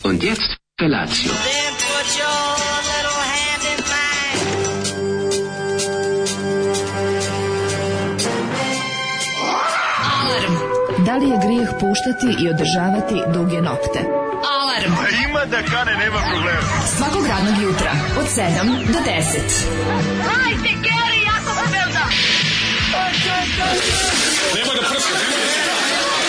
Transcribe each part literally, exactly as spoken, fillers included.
Und jetzt Felatio. Then put your little hand in mine. Alarm. Da li je grijeh puštati i održavati duge nokte? Alarm. A ima da kane, nema problema. Svakog radnog jutra od sedam do deset. Hajde, Geri, jako se velda. Nema da prska, nema da prska.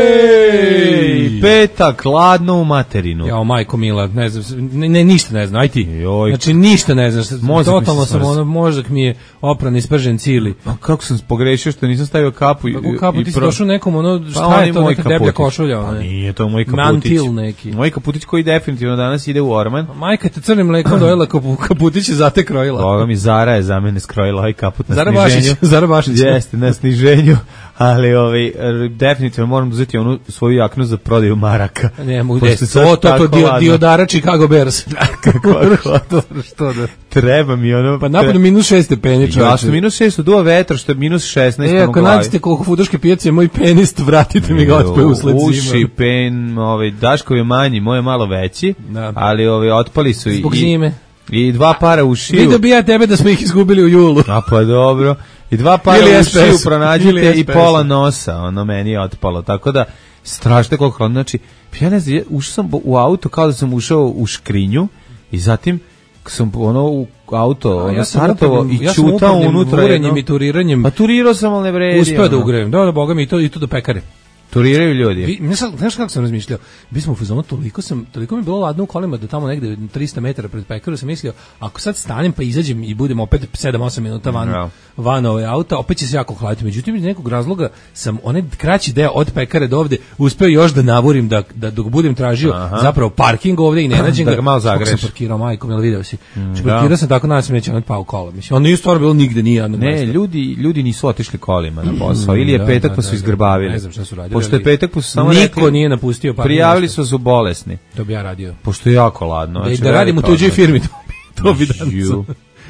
Ej, petak, ladno u materinu. Jao, majko mila, ne znam, ne, ne ništa ne znam, aj ti. Joj. Znači ništa ne znam, Mozak mi totalno se sam smrzi. ono, mozak mi je opran i spržen cili. A kako sam pogrešio što nisam stavio kapu i, Kako kapu, i ti si pro- došao nekom, ono, Pa šta on je to, moj neka deblja kaputić. košulja? Pa Ono, nije to moj kaputić. Mantil neki. Moj kaputić koji definitivno danas ide u orman. Majka te crnim mlekom dojela, kapu, kaputić je zate krojila. Boga mi, Zara je za mene skrojila ovaj kaput na Zara sniženju. Bašić, Zara Bašić. Jeste, na sniženju. Ali ovaj, r- definitivno moram uzeti onu svoju jaknu za prodaju maraka. Ne, mogu Pošto desiti. sad To, to, to, tako dio, ladno. Diodara Chicago Bears. Kako što, što da? Treba mi ono... Pa napolju minus šest stepeni, Ja što minus šest, duva vetra, što je minus šesnaest. E, ako nađete koliko fuduške pijace, moj penist, vratite mi ga otpe usled Uši, zima. pen, ovaj, Daškov je manji, moj je malo veći, Da. ali ovaj, otpali su i... Zbog zime. I dva para ušiju. Vidio bi ja tebe da smo ih izgubili u julu. A pa dobro. I dva para Ili ušiju S P S. pronađite Ili i S P S. pola nosa, ono meni je otpalo. Tako da, strašno koliko hladno. Znači, ja ne znam, ja ušao sam u auto kao da sam ušao u škrinju i zatim sam ono u auto ono, Ja sam startovao upornim- i ja sam čutao upornim unutra. urenjem jedno- i turiranjem Pa turirao sam, ali ne vredi. uspeo da ono. ugrejem. Da, da, boga mi, i to, i to do pekare. Turiraju ljudi. Vi, ne sad, znaš kako sam razmišljao? Mi smo u fazonu, toliko sam, toliko mi je bilo ladno u kolima da tamo negde tristo metara pred pekaru sam mislio, ako sad stanem pa izađem i budem opet sedam osam minuta van, Da. van ove auta, opet će se jako hladiti. Međutim, iz nekog razloga sam onaj kraći deo od pekare do ovde uspeo još da navurim da, da dok budem tražio Aha. zapravo parking ovde i ne nađem Da ga. ga malo Kako zagreješ. sam parkirao, majko, jel video si? Znači, da. parkirao sam tako, nadam se neće on pao kola. Mislim, on nije stvarno bilo nigde, nije jednog Ne, mesta. ljudi, ljudi nisu otišli kolima na posao. Ili je Da, petak da, pa su da, izgrbavili. ne znam šta su radili, Pošto je ali petak pa su samo niko rekli, nije napustio parking prijavili mesta. su da su bolesni. To bi ja radio. Pošto je jako ladno. Da, Znači, da radim u velika tuđoj odmah. firmi, to bi, to bi danas. Ju.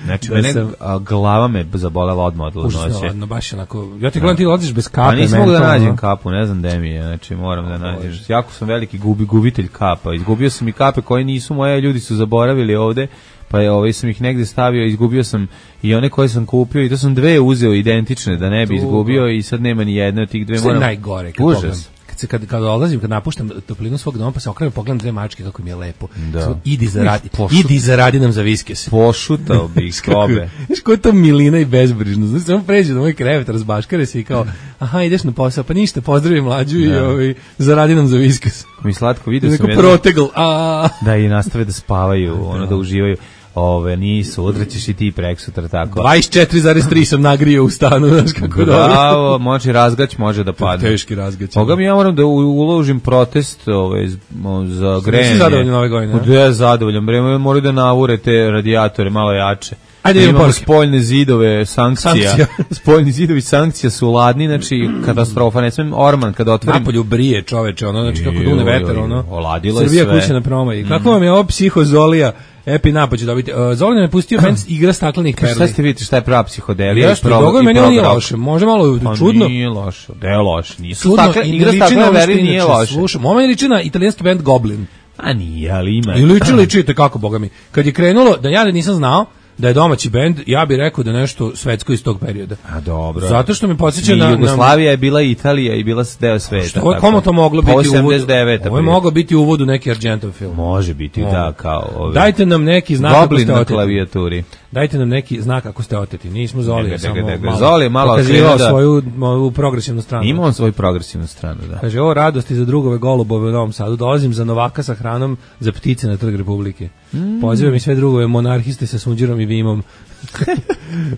Znači, Da mene sam- a, glava me zabolela odmah od Užasno ladnoće. ladno, baš onako. Ja ti gledam, ti odliš bez kape. A nisam mogu da mentalno. nađem kapu, ne znam gde mi je, znači moram da nađem. Jako sam veliki gubi, gubitelj kapa. Izgubio sam i kape koje nisu moje, ljudi su zaboravili ovde, pa je ovaj sam ih negde stavio, izgubio sam i one koje sam kupio i to sam dve uzeo identične da ne bi Tuga. izgubio i sad nema ni jedne od tih dve. Sve Moram... najgore kad Užas. pogledam. Kad se kad kad odlazim, kad napuštam toplinu svog doma, pa se okrenem, pogledam dve mačke kako mi je lepo. Da. Samo, idi zaradi, Pošut- idi zaradi nam za viskes. Pošutao bih obe. Znaš koja je to milina i bezbrižno. Znaš, samo pređe na moj krevet, razbaškare se i kao, aha, ideš na posao, pa ništa, pozdravi mlađu i Da. ovaj, zaradi nam za viskes. Mi slatko vidio Neko sam jedno, protegl, a da i nastave da spavaju, ono da uživaju. Ove, nisu, odraćeš i ti preksutra tako. dvadeset četiri zarez tri sam nagrio u stanu, znaš kako dobro. Bravo, može razgać, može da padne. Teški razgać. Boga mi, ja moram da u- uložim protest ovaj, z- mo- za grejanje. Nisi zadovoljan ove godine, a? Gde je zadovoljan? Bre, moraju da navure te radijatore malo jače. Ajde, idemo Imamo poruke. spoljne zidove sankcija. Sankcija. Spoljni zidovi sankcija su ladni, znači katastrofa. Ne smem Orman kada otvorim. Napolju brije čoveče, ono, znači kako Joj, dune joj, vetar, joj, ono. oladilo je Srbija sve. kuća na promaji. Kako vam je ovo psihozolija? Epi napad ću dobiti. Uh, Zolin me pustio band igra staklenih perli. Šta ste vidite, šta je prava psihodelija? Jeste, i pro- dogovor i meni ovo nije prog rock? loše. Može malo Pa čudno. nije loše. Da je loše. Nisu Čudno stakle, i igra ne liči na staklene ono što perli nije inače loše. slušam. Ovo meni liči na italijanski band Goblin. A nije, ali ima. I liči, liči, te kako, boga mi. Kad je krenulo, da ja da nisam znao da je domaći bend, ja bih rekao da nešto svetsko iz tog perioda. A dobro. Zato što me podsjeća I na... na Jugoslavija je bila Italija i bila deo sveta. Što je tako. komu to moglo Pa biti uvod? osamdeset deveta Ovo je prije. moglo biti uvod u neki Argentov film. Može biti, Može. da, kao ovi. Dajte nam neki znak ako Goblin ste na oteti. klavijaturi. Dajte nam neki znak ako ste oteti. Nismo Zoli, Dega, samo dega, dega. malo. Zoli je malo pokazivao okrenuo da- svoju ovu progresivnu stranu. Ima on svoju progresivnu stranu, da. Kaže, ovo radosti za drugove golubove u Novom Sadu. Dolazim za Novaka sa hranom za ptice na Trg Republike. Mm. Pozivam i sve drugove monarhiste sa sunđerom i vimom.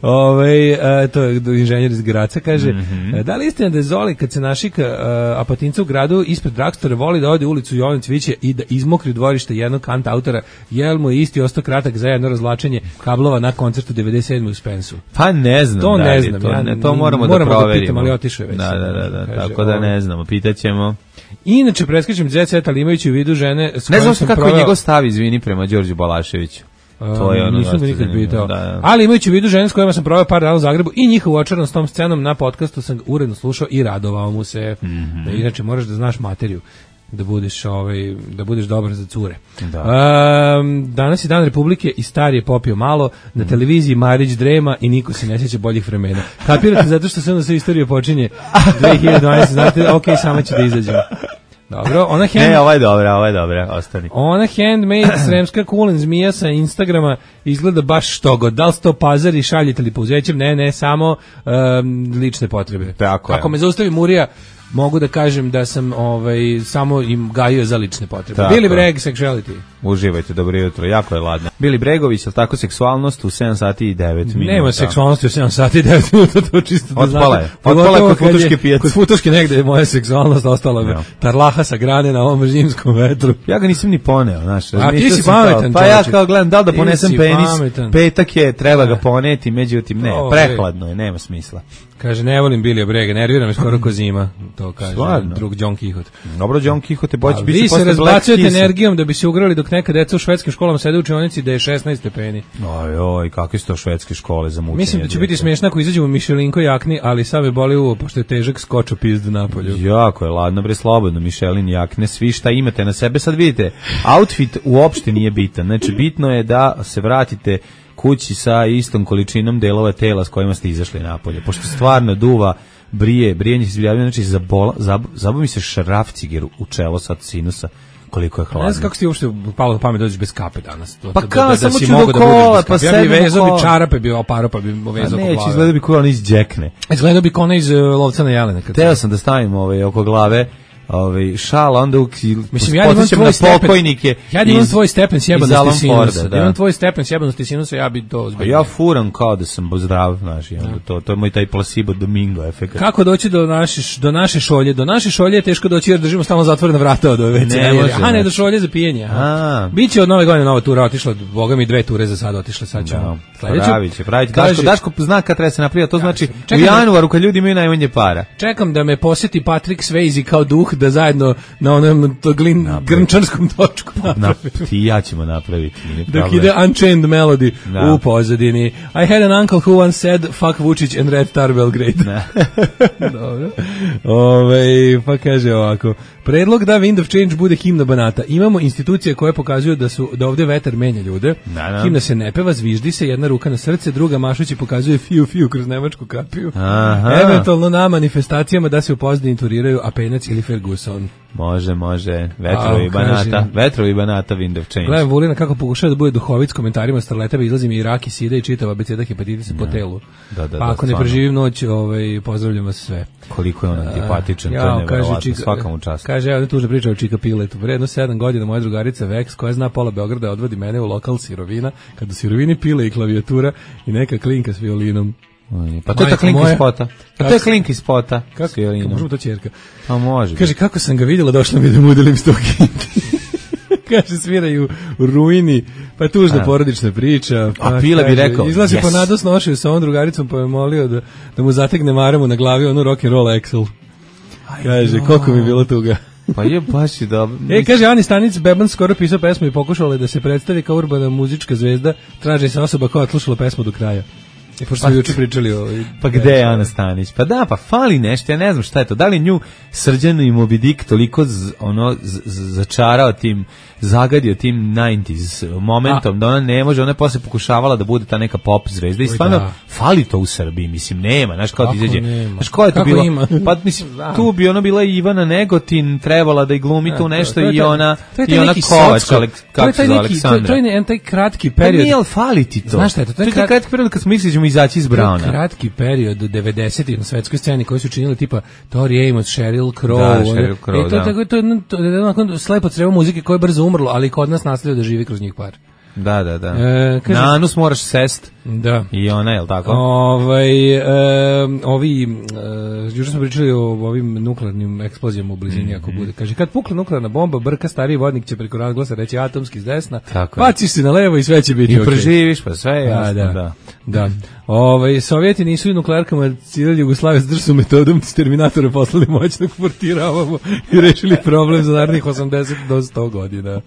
Ove, e, to je inženjer iz Graca, kaže, Mhm. e, da li istina da je Zoli kad se našika e, Apatinca u gradu ispred Dragstora voli da ode u ulicu Jovan Cviće i da izmokri dvorište jednog kanta autora, jel mu je isti ostao kratak za jedno razvlačenje kablova na koncertu devedeset sedme u Spensu? Pa ne znam. To da ne li znam, To, ja ne, to ni- moramo, moramo da da proverimo. pitam, ali otišao je već Da, sad, da, da, da, kaže, tako da ovo- ne znamo, pitaćemo. Inače, preskačem Jet Set, ali imajući u vidu žene s Ne kojom znam sam kako je proveo- njegov stav, izvini, prema Đorđu Balaševiću. To je ono nisam ga dosta nikad pitao. Da, da. Ali imajući u vidu žene s kojima sam proveo par dana u Zagrebu i njihovu očaranost s tom scenom na podcastu sam uredno slušao i radovao mu se. Mhm. Da, inače moraš da znaš materiju da budeš ovaj da budeš dobar za cure. Da. Um, danas je Dan Republike i star je popio malo, na televiziji Marić drema i niko se ne sjeća boljih vremena. Kapirate zato što se onda sve istorija počinje dve hiljade dvanaeste. Znate, ok, samo će da izađemo. Dobro, ona hand... Ne, ovo je dobra, ovo je dobra, ostani. Ona handmade sremska kulen zmija sa Instagrama izgleda baš što god. Da li se to pazari, šaljete li pouzećem? Ne, ne, samo um, lične potrebe. Tako je. Ako me zaustavi Murija, mogu da kažem da sam ovaj samo im gajio za lične potrebe. Tako. Billy Bragg, sexuality. Uživajte, dobro jutro, jako je ladno. Bili Bregović, ali tako seksualnost u sedam sati i devet minuta. Nema seksualnosti u sedam sati i devet minuta, to čisto da Otpala znate. je. Otpala je kod futuške pijace. Kod futuške negde je moja seksualnost ostala me. Ja. Tarlaha sa grane na ovom zimskom vetru. Ja ga nisam ni poneo, znaš. A ti si sam pametan, kao, pa ja čovječe. kao gledam da li da Ti ponesem si penis, pametan. petak je, treba ga poneti, međutim ne, O, prehladno je, nema smisla. Kaže, ne volim Billy Bragga, nervira me skoro ko zima. To kaže Stvarno? drug John Quixote. Dobro, John Quixote, A boći biti vi se posle Black razbacujete Kissa. energijom da bi se ugrali dok neka deca u švedskim školama sede u učionici da je šesnaest stepeni. Oj, oj, kakve su to švedske škole za mučenje. Mislim da će djece. biti smiješno ako izađemo u Mišelinko jakni, ali sad me boli uvo, pošto je težak skočo pizdu napolju. Jako je ladno, bre, slobodno, Michelin jakne, svi šta imate na sebe. Sad vidite, outfit uopšte nije bitan. Znači, bitno je da se vratite kući sa istom količinom delova tela s kojima ste izašli napolje. Pošto stvarno duva, brije, brijenje se izbljavljaju, znači, zabola, zab, zabo mi se šraf cigeru u čelo sad sinusa, koliko je hladno. Ne znam kako si ti uopšte palo na pamet dođeš bez kape danas. To, Pa da- kao, da, da samo si ću mogao do da budeš kola, bez kape. pa Ja bi sedem u vezao bi kola. čarape, bi oparo, pa bi A vezao neće, glave. izgleda bi kao on iz džekne. Izgledao bi kao ona iz uh, Lovca na Jelene. Kad Teo sam da stavim ovaj, oko glave ovaj, šal, onda uk, Mislim, ja da imam podsjećam tvoj na stepen, pokojnike. ja da imam iz- tvoj stepen iz sjebanosti Alan sinusa. Forda, Da da. imam tvoj stepen sjebanosti sinusa, ja bi to A ozbiljno. ja furam kao da sam zdrav, znaš, i onda to, to je moj taj placebo domingo efekt. Kako doći do naše, do naše šolje? Do naše šolje je teško doći jer držimo stalno zatvorena vrata od ove ve ce. Ne može, Aha, ne, znači. do šolje za pijenje. aha. A. Biće od nove godine nova tura otišla, boga mi dve ture za sad otišle, sad ćemo. Da, Sledeću. pravi će, pravi će. Kaže- Daško, Daško zna kad treba se napraviti, to znači Čekaj u da- januaru kad ljudi imaju najmanje para. Čekam da me posjeti Patrick Swayze kao duh da zajedno na onom to glin, grnčarskom točku Na, napravi. ti i ja ćemo napraviti. Nije Dok problem. ide Unchained Melody Da. u pozadini. I had an uncle who once said fuck Vučić and Red Star Belgrade. Dobro. Ove, pa kaže ovako. Predlog da Wind of Change bude himna Banata. Imamo institucije koje pokazuju da su da ovde vetar menja ljude. Da, da. Himna se ne peva, zviždi se, jedna ruka na srce, druga mašući pokazuje fiu fiu kroz nemačku kapiju. Aha. Eventualno na manifestacijama da se u pozadini turiraju Apenac ili Ferguson. Može, može. Vetrovi A, Banata. kaže- Vetrovi Banata, Wind of Change. Gledam Vulina kako pokušava da bude duhovit s komentarima starleteva, izlazi mi i rak i sida i čitava abeceda hepatitisa po telu. Da, da, Pa da, ako ne stvarno. preživim noć, ovaj, pozdravljam vas sve. Koliko je on antipatičan, to je Jao, nevjerovatno, Čika- svaka mu čast. Kaže, evo tužna priča o Čika Piletu. Vredno sedam godina moja drugarica Vex, koja zna pola Beograda, odvodi mene u lokal sirovina, kad u sirovini pile i klavijatura i neka klinka s violinom. Pa to je ta Majko klinka moja. iz spota. Pa Kako to je se- klinka iz spota. Kako, s violinom. možemo to ćerka. Pa može. Kaže, kako sam ga vidjela, došla mi da mu udelim sto kinti. Kaže, sviraju u ruini, pa je tužna A. porodična priča. Pa, A Pile bi kaže, rekao, izlazi yes. po nados nošaju sa ovom drugaricom, pa je molio da, da mu zategne maramu na glavi onu rock and roll Excel. Kaže, koliko mi je bilo tuga. Pa je baš i dobro. E, kaže, Ani Stanic Beban skoro pisao pesmu i pokušala je da se predstavi kao urbana muzička zvezda, traži se osoba koja je odslušala pesmu do kraja. I pošto smo juče pričali o... Pa gde je Ana Stanić? Pa da, pa fali nešto, ja ne znam šta je to. Da li nju Srđan i Moby Dick toliko z, ono, z, z, začarao tim, zagadio tim devedesetih momentom, A. da ona ne može, ona je posle pokušavala da bude ta neka pop zvezda i Oj, stvarno da. fali to u Srbiji, mislim, nema, znaš kao ti Kako izađe. nema? Znaš ko je to Kako bilo? ima? Pa mislim, Da. tu bi ono bila Ivana Negotin, trebala da i glumi tu to- nešto to je i taj- ona, to je taj i ona neki Kovač, socko- Alek, to je kako se taj zove, neki- Aleksandra. To, to je jedan taj kratki Pa period. nije, ali fali ti to. Znaš šta je to? To je To je krat- kratki period kad smo mislili da ćemo izaći iz To je Brauna. kratki period devedesetih na svetskoj sceni koji su činili tipa Tori Amos, Sheryl Crow. Da, one- Sheryl Crow, e, to, da. tako, to, je jedno- to je onako slepo crevo muzike koje je brzo umrlo, ali kod nas nastavio da živi kroz njih par. Da, da, da. E, kaže- Na anus moraš sest. Da. I ona, je li tako? Ovaj, e, ovi, e, juče smo pričali o ovim nuklearnim eksplozijama u blizini, mm -hmm. ako bude. Kaže, kad pukla nuklearna bomba, brka stariji vodnik će preko razglasa reći atomski s desna, baciš se na levo i sve će biti okej. I preživiš, pa sve je jasno, da. da. da. Ovaj, Sovjeti nisu i nuklearkama ciljali Jugoslavije s drsu metodom, s Terminatora poslali moćnog portiravamo i rešili problem za narednih osamdeset do sto godina.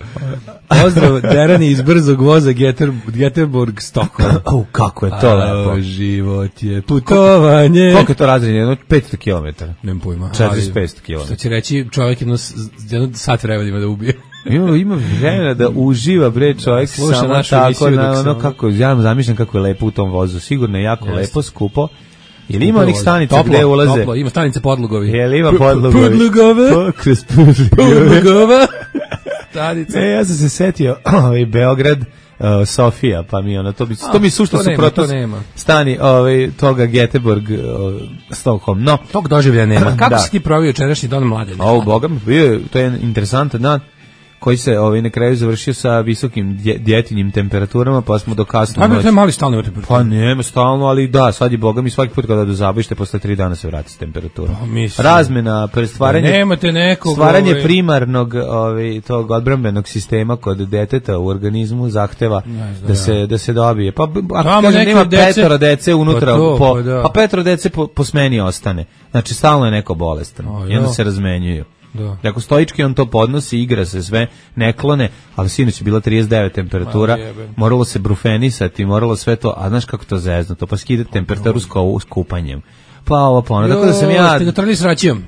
Pozdrav, Derani iz brzog voza Geter, Geterborg, Stockholm. Oh, kako je to lepo. Život je putovanje. Koliko je to razrednje? Jedno petsto kilometara. Nemam pojma. četristo petsto kilometara. Što će reći čovjek jedno, jedno sat vremena da ubije. Ima, ima vremena da uživa, bre, čovjek Sluša samo tako, na, ono, sam... kako, ja zamišljam kako je lepo u tom vozu, sigurno je jako Jeste. lepo, skupo. Ili ima onih stanica toplo, gde ulaze? Toplo, ima stanice podlogovi. Jel ima podlogovi? Podlogove? Po, kroz podlogove. Podlogova? Stanice. E, ja sam se setio, ovaj, Beograd, uh, Sofija, pa mi ono, to, bi, A, to mi sušto to suprotno stani ovaj, toga Göteborg, uh, Stockholm. No. Tog doživlja nema. Kako da. si ti provio jučerašnji dan mlade? O, Boga mi, bio, to je interesantan dan koji se ovaj na kraju završio sa visokim dje, djetinjim temperaturama, pa smo do kasno noći. Pa je mali stalno temperatura. Pa nema stalno, ali da, sad je Boga mi svaki put kada do zabavište posle tri dana se vrati s temperatura. Pa, razmena, stvaranje, nemate nekog, stvaranje ovaj... primarnog ovaj, tog odbrambenog sistema kod deteta u organizmu zahteva da, da se da se dobije. Pa ako kaže nema petoro dece unutra, pa, to, po, pa, da. pa petoro dece po, po smeni ostane. Znači stalno je neko bolestan. O, I onda se razmenjuju. Da. Ako stoički on to podnosi, igra se sve, ne klone, ali sinoć je bila trideset devet temperatura, moralo se brufenisati, moralo sve to, a znaš kako to zezno, to pa skida temperaturu s kupanjem. Pa ovo pa ono, tako da sam ja... Ste ga trali s račijom?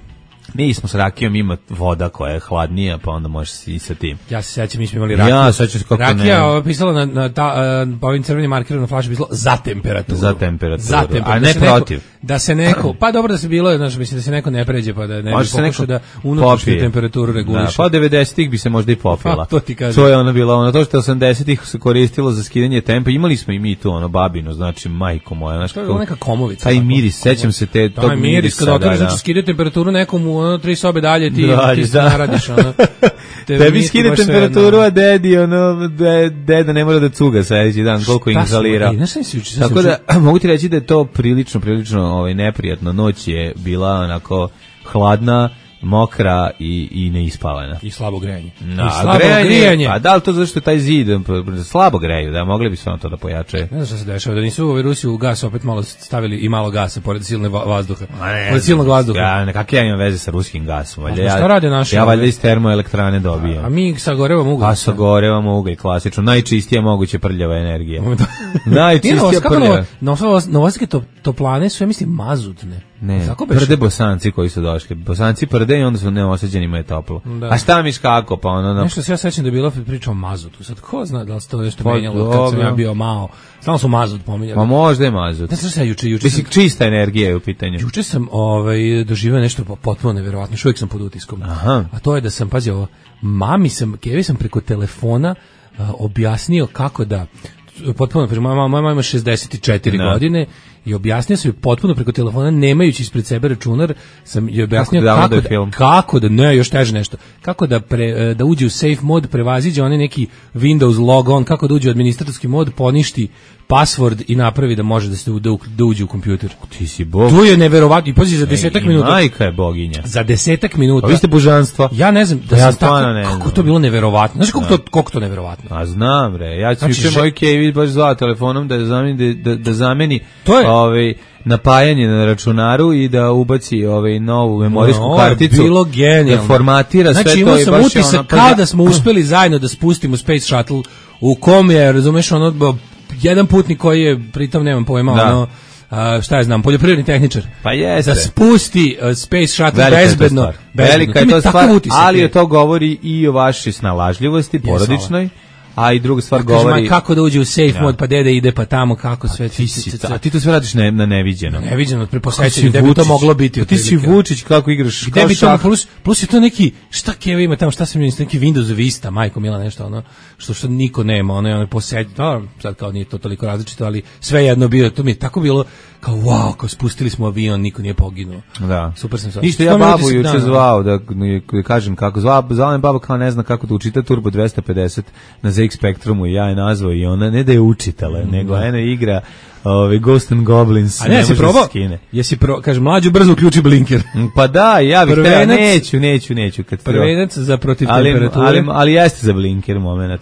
Mi smo s rakijom, ima voda koja je hladnija, pa onda možeš i sa tim. Ja se sećam, mi smo imali rakiju. Ja sećam se kako ne. Rakija pisala na, na ta, uh, po ovim crvenim markerom na flaši pisalo za temperaturu. Za temperaturu, za temperaturu. A ne da protiv. Neko, da se neko, pa dobro da se bilo, znaš, mislim da se neko ne pređe, pa da ne bi pokušao da unutrašnju temperaturu reguliše. Da, pa devedesetih bi se možda i popila. Pa, to ti kažem. To je ono bilo, ono, to što osamdesetih se koristilo za skidanje tempa, imali smo i mi tu, ono, babino, znači, majko moja, znaš, to je neka komovica. Taj miris, sećam se te, tog mirisa. Taj miris, kada otvoriš, znači, skidaju temperaturu nekom u ono, tri sobe dalje, ti, ti se naradiš, ono. Tebi skide temperaturu, a dedi, ono, deda ne mora da cuga sledeći dan, koliko inhalira. Tako da, mogu ti reći da je to prilično, prilično ovaj, neprijatno. Noć je bila onako hladna, mokra i, i neispavana. I slabo grejanje. No, I slabo grejanje, grijanje. A da li to zašto je taj zid slabo greju, da mogli bi sve to da pojačaju? Ne znam što se dešava, da nisu u Rusi u gas opet malo stavili i malo gasa pored silne vazduha. Pored silnog vazduha. Ja, nekak ja imam veze sa ruskim gasom. A šta rade naše? Ja valjda iz termoelektrane dobijem. A mi sagorevamo ugalj. A sagorevamo ugalj, klasično. Najčistija moguće prljava energija. Najčistija prljava. Novosadske toplane su, ja mislim, mazutne. Ne, prde Bosanci koji su došli. Bosanci prde i onda su neosađenima je toplo. Da. A šta miš kako? Pa ono, no... Nešto se ja sećam da je bila priča o mazutu. Sad ko zna da li se to nešto pa, menjalo kad sam ja bio malo. Samo su mazut pominjali. Pa možda je mazut. Ne znam se ja juče, juče sam... čista energija je u pitanju. Juče sam ovaj, doživio nešto potpuno neverovatno. Još uvijek sam pod utiskom. Aha. A to je da sam, pazi ovo, mami sam, Kevi sam preko telefona uh, objasnio kako da potpuno, moja mama, mama ima šezdeset četiri no. godine i objasnio sam joj potpuno preko telefona, nemajući ispred sebe računar, sam joj objasnio kako, kako, da, film. kako da, ne, još teže nešto, kako da, pre, da uđe u safe mod, prevaziđe onaj neki Windows logon, kako da uđe u administratorski mod, poništi password i napravi da može da se da, da uđe u kompjuter. Ti si bog. To je neverovatno. I pazi za desetak minuta. Majka je boginja. Za desetak minuta. A vi ste božanstva. Ja ne znam, da ja sam tako, ne kako to bilo neverovatno. Znaš kako to, koliko to neverovatno? A znam, bre. Ja ću znači, juče moj Kevi baš zvao telefonom da zameni, da, da zameni to je. Ovaj, napajanje na računaru i da ubaci ovaj novu memorijsku no, karticu. Bilo genijalno. Da formatira znači, sve to i baš utisak je ono... kao da smo uspeli zajedno da spustimo Space Shuttle u kom je, razumeš, ono... jedan putnik koji je, pritom nemam pojma, da. ono, a, šta ja znam, poljoprivredni tehničar. Pa jeste. Da spusti uh, Space Shuttle velika bezbedno. Je Velika je to stvar, ali je to govori i o vašoj snalažljivosti, porodičnoj. A i druga stvar ja, govori... Kažem, kako da uđe u safe ja. mod, pa dede ide, pa tamo, kako sve... A ti, si, a ti to sve radiš ne, na neviđeno. Na neviđeno, preposećenju, gde bi to moglo biti. A ti si Vučić, kako igraš, gde bi to, plus, plus je to neki, šta Keva ima tamo, šta sam imao, neki Windows Vista, majko mila, nešto, ono, što što niko nema, ono je ono posećenje, no, sad kao nije to toliko različito, ali sve jedno bio, to mi je tako bilo, kao wow, kao spustili smo avion, niko nije poginuo. Da. Super sam sad. Ništa, ja babu juče zvao da, da kažem kako zvao, zvao me baba kao ne zna kako da učita Turbo dvesta pedeset na Z X Spectrumu i ja je nazvao i ona ne da je učitala, mm, nego ena igra Ove Ghost and Goblins. A ne, jesi probao? Jesi pro, kaže mlađu brzo uključi blinker. Pa da, ja bih htio, neću, neću, neću kad prvenac za protiv ali, temperature. Ali, ali jeste za blinker momenat.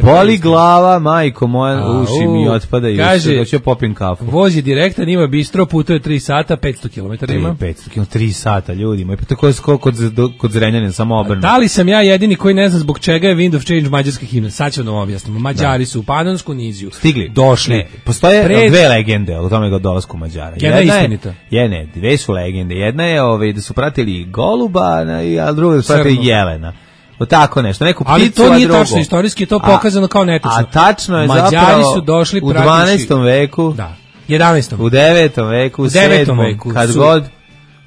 Boli glava, majko moja, A, uši mi otpada i kaže, da ću popim kafu. Voz je direktan, ima bistro, putuje tri sata, petsto kilometara ima. petsto kilometara, tri sata, ljudi moji. Pa tako je kod, kod, kod Zrenjanina, samo obrnuto. Da li sam ja jedini koji ne zna zbog čega je Wind of Change mađarska himna? Sad ću da vam objasnimo. Mađari da. su u Panonsku niziju stigli, došli. Ne, postoje pred... dve legende o tome ga dolasku Mađara. Jedna, jedna je istinita. Je, ne, dve su legende. Jedna je ovaj, da su pratili Goluba, a druga da su pratili Jelena. O tako nešto, neku pticu, ali to nije drugo. Tačno, istorijski je to pokazano a, kao netačno. A tačno je Mađari zapravo su došli u dvanaestom veku, da, jedanaestom u devetom veku, u sedmom veku, kad god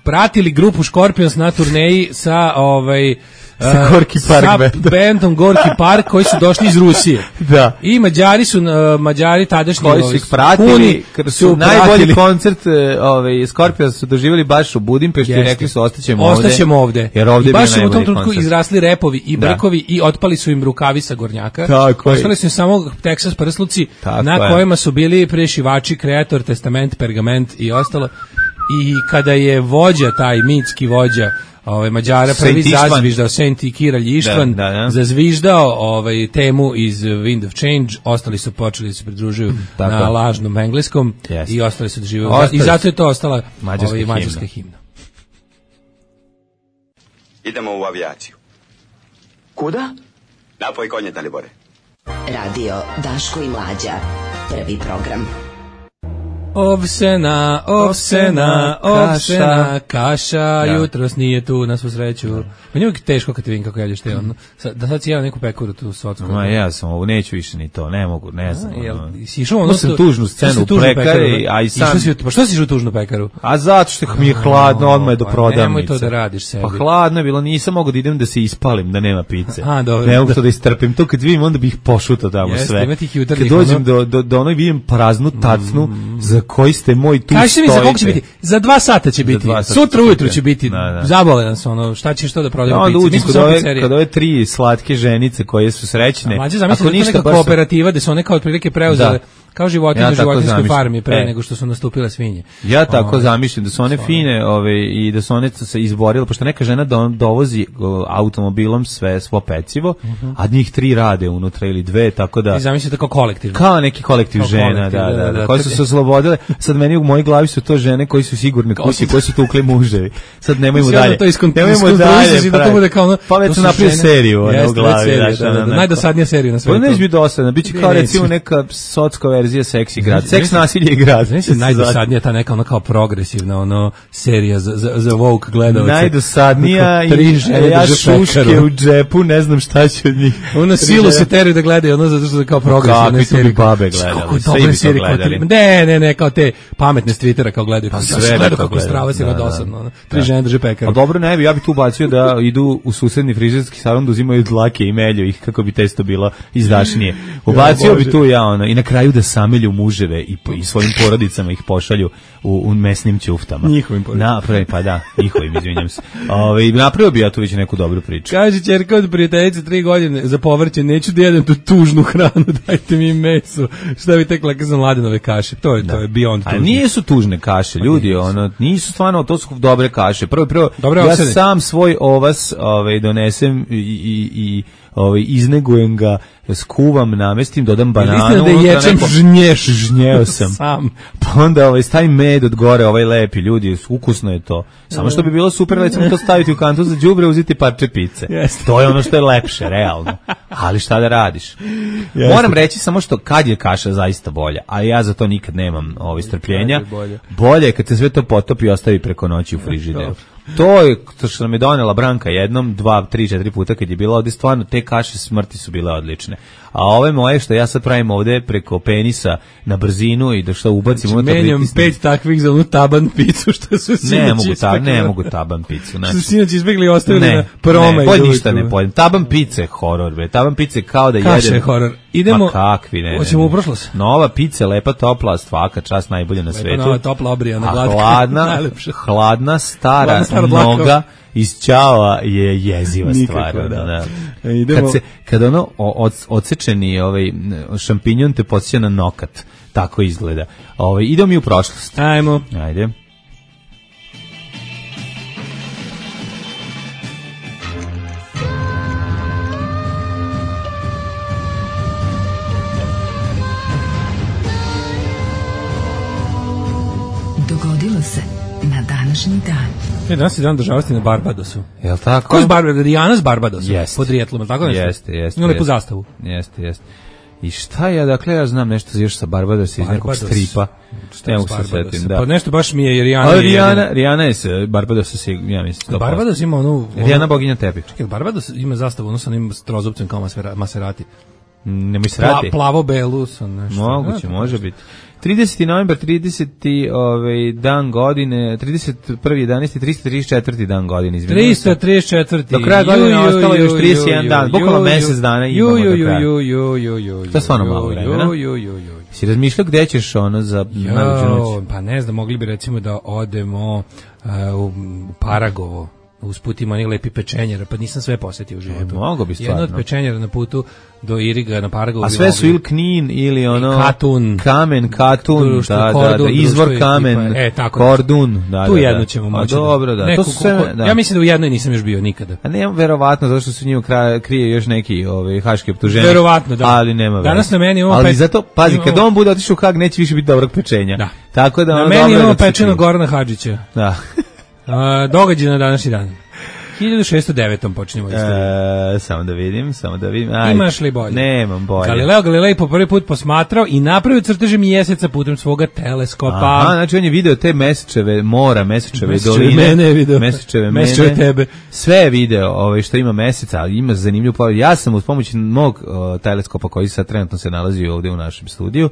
pratili grupu Scorpions na turneji sa ovaj sa Gorki Park sa bandom. bandom Gorki Park koji su došli iz Rusije. Da. I Mađari su uh, Mađari tadašnji koji su ih pratili, kada su, su najbolji pratili. Koncert ovaj Scorpions su doživjeli baš u Budimpešti i rekli su ostaćemo ovde. Ostaćemo ovde. Jer ovde I baš su u tom trenutku izrasli repovi i brkovi da. I otpali su im rukavi sa gornjaka. Ostali su im samo Texas prsluci tako na je. Kojima su bili prešivači, kreator, testament, pergament i ostalo. I kada je vođa, taj mitski vođa ovaj Mađara prvi zazviždao Saint Kiralj Ištvan, da, da, da. zazviždao ovaj temu iz Wind of Change, ostali su počeli da se pridružuju na lažnom engleskom yes. i ostali su da žive i zato je to ostala mađarska, ovaj, mađarska himna. himna. Idemo u avijaciju. Kuda? Napoj konje, Dalibore. Radio Daško i Mlađa. Prvi program. Ovsena, ovsena, ovsena, kaša, ja. Jutros nije tu, na svu sreću. Ja. Pa nije uvijek teško kad ti vidim kako jedeš te ono. Da sad si jeo neku pekuru tu socku. Ma ja sam ovo, neću više ni to, ne mogu, ne znam. A, jel, si išao ono... sam tužnu scenu u pekari, a i sam... Si, pa što si išao u tužnu pekaru? A zato što mi je hladno, odmah je do prodavnice. Nemoj to da radiš sebi. Pa hladno je bilo, nisam mogu da idem da se ispalim, da nema pice. A, dobro. Ne mogu to da istrpim, to kad vidim, onda bih pošutao tamo Jeste, sve. Kad dođem do, do, do onog vidim praznu tacnu, mm. za koji ste moj tu Kaži mi za koliko će biti? Za dva sata će biti. Sutra ujutru će biti. Da, da. Zabole nas ono. Šta ćeš to da prodajemo pice? Onda uđi kod ove, kod ove tri slatke ženice koje su srećne. Mlađe zamisli da je to neka kooperativa da su one kao otprilike preuzele kao životinje ja na životinjskoj farmi pre e. nego što su nastupile svinje. Ja tako ove, zamišljam da su one fine ove, i da su one se izborile, pošto neka žena do, dovozi automobilom sve svo pecivo, uh -huh. a njih tri rade unutra ili dve, tako da... I zamislite kao kolektiv. Kao neki kolektiv kao žena, kolektiv, da, da, da, da, koje su se oslobodile. Sad meni u mojoj glavi su to žene koji su sigurne kući, koji su tukli muževi. Sad nemojmo dalje. Nemojmo dalje. Pa već su napravili seriju u glavi. Najdosadnija serija na svetu. Pa neće biti dosadna, bit će kao recimo neka socka verzija Seksi grad. Seks, nasilje i grad. Znači, najdosadnija ta neka ono kao progresivna ono serija za, za, za woke gledalce. Najdosadnija i ja šuške u džepu, ne znam šta će od njih. Ono silu se teraju da gledaju, ono zato što je kao progresivne serije. Kakvi to bi babe gledali, sve bi to gledali. Ne, ne, ne, kao te pametne s Twittera kao gledaju. Pa sve gledaju kako strava si dosadno. Tri žene drže pekaru. A dobro, ne bi, ja bi tu ubacio da idu u susedni frizerski salon da uzimaju dlake i melju ih kako bi testo bilo izdašnije. Ubacio bi tu ja ono i na kraju da samelju muževe i, i svojim porodicama ih pošalju u, u mesnim ćuftama. Njihovim porodicama. Napravi, pa da, njihovim, izvinjam se. Ove, napravio bi ja tu već neku dobru priču. Kaže ćerka od prijateljice tri godine za povrće, neću da jedem tu tužnu hranu, dajte mi meso. Šta bi tekla kad sam mladenove kaše? To je, da. To je beyond tužne. A nisu tužne kaše, ljudi, nisu. Ono, nisu stvarno, to su dobre kaše. Prvo, prvo, dobre ja osede. Sam svoj ovas ovaj, donesem i, i, i ovaj, iznegujem ga, skuvam, namestim, dodam bananu. Da ječem žnješ. Žnjeo sam. Sam. Pa onda ovaj, stavim med od gore, ovaj lepi, ljudi, ukusno je to. Samo što bi bilo super, recimo to staviti u kantu za đubre, uzeti parče pice. Jeste. To je ono što je lepše, realno. Ali šta da radiš? Jeste. Moram reći samo što kad je kaša zaista bolja, a ja za to nikad nemam ovaj, strpljenja. Bolje. Bolje je kad se sve to potopi i ostavi preko noći u frižideru. To je to što nam je donela Branka jednom, dva, tri, četiri puta kad je bila ovde, stvarno te kaše smrti su bile odlične. A ove moje što ja sad pravim ovde preko penisa na brzinu i da što ubacim znači, unutra menjam pritisnem. Pet takvih za onu taban picu što su sinoć ne mogu ta, ne mogu taban picu. Znači, što su sinoć izbjegli i ostavili ne, na promaj. Ne, ništa ne pojedem. Taban pice je horor, bre. Taban pice kao da Kaše jedem. Kaše je horor. Idemo, Ma kakvi, ne. hoćemo u prošlost. Nova pizza, lepa, topla, svaka čast, najbolja na Lepa, svetu. nova, topla, obrijana, A glatka. hladna, Najlepša. hladna, stara, Hladna, stara noga iz ćala je jeziva Nikakva, stvar. da. Da. E, idemo- Kad, se, kad ono o- od, odsečeni ovaj, šampinjon te podsjeća na nokat, tako izgleda. Ovaj, idemo mi u prošlost. Ajmo. Ajde. Dogodilo se na današnji dan. E, danas je dan državnosti na Barbadosu. Jel tako? Ko je Barbados? Rijana s Barbadosa? Jeste. Pod rijetlom, je li tako nešto? Jeste, jeste. Ima lepu jeste. zastavu. Jeste, jeste. I šta ja, dakle, ja znam nešto još sa Barbadosa iz nekog Barbados. stripa. Šta Ne je mogu s se Barbadosa? setim, da. Pa nešto baš mi je Rijana. Ali je Rijana, jedina. Rijana je sa Barbadosa, sig- ja mislim. sto posto. Barbados ima onu... Rijana boginja tepića. Čekaj, Barbados ima zastavu, ono sa onim trozupcem kao Masera- Maserati. Nemoj Pla, srati. plavo-belu sa nešto. Moguće, Da, može biti. trideseti novembar, trideseti ovaj, dan godine, trideset prvi jedanaesti, trista trideset četvrti dan godine. izvinjavam se. trista trideset četvrti. Do kraja godine Ju, ju, ostalo još ju, trideset jedan ju, dan, ju, bukvalno ju, mesec dana ju, imamo ju, do ju, kraja. ju, ju, ju, ju, To je stvarno ju, malo ju, vremena. ju, ju, ju, ju. Si razmišljao gde ćeš ono za najluđu Jo, noć? pa ne znam, mogli bi recimo da odemo uh, u, u Paragovo. Usput ima onih lepi pečenjera, pa nisam sve posetio u životu. E, mogo bi Jedno od stvarno. pečenjera na putu do Iriga na Paragovu. A bi sve su mogli. ili Knin ili ono... Katun. Kamen, Katun, Društvo, da, da, Kordun, da, izvor društvo kamen, ekipa. E, tako Kordun, da, Tu da, jednu da. ćemo A moći. dobro, da. Neku To su sve, ko- da. Ja mislim da u jednoj nisam još bio nikada. A nema verovatno, zašto se u njima kra- krije još neki ovaj, haški optuženik. Verovatno, da. Ali nema veze. Danas na meni imamo Ali pet- zato, pazi, imamo- kad on bude otišao u Hag, neće više biti dobrog pečenja. Da. Tako da Na ono meni dobro je imamo da se pečeno krije. Gorana Hadžića. Da. A, događaj na današnji dan. hiljadu šesto devetom počinjemo istoriju. E, samo da vidim, samo da vidim. Ajde. Imaš li bolje? Nemam bolje. Galileo Galilei po prvi put posmatrao i napravio crteže mjeseca putem svoga teleskopa. Aha, znači on je video te mesečeve mora, mesečeve, Mesečeve doline. mene je video. Mesečeve mene. Mesečeve tebe. Sve je video ovaj, što ima meseca, ali ima zanimljivu pojavu. Ja sam uz pomoć mog uh, teleskopa koji sad trenutno se nalazi ovdje u našem studiju,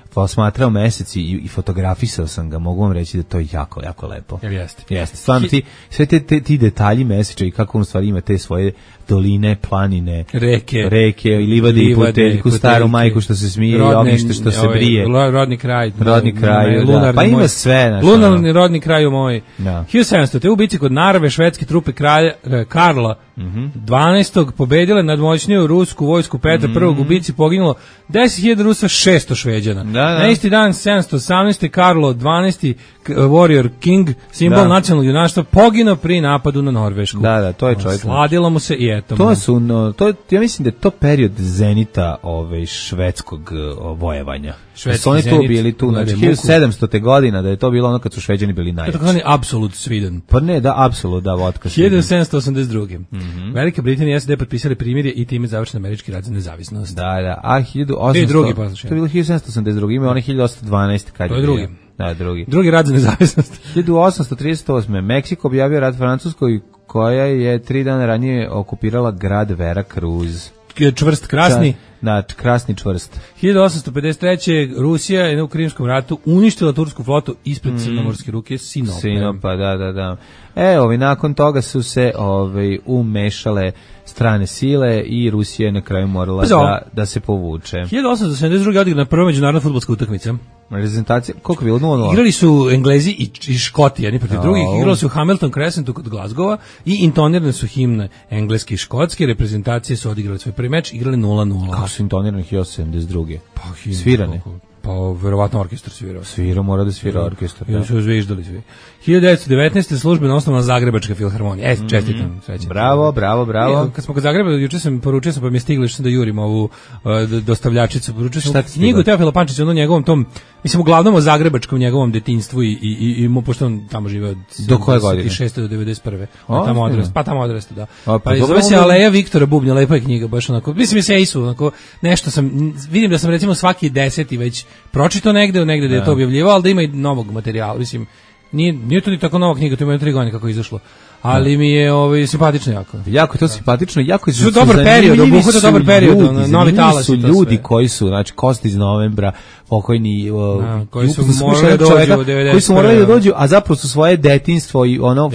posmatrao mesec i, i fotografisao sam ga, mogu vam reći da to je jako, jako lepo. Jel jeste? Jeste, stvarno ti, sve te, te, ti detalji meseče i kako on stvari ima te svoje doline, planine, Reke. reke i livade i Livade, puteljku, puteljke. staru majku što se smije i ognjište što se ovaj, brije. lo- rodni kraj. Rodni kraj, da. lunarni Pa ima moj- sve, znaš, Lunarni ono. rodni kraj moj. Da. hiljadu sedamsto. Te u bici kod Narve švedske trupe kralja e, Karla Mhm. dvanaestog pobedile nadmoćniju rusku vojsku Petra prvog u bici poginulo deset hiljada Rusa, šesto Šveđana. Da, da. Na isti dan sedamsto osamnaeste. Karlo dvanaesti k- Warrior King, simbol Da. nacionalnog junaštva, poginuo pri napadu na Norvešku. Da, da, to je čovjek. Sladilo mu se i eto. mu. To su, no, to, je- ja mislim da je to period zenita ovaj, švedskog uh, vojevanja. Švedski Da su oni tu zenit, bili tu, gledaj, znači muku. hiljadu sedamstote godina, da je to bilo ono kad su Šveđani bili To je najjači. takozvani Absolut Sweden. Pa ne, da, apsolutno, da, vodka. hiljadu sedamsto osamdeset druge. Mhm. Velika Britanija i S A D potpisali primirje i time završen američki rat za nezavisnost. Da, da, a hiljadu osamsto... I drugi, poslušaj. To je bilo hiljadu sedamsto osamdeset drugi, ima onaj hiljadu osamsto dvanaesti kad To je je bio. drugi. Da, drugi. Drugi rat za nezavisnost. hiljadu osamsto trideset osme. Meksiko objavio rat Francuskoj koja je tri dana ranije okupirala grad Veracruz. Čvrst krasni. Da, krasni čvrst. hiljadu osamsto pedeset treće. Rusija je u Krimskom ratu uništila tursku flotu ispred crnomorske ruke Sinope. Sinopa, da, da, da. E, ovi, nakon toga su se ovaj, umešale strane sile i Rusija je na kraju morala Pazi ovo. da, da se povuče. hiljadu osamsto sedamdeset druge. odigrana prva međunarodna fudbalska utakmica. Reprezentacija, koliko je bilo? nula nula? Igrali su Englezi i, i Škoti, jedni protiv Au. drugih. Igrali su u Hamilton Crescentu kod Glasgowa i intonirane su himne engleske i škotske. Reprezentacije su odigrali svoj prvi meč, igrali nula nula. Kako su intonirani hiljadu sedamdeset druge? Pa, himne, Svirane? koliko? Pa, verovatno orkestar svirao. Svira, mora da svira orkestar. I Da. da su zviždali svi. hiljadu devetsto devetnaeste. službeno osnovana Zagrebačka filharmonija. E, čestitam. Srećan. Bravo, bravo, bravo. E, Kad smo kod Zagreba, juče sam poručio sam, pa mi je stiglo što sam da jurim ovu uh, d- dostavljačicu. Poručio sam Šta ti stiglo? knjigu Teofila Pančića, ono njegovom tom, mislim, uglavnom o zagrebačkom njegovom detinjstvu i, i, i, i mu, pošto on tamo žive od Do koje godine? sedamdeset šeste do devedeset prve. O, Pa tamo ozbiljno. odrasta, pa tamo odrasta, da. A, pa Pa, i dobro, zove se onda- Aleja Viktora Bubnja, lepa je knjiga, baš onako, mislim, je se Isu, onako, nešto sam, n- vidim da sam recimo svaki deseti već pročito negde, negde da je to objavljivao, ali da ima i novog materijala, mislim, Nije, nije to ni tako nova knjiga, to ima tri godine kako je izašlo. Ali mi je ovaj simpatično jako. Jako je to simpatično, jako je su dobar period, obuhvata dobar period, ljudi, novi talas su ljudi koji su, znači Kosti iz novembra, pokojni a, koji su morali da dođu u devedesetoj koji su morali da dođu, a zapravo su svoje detinjstvo i ono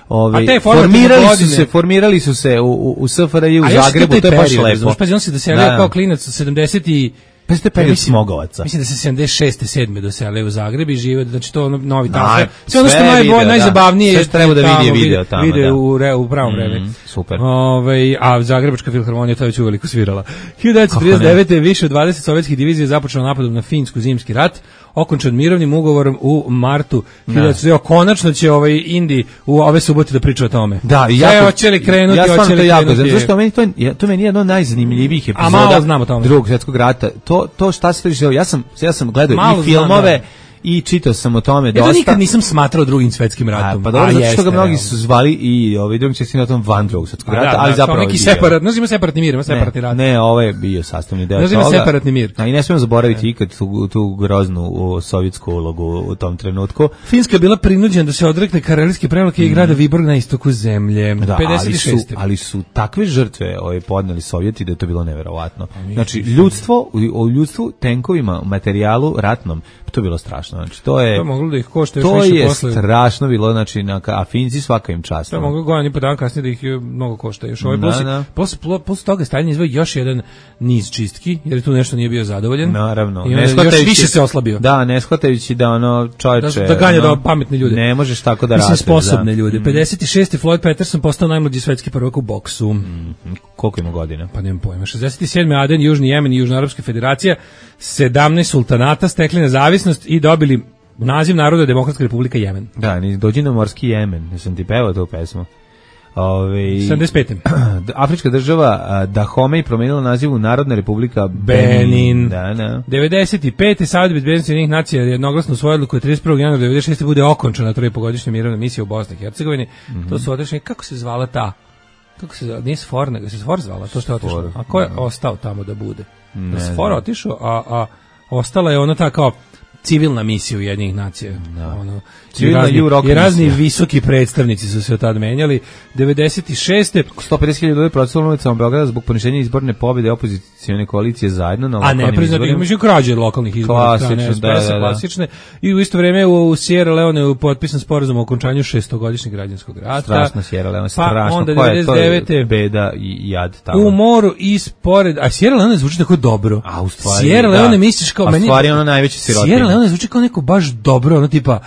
ovaj formirali su se, formirali su se u u, u S F R J u Zagrebu, to je baš lepo. Pa on se doselio kao klinac u sedamdeset i pa ste period Smogovaca. Mislim da se sedamdeset šeste sedme doselio u Zagreb i žive, znači to ono novi talas. Sve ono što je najbolje, najzabavnije je što treba da vidi video tamo. Video u re, u pravom vremenu. Super. Ovaj a Zagrebačka filharmonija to već uveliko svirala. hiljadu devetsto trideset devete više od dvadeset sovjetskih divizija započelo napadom na Finsku zimski rat, okončan mirovnim ugovorom u martu hiljadu devetsto. Konačno će ovaj Indi u ove subote da priča o tome. Da, ja ja hoće li krenuti, ja hoće li jako, zato što meni to to meni je jedno od najzanimljivijih epizoda Drugog svjetskog rata. To to šta se dešava. Ja sam ja sam gledao i filmove i čitao sam o tome dosta. Ja nikad nisam smatrao Drugim svetskim ratom. A, pa dobro, zato što ga mnogi su zvali i ovaj Drugim svetskim ratom van Drugog svetskog rata, da, ali da, zapravo neki separat, znači ima separatni mir, ima separatni rat. Ne, ovo je bio sastavni deo toga. Znači ima separatni mir. A i ne smemo zaboraviti ikad tu, tu groznu u, sovjetsku ulogu u tom trenutku. Finska je bila prinuđena da se odrekne Karelske prevlake mm. i grada Viborg na istoku zemlje. Da, pedeset šeste. Ali su, ali su takve žrtve ovaj, podneli Sovjeti da je to bilo neverovatno. Znači, ljudstvo, u ljudstvu, tenkovima, materijalu ratnom, to je bilo strašno. Znači, to je... To je moglo da ih košta još to više je posle. strašno bilo, znači, na, a Finci svaka im čast. To je moglo godin i po dan kasnije da ih mnogo košta. Još ovaj posle, posle, posle toga Stalin izveo još jedan niz čistki, jer tu nešto nije bio zadovoljen. Naravno. I onda još više se oslabio. Da, ne shvatajući da ono čovječe... Da, da ganja ono, da pametne ljude. Ne možeš tako da radiš. Mislim, sposobne da. ljude. pedeset šeste. Floyd Patterson postao najmlađi svetski prvak u boksu. Mm, koliko ima godina? Pa nemam pojma. šezdeset sedme. Aden, Južni Jemen i Južnoarapska federacija, sedamnaest sultanata stekli nezavisnost i dobili naziv Narodna demokratska republika Jemen. Da, ni dođi na morski Jemen. Ja sam ti pevao tu pesmu. Ove, sedamdeset pete. Afrička država Dahomey promenila naziv u Narodna republika Benin. Benin. Da, da. devedeset pete. Savjet bezbednosti Ujedinjenih nacija jednoglasno usvojio odluku da trideset prvog januara devedeset šeste. bude okončana trojpogodišnja mirovna misija u Bosni i Hercegovini. Mm-hmm. To su otišli, kako se zvala ta? Kako se zvala? Nije Sfor, nego se Sfor zvala, to što je otišlo. A ko je no. ostao tamo da bude? Da Sfor otišao, a, a ostala je ona ta kao civilna misija Ujedinjenih nacija. No. Ono, i razni, i razni visoki predstavnici su se od tad menjali. devedeset šeste. sto pedeset hiljada ljudi protestovalo na ulicama Beograda zbog poništenja izborne pobjede opozicione koalicije zajedno na lokalnim izborima. A ne priznati među krađe lokalnih izbora. Klasične, da, da, da. klasične. I u isto vrijeme u Sierra Leone je potpisan sporazum o okončanju šestogodišnjeg građanskog rata. Strašno Sierra Leone, strašno. Pa onda devedeset devete. Beda i jad tamo. U moru ispored, a Sierra Leone zvuči tako dobro. A u stvari, Sierra Leone misliš kao a meni. A stvari ono najveći sirotinja. Sierra Leone zvuči kao neko baš dobro, ono tipa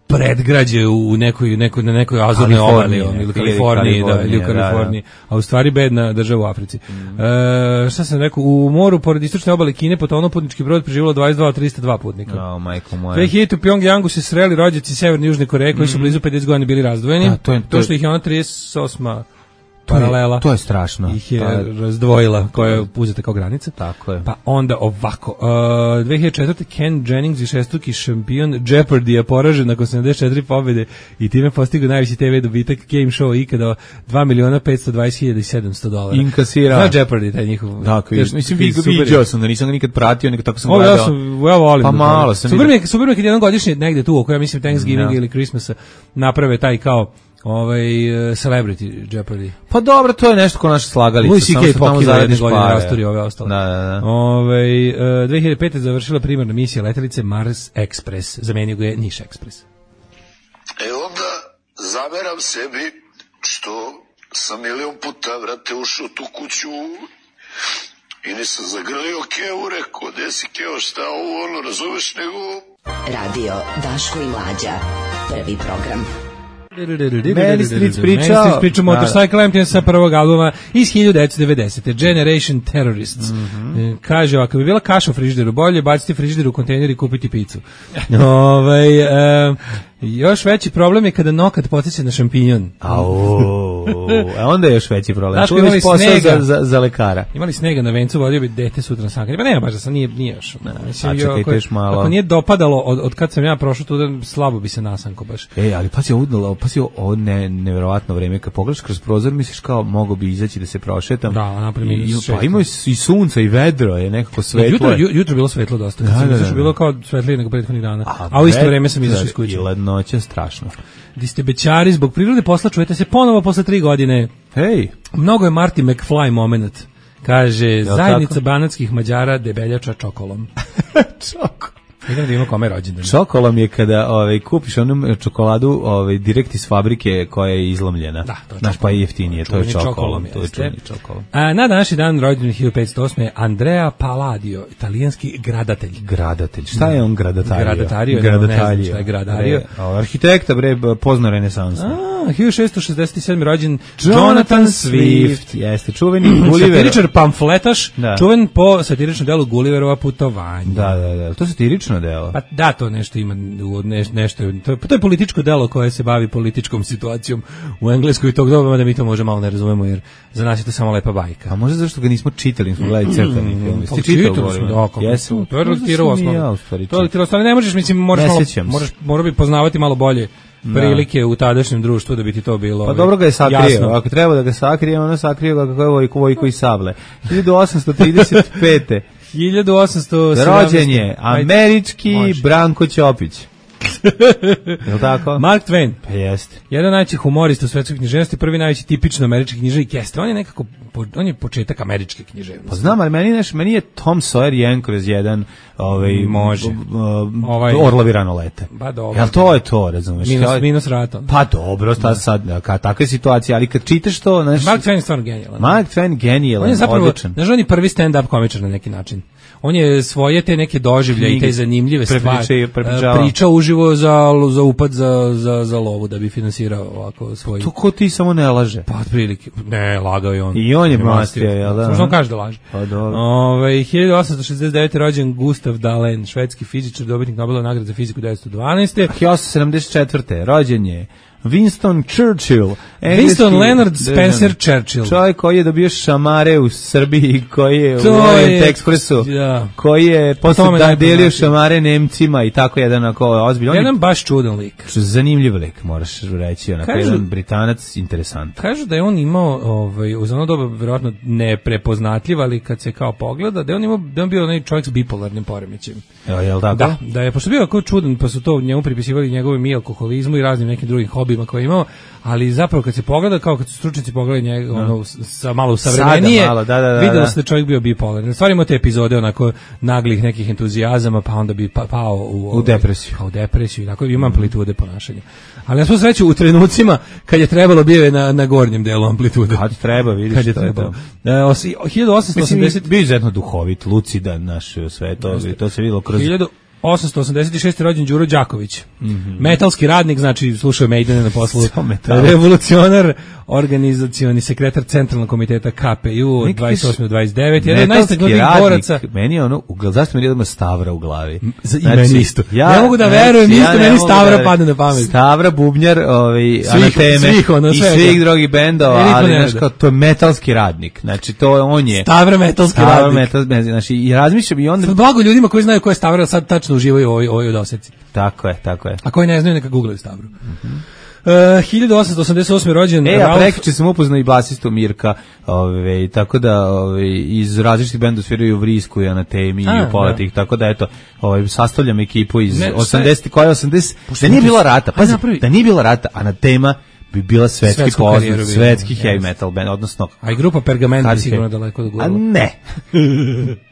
predgrađe u nekoj nekoj na nekoj azurnoj obali ili Kaliforniji, da, ili u Kaliforniji, da, da. A u stvari bedna država u Africi. Mm. E, šta sam rekao, u moru pored istočne obale Kine potonuo putnički brod, preživjelo dvadeset dva od trista dva putnika. Oh, majko moja. dve hiljadite. u Pjongjangu se sreli rođaci Severne i Južne Koreje koji su blizu pedeset godina bili razdvojeni. Da, to, je, to, to što ih je ona trideset osma paralela. To je strašno. Ih je je razdvojila, koja je uzeta kao granica. Tako je. Pa onda ovako, uh, dve hiljade četvrte. Ken Jennings, višestruki šampion Jeopardy, poražen nakon sedamdeset četiri pobjede i time postigao najveći te ve dobitak game show ikada dva miliona petsto dvadeset hiljada sedamsto dolara. Inkasira. Znaš Jeopardy, taj njihov. Dakle, mislim, vidio sam da nisam ga nikad pratio, nego tako sam o, gledao. Ja sam, ja volim. Pa malo sam. Super mi je, super mi je kad jednom godišnje negde tu, oko ja mislim Thanksgiving ili Christmasa, naprave taj kao ovaj uh, Celebrity Jeopardy. Pa dobro, to je nešto ko naša slagalica. Louis C K pokida jedne godine rasturi ove ostale. Da, da, da. Ovaj, uh, dve hiljade pete. završila primarna misija letelice Mars Express. Zamenio ga je Niš Express. E onda zameram sebi što sam milion puta, vrate, ušao tu kuću i nisam zagrlio Kevu, rekao, desi Keo, šta ovo, ono, razumeš, nego... Radio Daško i Mlađa. Prvi program. Meni Street priča Street priča Motorcycle Empty sa prvog albuma iz hiljadu devetsto devedesete. Generation Terrorists. Mm-hmm. Kaže ovako, bi bila kaša u frižideru, bolje baciti frižider u kontejner i kupiti picu. Ovaj um, još veći problem je kada nokat podsjeća na šampinjon. Au, a onda je još veći problem. Znaš, imali snega za, za, za lekara. Imali snega na vencu, vodio bi dete sutra na sankari. Pa nema baš da sam, nije, nije još. Ne, mislim, čekajte još malo. Ako nije dopadalo od, od kad sam ja prošao tu, slabo bi se nasanko baš. Ej, ali pazi ovo, pazi ovo ne, neverovatno vreme. Kad pogledaš kroz prozor, misliš kao mogo bi izaći da se prošetam. Da, naprimjer. Pa ima i sunca i vedro, je nekako svetlo. Jutro, jutro bilo svetlo dosta. Da, da, da, da. Bilo kao svetlije nego prethodnih dana. A, a u isto vreme sam izašao iz kuće. hladnoća, strašno. Di ste bećari, zbog prirode posla čujete se ponovo posle tri godine. Hej. Mnogo je Marty McFly moment. Kaže, Jel zajednica tako? banatskih Mađara debeljača čokolom. Čoko. Idemo da imamo kome rođendan. Čokolom je kada ovaj, kupiš onu čokoladu ovaj, direkt iz fabrike koja je izlomljena. Da, to je Znaš, pa je jeftinije, to je Čuveni čokolom. čokolom, To je jeste. čuveni čokolom. A, na današnji dan rođendan hiljadu petsto osme. Andrea Palladio, italijanski gradatelj. Gradatelj. Šta je on gradatario? Gradatario, ne znam šta je gradario. Bre, a, arhitekta, bre, pozna renesansu. A, hiljadu šessto šezdeset sedme. rođen Jonathan Swift. Jeste, čuveni Gulliver. Satiričar pamfletaš, Da. čuven po satiričnom delu Gulliverova putovanja. Da, da, da. To je satirično delo. Pa da, to nešto ima, u- neš, nešto, to, je- to je političko delo koje se bavi političkom situacijom u Engleskoj i tog doba, da mi to možda malo ne razumemo, jer za nas je to samo lepa bajka. A možda zašto ga nismo čitali, nismo gledali crtani film. Pa Jesi ti čitao, čitali smo, Borivan? da, kako Jesam. to, to je Možda lektirao sam i osnovno. ja, u stvari, To je lektirao osnovno, ne možeš, mislim, moraš, Ne malo, sjećam se. moraš, morao bi poznavati malo bolje prilike u tadašnjem društvu da bi ti to bilo. Pa ovaj, dobro ga je sakrio, jasno. ako treba da ga sakrije, ono sakrio ga kako je Vojko, Vojko i Sable. hiljadu osamsto trideset pete. hiljadu osamsto sedamnaeste. Rođen je Ajde. američki Može. Branko Ćopić. Je li tako? Mark Twain. Pa jeste. Jedan najvećih humorista u svetskoj književnosti, prvi najveći tipično američki književnik jeste. On je nekako, po- on je početak američke književnosti. Pa znam, ali meni, neš, meni je Tom Sawyer jedan kroz jedan ovaj, Može. b- b- Ovaj- Orlovi rano lete. Pa dobro. Jel to je to, razumeš? Minus, Ja- minus rata. Pa dobro, sta sad, ka, takve situacije, ali kad čitaš to, znaš, Mark Twain je stvarno genijalan. Mark Twain genijalan, On je zapravo, odličan. znaš, on je prvi stand-up komičar na neki način. On je svoje te neke doživlje i te Knjige zanimljive prepriča- stvari prepričavao. e, pričao uživo za, za upad za, za, za lovu da bi finansirao ovako svoj... To ko ti samo ne laže. Pa otprilike, ne, lagao je on. I on je On mastio, jel da? Samo što on kaže da laže. Pa dobro. Ove, hiljadu osamsto šezdeset devete. rođen Gustav Dalen, švedski fizičar, dobitnik Nobelove nagrade za fiziku devetsto dvanaeste. hiljadu osamsto sedamdeset četvrte. rođen je Winston Churchill. Winston Leonard Spencer državnik. Churchill. Čovjek koji je dobio šamare u Srbiji, koji je To u Orient je- Expressu, da. koji je posle tome da najpoznatiji. delio šamare Nemcima i tako jedan ako ozbiljan. Jedan baš čudan lik. Zanimljiv lik, moraš reći, onako Kažu- jedan Britanac, interesant. Kažu da je on imao, ovaj, uz ono doba verovatno neprepoznatljiv, ali kad se kao pogleda, da je on imao, da je on bio onaj čovjek s bipolarnim poremećajem. Jel, jel tako? Da, da je, pošto bio kao čudan, pa su to njemu pripisivali njegovim i alkoholizmu i raznim nekim drugim hobijima koje je imao, ali zapravo kad se pogleda, kao kad su stručnici pogledali njega, ono, s- sa malo savremenije, Sada malo, da, da, da, videlo da. se da je čovjek bio bipolarni. Stvari imao te epizode onako naglih nekih entuzijazama, pa onda bi pa, pao u, ovaj, depresiju. Pa u depresiju, tako ima amplitude ponašanja. Ali na svu sreću u trenucima kad je trebalo bio je na, na gornjem delu amplitude. Kad treba, vidiš Kad je to je trebalo. to. E, osi- hiljadu osamsto Mislim, osamdeset bio izuzetno duhovit, lucidan, naš sve to, to se videlo kroz... hiljadu osamsto osamdeset šeste. rođen Đuro Đaković. Metalski radnik, znači slušao Maidene na poslu. Samo metal. Revolucionar, organizacioni sekretar Centralnog komiteta K P U od Neki dvadeset osme do dvadeset devete. Jedan od metalski najistaknutijih radnik, boraca. Meni je ono, u gl- zašto mi je odmah Stavra u glavi? za- i meni isto. Ne mogu da znači, verujem, isto ne meni mogu Stavra da- padne na pamet. Stavra, bubnjar, ovaj, Anateme svih, ono, i svega. svih drugih bendova, E, niko ali ne znaš rada. kao, to je metalski radnik. Znači, to je, on je... Stavra metalski Stavra radnik. metal, ne, znači, i razmišljam i onda... Sad blago ljudima koji znaju ko je Stavra, sad tačno uživaju u ovoj, ovoj doseci. Tako je, tako je. A koji ne znaju, neka googlaju Stavru. E, hiljadu osamsto osamdeset osme. rođen E, a Ralph... prekjuče sam upoznao i basistu Mirka, ove, tako da ove, iz različitih benda sviraju u Vrisku i Anatemi i A, u pola da. tih, tako da eto, ovaj, sastavljam ekipu iz Ne, šta je- osamdeset, koja je osamdeset, Pošto da nije mi- bilo rata, Ajde pazi, napravi. da nije bilo rata, Anatema bi bila svetski Svetsku poznat, karijeru bi svetski imala, heavy jeste. metal band, odnosno... A i grupa Pergament bi Hard sigurno heavy. daleko da A gurala. ne.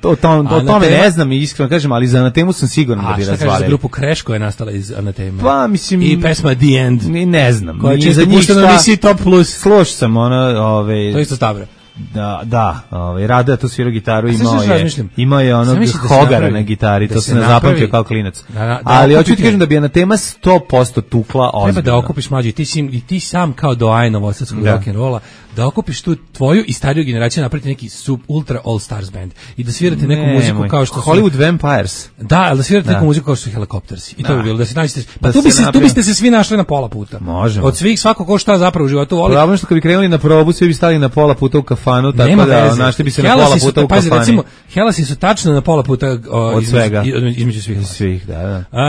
to, to, to, o tome Anatema- ne znam i iskreno kažem, ali za Anatemu sam siguran da A bi šta kažeš za razvalili. grupu Crash koja je nastala iz Anatema? Pa, mislim... I pesma The End, Ni ne znam. koja je ni često za njih puštena na šta- emisiji Top Plus. Slušao sam ono, ove, To je isto Stavra. Da, da, ovaj Rada je tu svirao gitaru, A sad imao što je, razmišljam? imao je onog Zamisli da se Hogara napravi- na gitari, da to se se ne napravi- zapamtio kao klinac. Da, da, da Ali hoću okupite- ti kažem da bi Anatema sto posto tukla ozbiljno. Treba da okupiš mlađi, ti, si, i ti sam kao doajen novosadskog Da. rock'n'rolla, da okupiš tu tvoju i stariju generaciju, napraviti neki sub ultra all stars band i da svirate neku Ne, muziku moj, kao što su... Hollywood Vampires. Da, ali da svirate Da. neku muziku kao što su Helicopters. I to Da. bi bilo, da se nađete... Pa Da tu, se bi se, tu napravi- biste se svi našli na pola puta. Možemo. Od svih svako ko šta zapravo u životu voli. Problem što kad bi krenuli na probu, svi bi stali na pola puta u kafani kafanu, tako Nema da veze. našli bi se Hellasi na pola su, puta u pazi, kafani. recimo, Hellasi su tačno na pola puta o, Od između, svega. i- između svih. Svih, da, da. A,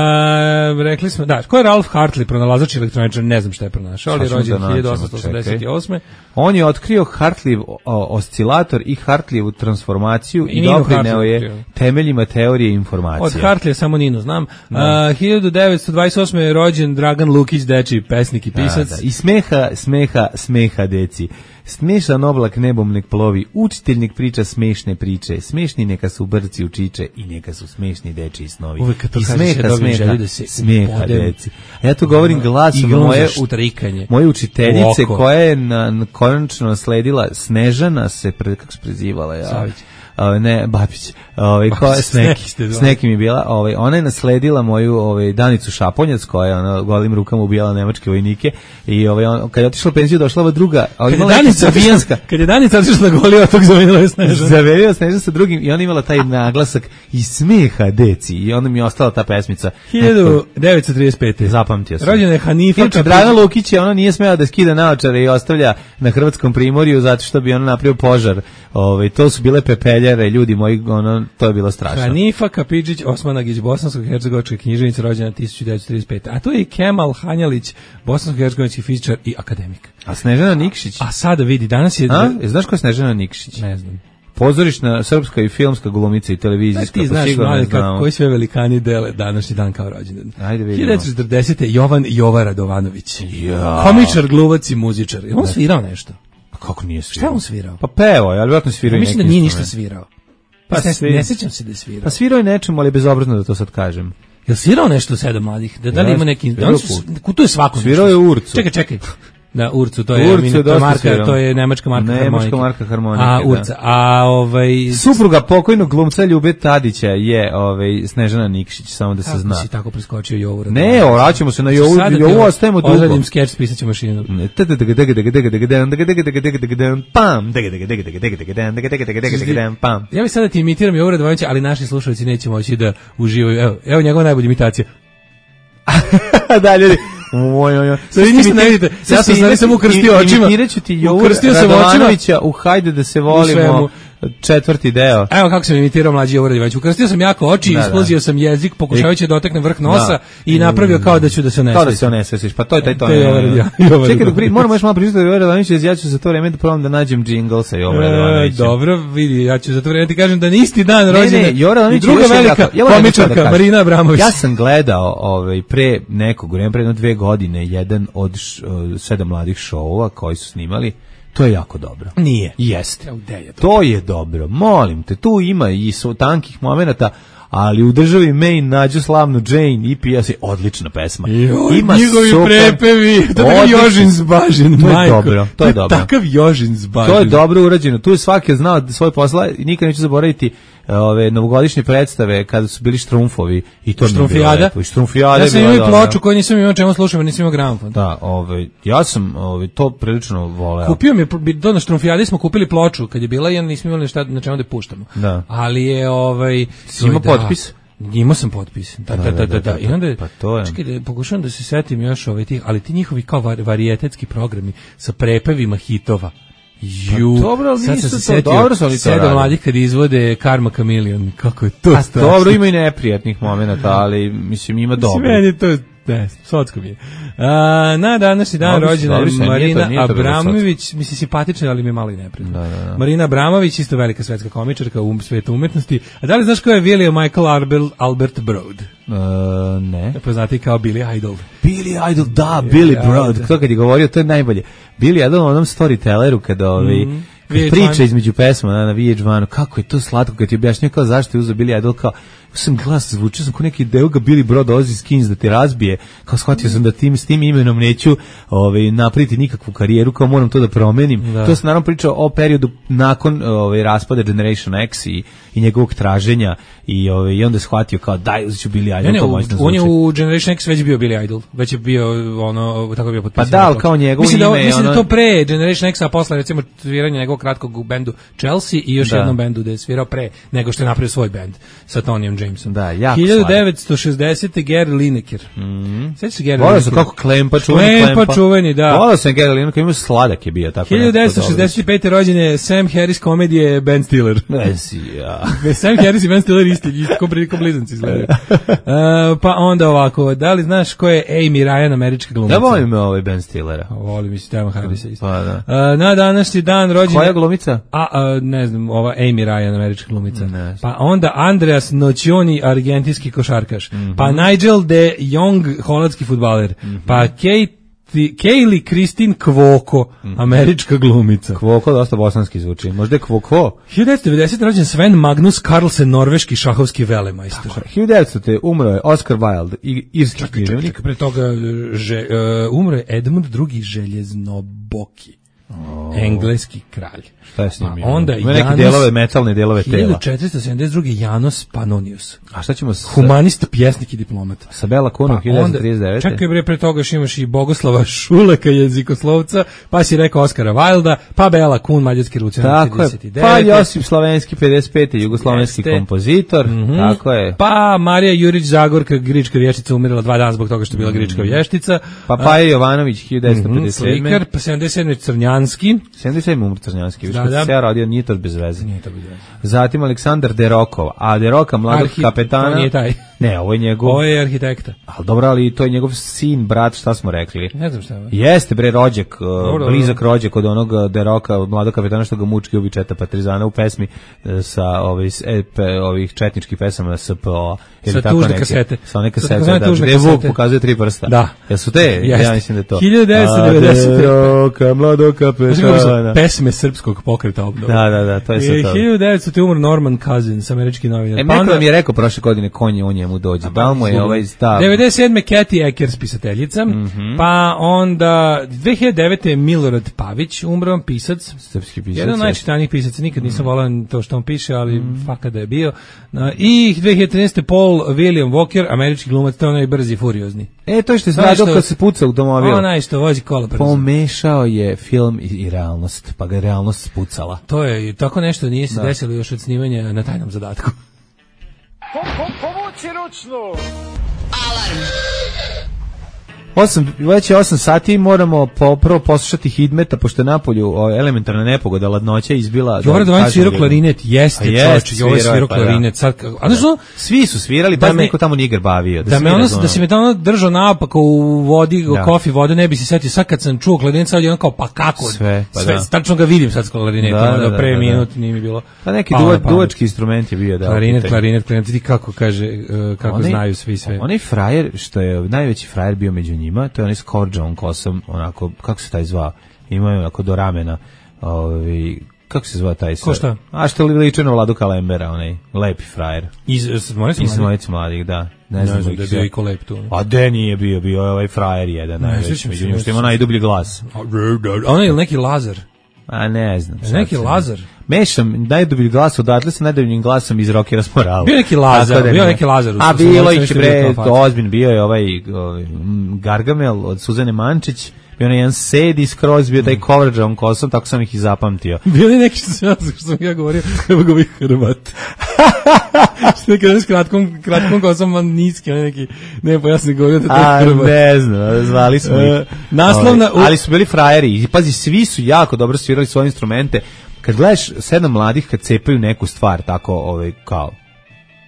rekli smo, da, ko je Ralph Hartley, pronalazač elektroničar, ne znam šta je pronašao, ali je Sad ćemo rođen da nađemo, hiljadu osamsto osamdeset osme. On je otkrio Hartlijev o, oscilator i Hartlijevu transformaciju i, I Ninu doprineo Hartley je otkrio. temeljima teorije informacije. Od Hartleya samo Ninu znam. A, hiljadu devetsto dvadeset osme je rođen Dragan Lukić, dečiji pesnik i pisac. Da, da. I smeha, smeha, smeha, deci. Smešan oblak nebom nek plovi, učitelj nek priča smešne priče, smešni neka su brci u čiče i neka su smešni dečiji snovi. Uvek kad to I kažeš, ja smeha, dobijem smeha, želju da se smeha, ubodem. deci. A ja to govorim glasom Iglom moje, za štrikanje. moje učiteljice U oko. koja je na, na konačno nasledila Snežana se, pre, kako se prezivala? Ja? Savić. Ove, ne, Babić, ovaj ko Babić, s neki, Sneki ste s nekim je bila, ovaj ona je nasledila moju ovaj Danicu Šaponjac koja je ona golim rukama ubijala nemačke vojnike i ovaj on kad je otišla u penziju došla ova druga, ali Kad je imala Danica Srbijanska. otišla- kad je Danica otišla na goli otok, zamenila je Snežana. Zaverio Snežana sa drugim i ona imala taj naglasak i smeha deci i onda mi je ostala ta pesmica. hiljadu devetsto trideset pete. Zapamtio sam. Rođena je Hanifa Inače, Kapić- Dragan Lukić je ona nije smela da skida naočare i ostavlja na Hrvatskom primorju zato što bi ona napravio požar. Ovaj to su bile pepeljare, ljudi moji, ono to je bilo strašno. Hanifa Kapidžić Osmanagić, bosansko-hercegovačka književnica, rođena hiljadu devetsto trideset pete. A to je i Kemal Hanjalić, bosansko-hercegovački fizičar i akademik. A Snežana Nikšić? A sada vidi, danas je... A? E, znaš ko je Snežana Nikšić? Ne znam. Pozorišna srpska i filmska glumica i Da televizijska. ti pa znaš, sigurno mlade, je znao. kako, koji sve velikani dele današnji dan kao rođendan. Ajde vidimo. hiljadu devetsto četrdesete. Jovan Jova Radovanović. Ja. Komičar, gluvac i muzičar. Je on svirao nešto? Kako nije Šta svirao? je on svirao? Pa pevo, je, ali vjerojatno svirao Ja i mislim neki da nije ništa instrument. svirao. Pa Pa ne, svi- ne sećam se da je svirao. Pa svirao je nečemu, ali je bezobrazno da to sad kažem. Jel svirao nešto sedam mladih? Da, da li Ja, ima neki... svirao Oni su, tu je svako. Svirao nešto. je Urcu. Čekaj, čekaj. Da, Urcu, to je, Urcu mini- je to je dosta marka, svirao. to je nemačka marka Nemačka harmonike. marka harmonike, A, da. Urca, a ovaj... Supruga pokojnog glumca Ljube Tadića je ovaj Snežana Nikšić, samo da se Kako zna. si tako preskočio Jovu? Ne, vraćamo se na Jovu, Sada Jovu ostajemo dugo. Odradim skeč s pisaćom mašinom. Pam. Ja bih sada ti imitiram Jovu Radovanovića, ali naši slušalci neće moći da uživaju. Evo, evo njegova najbolja imitacija. Da, ljudi. Oj, oj, oj. Sad vi ništa ne vidite. Ja sam sad samo ukrstio očima. Imitirat ću ti Jovu Ukrstio sam očima. Radovanovića u Hajde da se volimo svemu. četvrti deo. Evo kako sam imitirao mlađi Jovo Radovanović. Ukrstio sam jako oči, Da, da. isplazio sam jezik, pokušavajući da dotaknem vrh nosa Da. i napravio kao da ću da se ne Kao da se onesvesiš, pa to je taj to. To je Jovo Radovanović. Čekaj, dok pri- moramo još malo pričati o Jovo Radovanoviću, ja ću za to vreme da probam da nađem džingl sa Jovo E, Radovanovićem. dobro, vidi, ja ću za to vreme ti kažem da na isti dan Ne, rođena ne, Jovo i Radovanović je druga još velika jako- ja moram nešto da komičarka kažem. Marina Abramović. Ja sam gledao ovaj, pre nekog vremena, pre jedno dve godine, jedan od š, uh, sedam mladih šoua koji su snimali. To je jako dobro. Nije. Jeste. Evo, gde je to? To je dobro. Molim te, tu ima i su tankih momenata, ali u državi Maine nađu slavnu Jane i pija se odlična pesma. Joj, Ima njihovi super- prepevi, to je Odlični Jožin su. Zbažin, To je majko. dobro, to je dobro. Takav Jožin Zbažin. To je dobro urađeno. Tu je svaki znao svoj posla i nikad neću zaboraviti ove novogodišnje predstave kada su bili štrumfovi i to mi je bilo Štrumfijada? lepo. I štrumfijada Ja je sam bila imao i dobra. ploču koju nisam imao čemu slušam, jer nisam imao gramofon. Da, ovaj ja sam ovaj to prilično voleo. Kupio mi je, do na Štrumfijadi smo kupili ploču kad je bila i nismo imali šta na čemu da je puštamo. Da. Ali je ovaj... Si imao da, potpis? Imao sam potpis. Da, da, da, da, da. I onda, Pa to je. čekaj, da, pokušavam da se setim još ovaj tih, ali ti njihovi kao var, varijetetski programi sa prepevima hitova. Ju, Pa dobro, ali sad nisu sam se to- setio, dobro su oni to sedam radili. mladih kad izvode Karma Chameleon, kako je to A strašno. dobro, ima i neprijatnih momenata, ali mislim ima Mislim, dobro. meni je to, ne, socko mi je. A, na današnji dan Dobri su, rođena je dobri su, nije to- Marina nije to bilo Abramović, mislim simpatična, ali mi je malo i neprijatno. Da, da, da. Marina Abramović, isto velika svetska komičarka u svetu umetnosti. A da li znaš ko je William Michael Arbel, Albert Broad? E, ne. Poznati kao Billy Idol. Billy Idol, da, Billy Broad. To kad je govorio, to je najbolje. Billy Idol u onom storytelleru kada ovaj Mhm. kad V H priča jedan. između pesma na, na V H jedan, kako je to slatko kad ti objašnjava kao zašto je uzeo Billy Idol, kao sam glas zvučio sam kao neki deo ga Billy Broad dolazi iz Kings da te razbije, kao shvatio sam da tim s tim imenom neću ovaj napraviti nikakvu karijeru, kao moram to da promenim. Da. To se naravno priča o periodu nakon ovaj raspada Generation X i i njegovog traženja i ovaj i onda je shvatio kao daj ću Billy Idol. Ne, ne, u, on je u Generation X već bio Billy Idol, već je bio ono tako bio potpisan. Pa da, ali kao njegovo mislim ime da, mislim ono... da to pre Generation X, a posle recimo sviranja njegovog kratkog u bendu Chelsea i još da. jednom bendu da je svirao pre nego što je napravio svoj bend sa Tonyom Jamesom. Da, jako hiljadu devetsto šezdesete. Gary Lineker. Mhm. Sećaš se Gary Lineker? Volio sam kako Klempa čuveni Klempa. Klempa čuveni, da. Volio sam Gary Lineker, ima sladak je bio tako. hiljadu devetsto šezdeset pete. rođen je Sam Harris komedije Ben Stiller. Vesi, ja. Sam Harris i Ben Stiller isti, isti ko blizanci izgledaju. Uh, pa onda ovako, da li znaš ko je Amy Ryan, američka glumica? Da volim me ovaj Ben Stillera. Volim mi se Tama Harrisa isto. Pa da. Uh, na današnji dan rođen... Koja glumica? A, a, ne znam, ova Amy Ryan, američka glumica. Ne. Pa onda Andreas Nocioni, argentinski košarkaš. Mm-hmm. Pa Nigel de Jong, holandski fudbaler. Mm-hmm. Pa Kate Kaylee Christine Kvoko, mm-hmm. američka glumica. Kvoko dosta bosanski zvuči. Možda je Kvoko. hiljadu devetsto devedesete. rođen Sven Magnus Carlsen, norveški šahovski velemajstor. hiljadu devetsto. umro je Oscar Wilde, irski književnik. Pre toga že, uh, umro je Edmund drugi Željeznoboki. Oh. Engleski kralj. Šta je s njim? Pa onda ima neke delove, metalne delove tela. hiljadu četiristo sedamdeset druge. Janos Pannonius. A šta ćemo s... Humanist, pjesnik i diplomat. Sa Bela Kunom, pa hiljadu devetsto trideset devete. Čekaj bre, pre toga imaš i Bogoslava Šuleka, jezikoslovca, pa si rekao Oskara Wilda, pa Bela Kun, mađarski revolucionar trideset devete. Pa Josip Slovenski, pedeset pete. Jugoslovenski Jeste. kompozitor. Mm-hmm. Tako je. Pa Marija Jurić Zagorka, grička vještica, umirala dva dana zbog toga što je bila grička vještica. Pa Paja Jovanović, hiljadu devetsto pedeset sedme. Slikar, pa sedamdeset sedme. Crnjanski. sedamdeset sedme. umr Crnjanski. Da, da. Se ja rodio, nije to bez veze. Nije to bez veze. Zatim Aleksandar Derokov, a Deroka, mladog Arhi... kapetana... To nije taj. Ne, ovo je njegov... Ovo je arhitekta. Ali dobro, ali to je njegov sin, brat, šta smo rekli? Ne znam šta je. Jeste, bre, rođak, dobro, blizak rođak od onog Deroka, od mladog kapetana što ga mučki ubi Četa Partizana u pesmi sa ovih, ovih četničkih pesama S P O. Sa tužne kasete. Sa one kasete, da, gde Vuk pokazuje tri prsta. Da. Jesu te? Jeste. Ja mislim da je to. hiljadu devetsto devedesete. Deroka, mladog kapetana. Pesme srpskog pokreta obnova. Da, da, da, to je sve to. hiljadu devetsto. umro Norman Cousins, američki novinar. E, pa neko nam je rekao prošle godine konje o njemu dođe. Da mu je ovaj stav. devedeset sedme. Kathy Eckers, pisateljica. Mm-hmm. Pa onda dve hiljade devete. Milorad Pavić, umro, pisac. Srpski pisac. Jedan od najčitanijih pisaca, nikad nisam mm. volao to što on piše, ali mm. faka da je bio. I dve hiljade trinaeste. Paul William Walker, američki glumac, to je onaj brzi i furiozni. E, to je što je stradao kad se puca u automobil. Onaj što vozi kola brzo. Pomešao je film i, i realnost, pa ga je realnost spucala. To je, tako nešto nije se da. desilo još od snimanja na tajnom zadatku. Po, po, povuci ručnu! Alarm! osam, već je osam sati, moramo po, prvo poslušati Hidmeta, pošto je napolju o, elementarna nepogoda, ladnoća izbila... Jovara Dovanić svirao klarinet, jeste čovječ, Jovara svirao klarinet. Sad, a znaš što? Svi su svirali, pa niko tamo nije bavio. Da, da, me ono, da si me tamo držao naopako u vodi, u kofi vode, ne bi se setio. Sad kad sam čuo klarinet, sad je ono kao, pa kako? Sve, pa sve, da. Tačno ga vidim sad s klarinetom, da, da, da, pre da, minut nije mi bilo. Pa neki duva, duvački instrument je bio. Da, klarinet, klarinet, klarinet, vidi kako kaže, uh, kako onaj, znaju svi sve. Onaj frajer, što je najveći frajer bio među njima, to je onaj s korđavom kosom, onako, kako se taj zvao? Imaju onako do ramena, ovi, kako se zvao taj? Ko šta? A što li liče na Vladu Kalembera, onaj lepi frajer. Iz Smoljica Iz Smoljica mladih, da. Ne, ne znam da je bio i ko lep tu. A de nije bio, bio je ovaj frajer jedan, najveći, među njim što ima najdublji glas. Ono je neki Lazar? A ne znam. Neki Lazar? Mešam najdublji glas odatle sa najdubljim glasom iz Rockera s Morala. Bio neki Lazar, bio neki Lazar. A bilo ih bre, ozbiljno, bio je ovaj, ovaj Gargamel od Suzane Mančić, bio je jedan Sedi skroz, bio taj coverđavom kosom, tako sam ih i zapamtio. Bio je neki što sam, što sam ja govorio, evo ga ovih Hrvat. Što nekada s kratkom, kratkom kosom, man niski, on neki, ne, pa ja sam govorio da taj Hrvat. A, ne znam, zvali smo ih. Uh, naslovna, ali, ali su bili frajeri, i pazi, svi su jako dobro svirali svoje instrumente. Kad gledaš sedam mladih kad cepaju neku stvar, tako, ovaj, kao,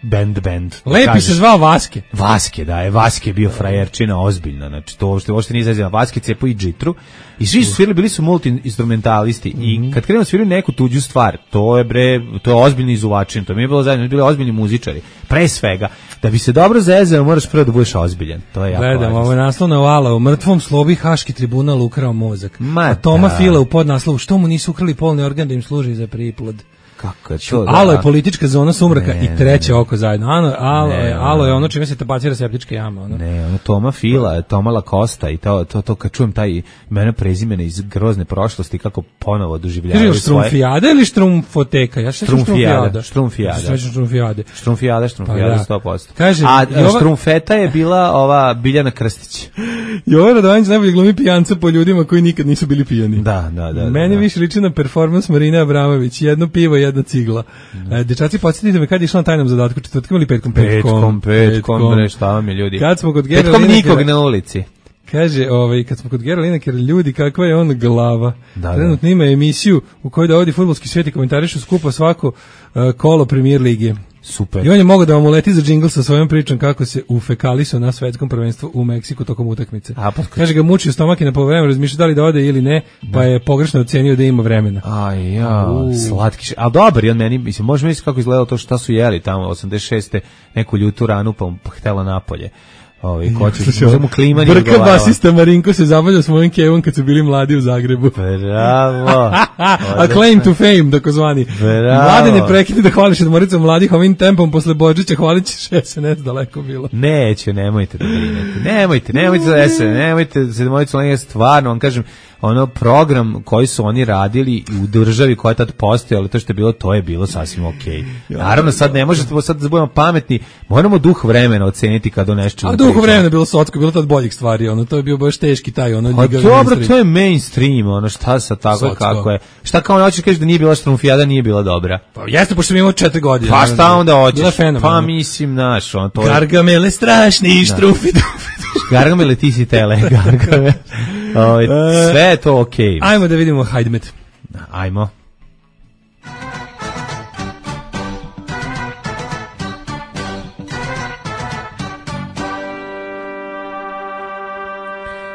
band, band. Lepi kažeš, se zvao Vaske. Vaske, da, je Vaske bio frajerčina ozbiljna, znači to uopšte, uopšte nije izazivano. Vaske cepo i džitru i svi su svirali, bili su multi-instrumentalisti mm-hmm. i kad krenemo svirali neku tuđu stvar, to je bre, to je ozbiljni izuvačin, to mi je bilo zajedno, bili ozbiljni muzičari. Pre svega, da bi se dobro zezao, moraš prvo da budeš ozbiljan. To je jako važno. Gledam, ovo je naslovna vala, u mrtvom slobi Haški tribunal ukrao mozak. Ma, a Toma da. Fila u podnaslovu, što mu nisu ukrali polni organ da im služi za priplod. Kako je to? Alo da. je politička zona sumraka Ne, i treće ne, ne. oko zajedno. Ano, alo, Ne, je, alo je ono. ono čime se tabacira septička jama. Ono. Ne, ono Toma Fila, Toma Lacosta i to, to, to kad čujem taj imena prezimena iz grozne prošlosti, kako ponovo doživljavaju Kaže štrumfijada ili štrumfoteka? Ja šećam Štrumfijada, štrumfijada. štrumfijada. Šećam štrumfijade. Štrumfijada, štrumfijada, Pa da. sto posto. Kaže, A Jova- štrumfeta je bila ova Biljana Krstić. Jovan Radovanić najbolji glumi pijanca po ljudima koji nikad nisu bili pijani. Da, da, da. Meni da. više liči na performans Marine Abramović, jedno pivo, jedna cigla. E, dečaci, podsjetite me kad je išla na tajnom zadatku, četvrtkom ili petkom? Petkom, petkom, bre, šta vam je ljudi? Kad smo kod Gera Petkom Linekera- nikog na ulici. Kaže, ovaj, kad smo kod Gera Linekera, ljudi, kakva je on glava. Da, Trenutno ima emisiju u kojoj dovodi fudbalski svijet i komentarišu skupo svako uh, kolo Premier lige. Super. I on je mogao da vam uleti za džingl sa svojom pričom kako se ufekalisao na svetskom prvenstvu u Meksiku tokom utakmice. A, pa, Kaže ga mučio stomak i na polovremenu razmišljao da li da ode ili ne, pa je pogrešno ocenio da ima vremena. Aj, ja, U. slatki. š- A dobar je on meni, mislim, može misliti kako izgledalo to šta su jeli tamo osamdeset šeste neku ljutu ranu pa mu htela napolje. Ovi, ko će, Slušaj, može mu klima nije Brka odgovarala. basista Marinko se zabavljao s mojim kevom kad su bili mladi u Zagrebu. Bravo. A claim to fame, takozvani. Bravo. Mlade ne prekini da hvališ Sedmoricom mladih ovim tempom posle Božića, hvalit ćeš S N S daleko bilo. Neće, nemojte da brinete. Nemojte, nemojte da se, nemojte sedmoricu mladih, stvarno vam kažem, ono program koji su oni radili u državi koja je tad postojala, to što je bilo, to je bilo sasvim okej. Naravno, sad ne možete, sad da budemo pametni, moramo duh vremena oceniti kad o nešto A dugo vremena je bilo socko, bilo tad boljih stvari, ono, to je bio baš teški taj, ono, Pa ljigavi dobro, mainstream. to je mainstream, ono, šta sa tako je, Socko. kako je. Šta kao hoćeš kažeš da nije bila štrumfijada, nije bila dobra. Pa jeste, pošto sam imao četiri godine. Pa šta onda Bila hoćeš? fenomenalna. Pa mislim, naš, on to je... Gargamele strašni, štrufi, dufi. Gargamele, ti si tele, Gargamele. Ovaj, sve je to okej. Ajmo da vidimo Hajdmet. Ajmo.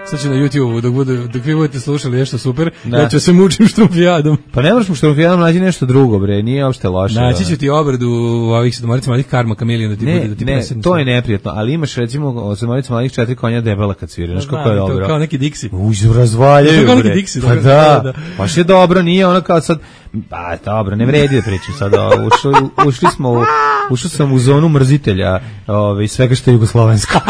Sad ću na YouTube, dok, budu, dok vi budete slušali nešto super, Da. ja ću se mučim štrumfijadom. Pa ne moraš mu štrumfijadom nađi nešto drugo, bre, nije uopšte loše. Naći da. ću ti obradu ovih sedmorica mladih Karma Kamelion da ti Ne, bude da ti ne, presedne to sve. je neprijatno, ali imaš recimo od sedmorica mladih četiri konja debela kad svira, znaš kako je Znam, to dobro. Kao neki Dixi. Uđu, razvaljaju, To kao neki bre. Dixi, Pa dobro, da, da, da. baš je dobro, nije ono kao sad, pa dobro, ne vredi da pričam sad, o, ušli, ušli smo, u, ušao sam u zonu mrzitelja ove, svega što je jugoslovensko.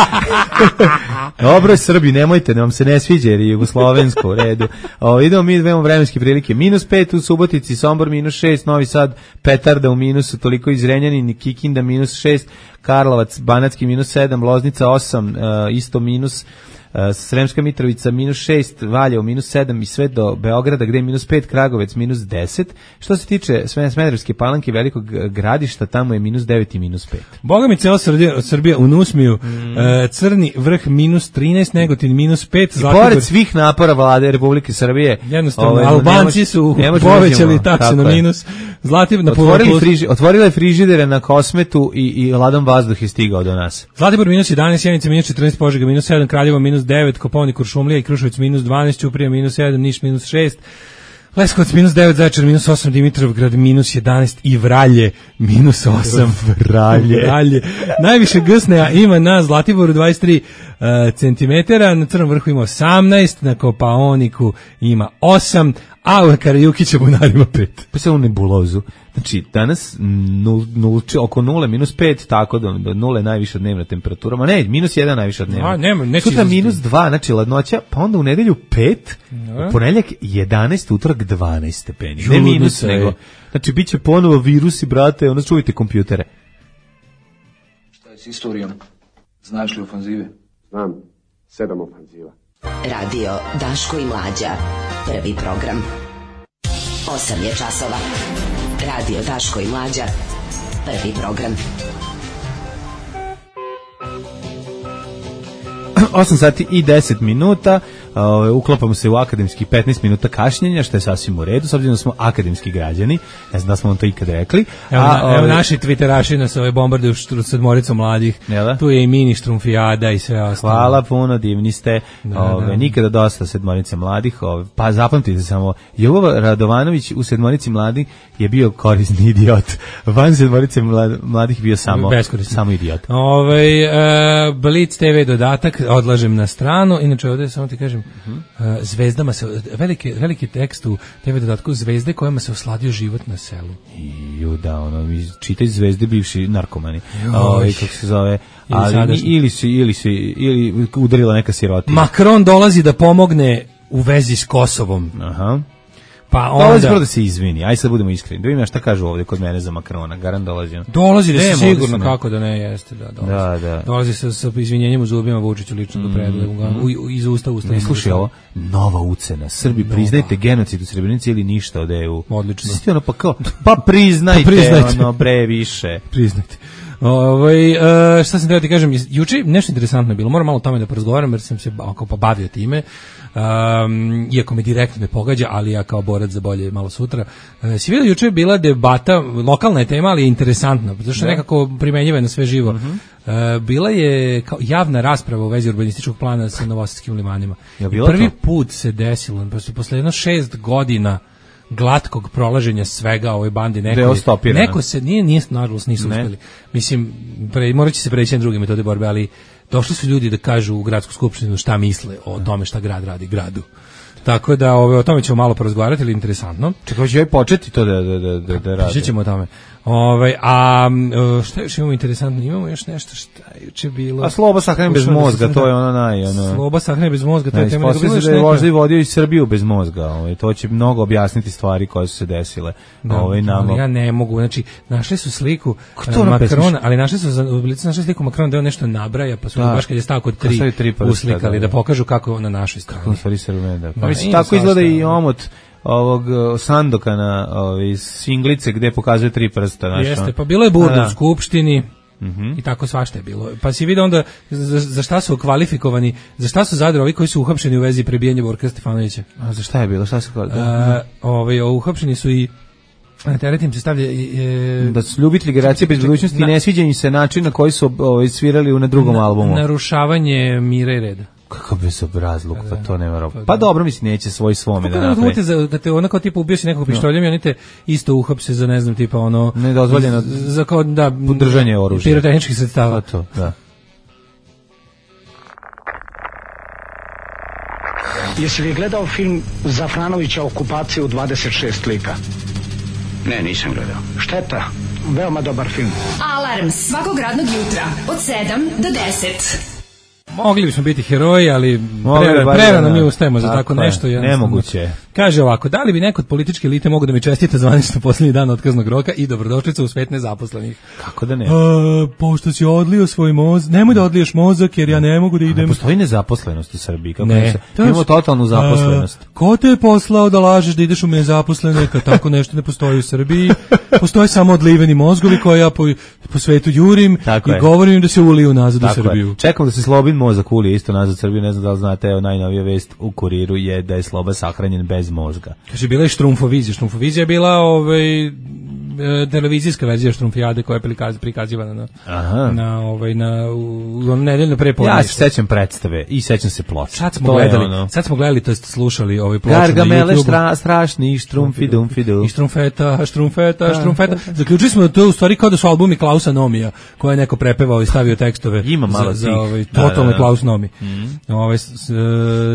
Dobro je Srbi, nemojte, ne vam se ne sviđa jer je jugoslovensko u redu. O, idemo mi, imamo vremenske prilike. Minus pet u Subotici, Sombor minus šest, Novi Sad, Petarda u minusu, toliko iz Renjanin, Kikinda minus šest, Karlovac, Banatski minus sedam, Loznica osam, uh, isto minus, uh, Sremska Mitrovica minus šest, Valjevo minus sedam i sve do Beograda gde je minus pet, Kragovec minus deset. Što se tiče Sme- Smederevske Palanke, Velikog Gradišta, tamo je minus devet i minus pet. Boga mi cela Srbija, Srbija u Nusmiju, Mm. e, Crni vrh minus trinaest, Negotin minus pet, I Zlatibor. pored svih napora vlade Republike Srbije, Jednostavno, ovaj, ne Albanci mož- su ne možemo povećali nađemo, takse tako na je. minus. Zlatibor na Otvorili, plus- friži, otvorila je frižidere na Kosmetu i, i ladan vazduh je stigao do nas. Zlatibor minus jedanaest, Sjenica minus četrnaest, Požega minus sedam, Kraljevo minus devet, Koponik, Kuršumlija i Kruševac minus dvanaest, Ćuprija minus sedam, Niš minus šest, Leskovac minus devet, Zaječar minus osam, Dimitrovgrad minus jedanaest i Vralje minus osam. Vralje. Vralje. Najviše gsneja ima na Zlatiboru dvadeset tri uh, centimetara, na Crnom vrhu ima osamnaest, na Kopaoniku ima osam, a u Karajukića bunarima pet. Pa se u nebulozu. Znači, danas nul, nul, oko nule, minus pet, tako da do nule je najviša dnevna temperatura. Ma ne, minus jedan najviša dnevna. A, nema, neće Sutra izlaziti. minus dva, znači ladnoća, pa onda u nedelju pet, u ponedjeljak jedanaest, utorak dvanaest stepeni. Ne Ludnica minus, je. nego. Znači, bit će ponovo virusi, brate, onda čujte kompjutere. Šta je s istorijom? Znaš li ofanzive? Znam, sedam ofanziva. Radio Daško i Mlađa. Prvi program. Osam je časova. Radio Daško i Mlađa. Prvi program. osam sati i deset minuta, uh, uklopamo se u akademski petnaest minuta kašnjenja, što je sasvim u redu, s obzirom da smo akademski građani, ne znam da smo vam to ikad rekli. Evo, A, na, evo ovaj, naši twitteraši nas ove bombarduju štru, sedmoricom mladih. Jel da? Tu je i mini štrumfijada i sve ostalo. Hvala puno, divni ste. Da, Ove, da. Nikada dosta sedmorice mladih. Ove, pa zapamtite samo, Jovo Radovanović u sedmorici mladih je bio korisni idiot. Van sedmorice mlad- mladih bio samo, Beskorisni. samo idiot. Ovaj e, Blitz te ve dodatak odlažem na stranu. Inače ovdje samo ti kažem uh, zvezdama se, veliki, veliki tekst u te ve dodatku zvezde kojima se osladio život na selu. Ju, da, ono, čitaj zvezde bivši narkomani, ovaj, kako se zove, ali ili si, ili si, ili udarila neka sirotina. Macron dolazi da pomogne u vezi s Kosovom. Aha. Pa onda dolazi prvo da se izvini, aj sad budemo iskreni. Da vidim šta kažu ovdje kod mene za Makrona, garant dolazi. Dolazi da se sigurno, kako da ne jeste, da dolazi. Da, da. Dolazi sa, sa izvinjenjem u zubima Vučiću lično mm, do predlegu, mm. iz usta usta. Ne, slušaj ovo, nova ucena. Srbi, nova. Priznajte genocid u Srebrenici ili ništa od E U. Odlično. Svi ono pa kao, pa priznajte, pa priznajte. Ono, bre, više. Priznajte. Ovaj uh, šta sam treba ti kažem, juče nešto interesantno je bilo. Moram malo o tome da porazgovaram jer sam se ako pa bavio time. Um, iako me direktno ne pogađa, ali ja kao borac za bolje malo sutra. Uh, si vidio, juče je bila debata, lokalna je tema, ali je interesantna, zato što je nekako primenjiva na sve živo. Uh-huh. Uh, bila je kao javna rasprava u vezi urbanističkog plana sa novosadskim limanima. Ja prvi to? put se desilo, posle jedno šest godina glatkog prolaženja svega ovoj bandi, neko, neko se nije, nije nažalost nisu ne. uspjeli. Mislim, pre, morat će se preći na druge metode borbe, ali došli su ljudi da kažu u gradsku skupštinu šta misle o tome šta grad radi gradu. Tako da ove, o tome ćemo malo porazgovarati, ili interesantno. Čekaj, hoće joj početi to da, da, da, da, da radi. Pričat ćemo o tome. Ove, a šta još imamo interesantno? Imamo još nešto šta je juče bilo. A sloba sahrane bez mozga, to je ono naj... Ono, sloba sahrane bez mozga, to je tema. Ispostavlja se da je možda i vodio i Srbiju bez mozga. Ove, to će mnogo objasniti stvari koje su se desile. Da, ove, nam... ali ja ne mogu. Znači, našli su sliku Makrona, ali našli su u licu našli sliku Makrona da je nešto nabraja, pa su da, baš kad je stao kod tri, tri uslikali da, da pokažu kako na našoj strani. Kako stvari Srbije, da. Pa mislim, tako izgleda i omot ovog Sandoka na ovi singlice gde pokazuje tri prsta. Naša. Jeste, pa bilo je burda u skupštini mm-hmm. i tako svašta je bilo. Pa si vidio onda za, za šta su kvalifikovani, za šta su zadro ovi koji su uhapšeni u vezi prebijanja Borka Stefanovića. A za šta je bilo? Šta su kvalifikovani? Ovaj, uhapšeni su i na teret im se stavlja e, da su ljubitelji generacije bez budućnosti i ne sviđa im se način na koji su ovaj, svirali u na drugom na, albumu. Narušavanje mira i reda. Kako bezobrazluk, pa to nema roba. Pa dobro, mislim, neće svoj svome da napravi. Kad te onako tipa ubio si nekog pištoljem i oni te isto uhapse za, ne znam, tipa ono... Nedozvoljeno za kao, da... podržanje oružja. Pirotehničkih sredstava. Pa to, da. Jesi li gledao film Zafranovića Okupacija u dvadeset šest lika? Ne, nisam gledao. Šteta, veoma dobar film. Alarm svakog radnog jutra od sedam do deset. Mogli bismo biti heroji, ali prerano pre, mi ustajemo za tako, tako nešto. Nemoguće. Kaže ovako, da li bi neko od političke elite mogu da mi čestita zvanično posljednji dan otkaznog roka i dobrodošlica u svet nezaposlenih? Kako da ne? A, pošto si odlio svoj mozak, nemoj da odliješ mozak jer ja ne mogu da idem. Ne postoji nezaposlenost u Srbiji. Kako ne. Se, imamo totalnu zaposlenost. A, ko te je poslao da lažeš da ideš u nezaposlene, kad tako nešto ne postoji u Srbiji? Postoje samo odliveni mozgovi koje ja po, po svetu jurim tako i je. Govorim da se uliju nazad tako u Srbiju. Je. Čekam da se Slobin mozak ulije isto nazad u Srbiju. Ne znam da li znate, evo najnovija vest u Kuriru je da je Sloba sahranjen bez mozga. Kaže, bila je Štrumfovizija. Štrumfovizija je bila ovaj, televizijska verzija Štrumfijade koja je prikaz, prikazivana na, Aha. na, ovaj, na u, nedeljno prepodne. Ja se sećam predstave i sećam se ploče. Sad smo gledali, ono... sad smo gledali, to jest slušali ovaj ploču na Gargamele štra, strašni, štrumfi, dumfi, dum. I štrumfeta, štrumfeta, štrumfeta. Zaključili smo da to u stvari kao da su albumi Klausa Nomija, koje je neko prepevao i stavio tekstove. Ima malo za, za ovaj, totalno da, da, da. Klaus Nomi. Mm. Ovaj,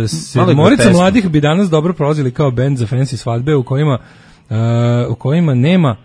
sedmorica mladih bi danas dobro prolazili kao bend za fancy svadbe u kojima, uh, u kojima nema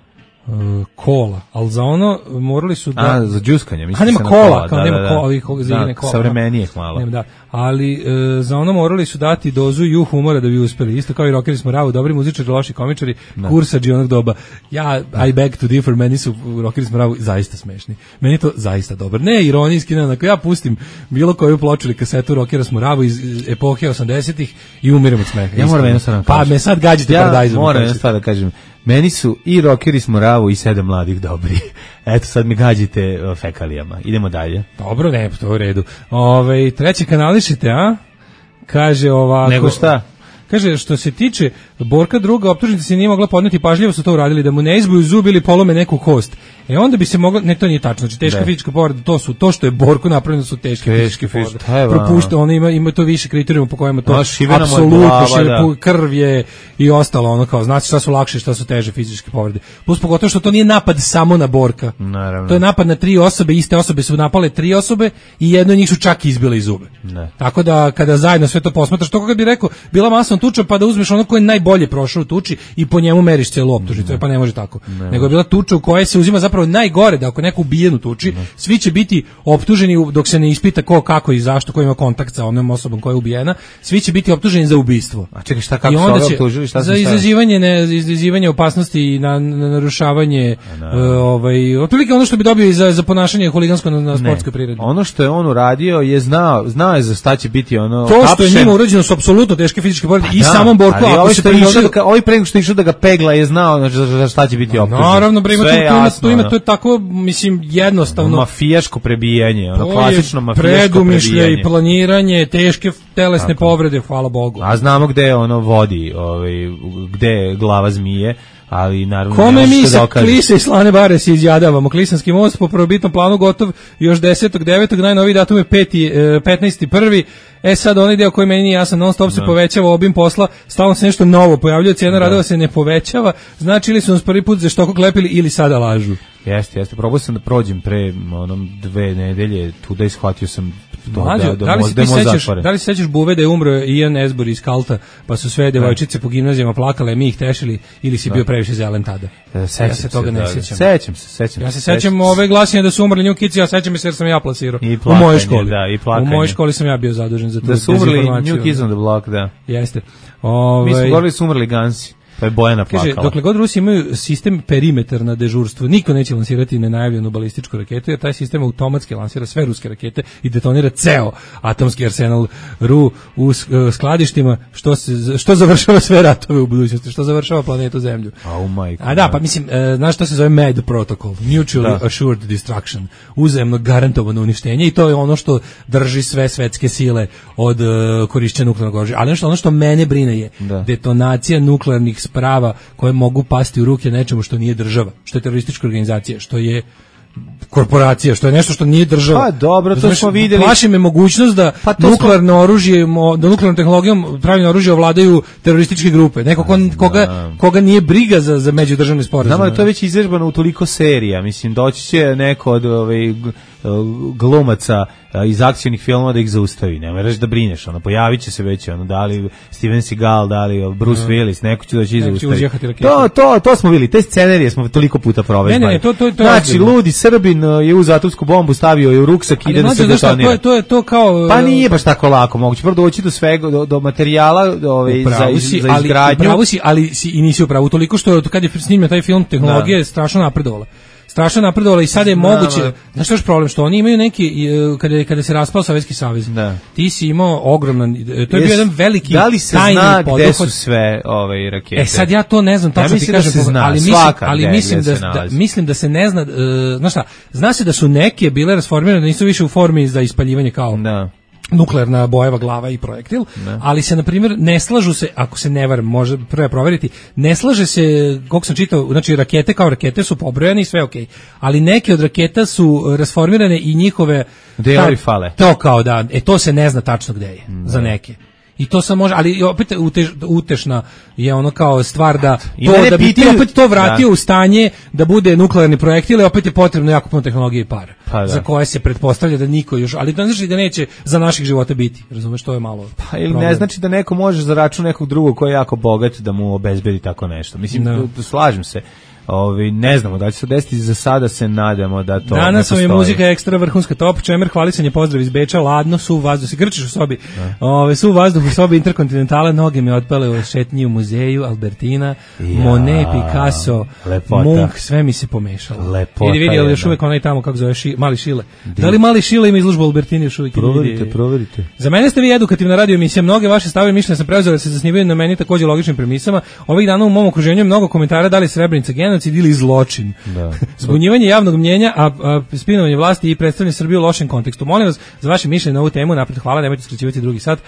Uh, kola, ali za ono morali su da... A, za džuskanje, mislim. A nema se kola, kola, kao da, nema da, kola, ovih da, kola. Savremenije hvala. Nema, da. Ali uh, za ono morali su dati dozu ju humora da bi uspeli. Isto kao i rockeri smo ravu, dobri muzičari, loši komičari, da. Kursađi onog doba. Ja, I beg to differ, meni su rockeri smo ravu zaista smešni. Meni to zaista dobro. Ne ironijski, ne, ako ja pustim bilo koju ploču ili kasetu rockera smo ravu iz epohe osamdesetih i umirem od smeha. Ja moram jedno stvar Pa me sad gađite ja paradajzom. Ja moram jedno stvar da kažem. Meni su i rockeri smo ravu i sedam mladih dobri. Eto, sad mi gađite fekalijama. Idemo dalje. Dobro, ne, to je u redu. Ove, treće kanališite, a? Kaže ovako... Nego šta? Kaže, što se tiče Borka druga, optužnica se nije mogla podneti, pažljivo su to uradili, da mu ne izbuju zub ili polome neku kost. E onda bi se mogla, ne, to nije tačno, znači teška ne. fizička povreda, to su, to što je Borku napravljeno su teške, teške fizičke povrede. Propušta, ono ima, ima to više kriterijuma po kojima to apsolutno, da. krv je i ostalo, ono kao, znači šta su lakše, šta su teže fizičke povrede. Plus pogotovo što to nije napad samo na Borka. Naravno. To je napad na tri osobe, iste osobe su napale tri osobe i jedno od njih su čak izbile iz zube. Ne. Tako da kada zajedno sve to posmatraš, to kako bi rekao, bila masovna tuča pa da uzmeš ono ko je najbolje prošao u tuči i po njemu meriš celu optužnicu, ne. pa ne može tako. Ne. Nego je bila tuča u kojoj se uzima zapravo najgore, da ako neko ubijen u tuči, ne. svi će biti optuženi dok se ne ispita ko, kako i zašto, ko ima kontakt sa onom osobom koja je ubijena, svi će biti optuženi za ubistvo. A čekaj, šta kako su optužili, šta za izazivanje ne izazivanje opasnosti i na, na narušavanje uh, ovaj otprilike ono što bi dobio i za za ponašanje huligansko na, na sportskoj priredbi. Ono što je on uradio je znao, znao je za šta će biti ono. To što je njima urađeno su apsolutno teške fizičke povrede i samom Borku, ako se prišao da ovaj pre nego što išao da ga pegla je znao za šta će biti optužen. Naravno, bre, ima tu, tu ima to je tako, mislim, jednostavno mafijaško prebijanje, ono klasično mafijaško predumišljaj i planiranje, teške telesne povrede, hvala Bogu. A znamo gde ono vodi, ovaj gde je glava zmije. Ali naravno kome mi se klise i slane bare se izjadavamo. Klisanski most po prvobitnom planu gotov još desetog devetog najnoviji datum je peti, petnaesti prvi E sad onaj deo koji meni nije jasan, non stop se no. povećava obim posla, stalno se nešto novo pojavljuje, cijena radova se ne povećava, znači ili su nas prvi put za štoko klepili ili sada lažu. Jeste, jeste, probao sam da prođem pre onom dve nedelje, tu da ishvatio sam to Mlađo, da, da, da, li da, se sećaš, da li se sećaš Buve da je umro Ian Esbor iz Kalta, pa su sve devojčice po gimnazijama plakale, mi ih tešili, ili si da. bio previše zelen tada? Sećam ja se toga se, ne da, sjećam. Sećam se, sećam Ja se sećam ove glasine da su umrli New Kids, ja sećam se jer sam ja plasirao. U mojoj školi. Da, i plakanje. U mojoj školi sam ja bio zadužen za to. Da su umrli New Kids on the Block, da. Jeste. Ove, mi smo govorili su umrli Gansi. Pa je Bojana plakala. Kaže, dokle god Rusi imaju sistem perimetar na dežurstvu, niko neće lansirati nenajavljenu balističku raketu, jer taj sistem automatski lansira sve ruske rakete i detonira ceo atomski arsenal Ru u skladištima, što, se, što završava sve ratove u budućnosti, što završava planetu Zemlju. Oh my God. A da, pa mislim, e, znaš što se zove M A D protocol, Mutually da. Assured Destruction, uzajemno garantovano uništenje, i to je ono što drži sve svetske sile od uh, korišćenja nuklearnog oružja. Ali nešto, ono što mene brine je da. detonacija nuklearnih sprava koje mogu pasti u ruke nečemu što nije država, što je teroristička organizacija, što je korporacija, što je nešto što nije država. Pa dobro, to znači, smo vidjeli. Plaši me mogućnost da pa nuklearno smo... oružje, da nuklearnom tehnologijom pravljeno oružje ovladaju terorističke grupe. Neko ko, koga, koga nije briga za, za međudržavne sporazume. Znamo da to je već izvežbano u toliko serija. Mislim, doći će neko od ovaj, glumaca iz akcionih filmova da ih zaustavi. Ne moraš da brineš, ono, pojavit će se već, ono, da li Steven Seagal, da li Bruce no. Willis, neko će doći i zaustavi. To, to, to smo vidjeli, te scenarije smo toliko puta proveli. Ne, ne, to, to, to znači, ludi Srbin je uz atomsku bombu stavio je u ruksak i ide da se detonira. To je, to je to kao... Pa nije baš tako lako, moguće prvo doći do svega, do, do materijala do, ove, za, si, za izgradnju. Ali, upravo si, ali si i nisi upravo, toliko što kad je snimljen taj film, tehnologija je strašno napredovala. Strašno napredovala i sada je moguće, znaš što je problem, što oni imaju neki, kada, kada se raspao Sovjetski savez, da. ti si imao ogroman, to je bio jedan veliki tajni poduhvat. Da li se zna gde su sve ove rakete? E sad ja to ne znam, tačno ja ti kažem, da se zna, ali, mislim, ali mislim, da, da, mislim da se ne zna, uh, znaš šta, zna se da su neke bile rasformirane, da nisu više u formi za ispaljivanje kao... Da. nuklearna bojeva glava i projektil, ne. ali se, na primjer, ne slažu se, ako se ne varam, može prvo proveriti, ne slaže se, koliko sam čitao, znači rakete kao rakete su pobrojane i sve okej, okay. ali neke od raketa su rasformirane i njihove... Delovi fale. To kao da, e to se ne zna tačno gde je, ne. za neke. I to sam može, ali opet utež, utešna je ono kao stvar da to, da bi ti opet to vratio da. u stanje da bude nuklearni projektil, i opet je potrebno jako puno tehnologije i para, pa za koje se pretpostavlja da niko još, ali to ne znači da neće za naših života biti, razumeš, to je malo pa ili problem. Ne znači da neko može za račun nekog drugog koji je jako bogat da mu obezbedi tako nešto, mislim, no. da, slažem se. Ovi, ne znamo da će se desiti, za sada se nadamo da to danas vam je muzika ekstra vrhunska, top, čemer, hvalisanje, pozdrav iz Beča, ladno, su vazduh, se grčiš u sobi, ove, su vazduh u sobi Interkontinentala, noge mi otpale u šetnji u muzeju, Albertina, ja, Monet, Picasso, lepota. Munk, sve mi se pomešalo. Lepota. Idi vidi, ali još uvijek onaj tamo, kako zove, ši, Mali Šile. Di. Da li Mali Šile ima izložbu Albertini još uvijek? Proverite, proverite. Za mene ste vi edukativna radio emisija, mnoge vaše stavove mišljenja sam preuzeo da se zasnivaju na meni takođe logičnim premisama. Ovih dana u mom okruženju je mnogo komentara da li Srebrenica genocid ili zločin. Da. Zbunjivanje javnog mnjenja, a, a spinovanje vlasti i predstavljanje Srbije u lošem kontekstu. Molim vas za vaše mišljenje na ovu temu, napred hvala, nemojte skraćivati drugi sat.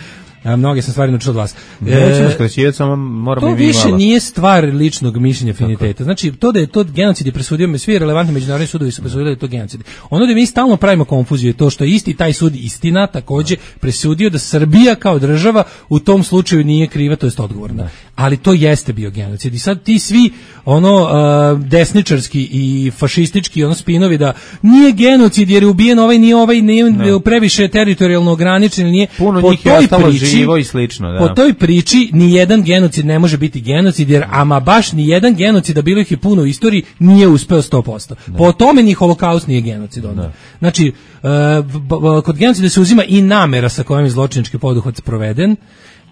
A, mnoge sam stvari naučio od vas. Nećemo skraćivati, samo moramo to i mi više malo. nije stvar ličnog mišljenja afiniteta. Znači, to da je to genocid je presudio, me svi relevantni međunarodni sudovi su presudili da je to genocid. Ono da mi stalno pravimo konfuziju je to što je isti taj sud istina takođe presudio da Srbija kao država u tom slučaju nije kriva, to jest odgovorna. Da. Ali to jeste bio genocid. I sad ti svi ono uh, desničarski i fašistički ono spinovi da nije genocid jer je ubijen ovaj, nije ovaj, nije no. previše teritorijalno ograničen, nije puno po njih toj je ostalo priči, živo i slično. Da. Po toj priči ni jedan genocid ne može biti genocid jer ama baš ni jedan genocid, da bilo ih je puno u istoriji, nije uspeo sto posto. Da. Po tome ni holokaust nije genocid onda. Da. Znači, uh, kod genocida se uzima i namera sa kojom je zločinački poduhvat sproveden.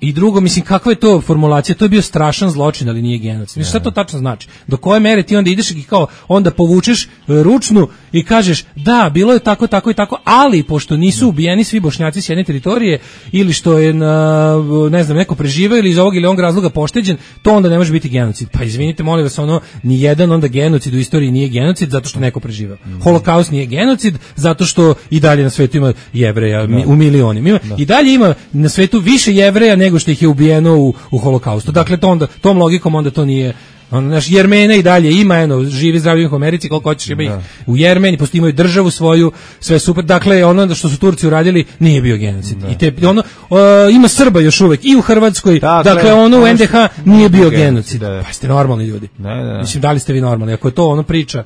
I drugo, mislim, kakva je to formulacija? To je bio strašan zločin, ali nije genocid. Mislim, šta to tačno znači? Do koje mere ti onda ideš i kao onda povučeš ručnu i kažeš da, bilo je tako, tako i tako, ali pošto nisu ubijeni svi Bošnjaci s jedne teritorije ili što je, na, ne znam, neko preživeo ili iz ovog ili onog razloga pošteđen, to onda ne može biti genocid. Pa izvinite, molim vas, ono, ni jedan onda genocid u istoriji nije genocid zato što neko preživeo. Holokaust nije genocid zato što i dalje na svetu ima Jevreja mi, u milionima. Ima, I dalje ima na svetu više Jevreja nego što ih je ubijeno u, u holokaustu. Dakle, to onda, tom logikom onda to nije... On, naš Jermena i dalje ima, eno, živi zdravi u Americi, koliko hoćeš ima ih u Jermeni, pošto imaju državu svoju, sve super. Dakle, ono što su Turci uradili nije bio genocid. Da. I te, ono, uh, ima Srba još uvek i u Hrvatskoj, dakle, dakle ono u en de ha nije bio genocid. Da. Pa ste normalni ljudi. Da, da. Mislim, da li ste vi normalni? Ako je to ono priča...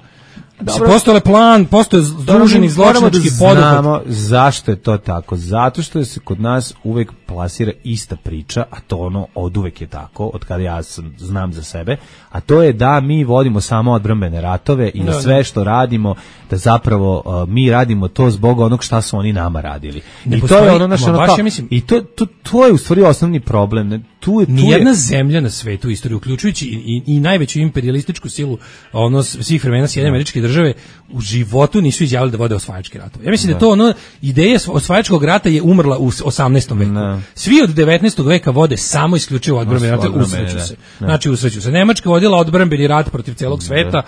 Postoje plan, postoje združeni zločinački poduhvat. Znamo zašto je to tako. Zato što se kod nas uvek plasira ista priča, a to ono oduvek je tako, od kada ja sam, znam za sebe, a to je da mi vodimo samo odbrambene ratove i da, da sve što radimo, da zapravo uh, mi radimo to zbog onog šta su oni nama radili. Ne I postoji, to je ono naš, ono baš, kao, ja mislim, i to, to, to je u stvari osnovni problem. Ne? Tu je, tu nijedna je... zemlja na svetu u istoriji, uključujući i, i, i najveću imperialističku silu ono svih vremena, Sjedinjene Američke Države, u životu nisu izjavili da vode osvajački ratove. Ja mislim da, da to ono, ideja osvajačkog rata je umrla u osamnaestom veku. Da. Svi od devetnaestog veka vode samo isključivo odbrambeni rat, usreću se. Da. Znači usreću se. Nemačka vodila odbrambeni rat protiv celog sveta, da.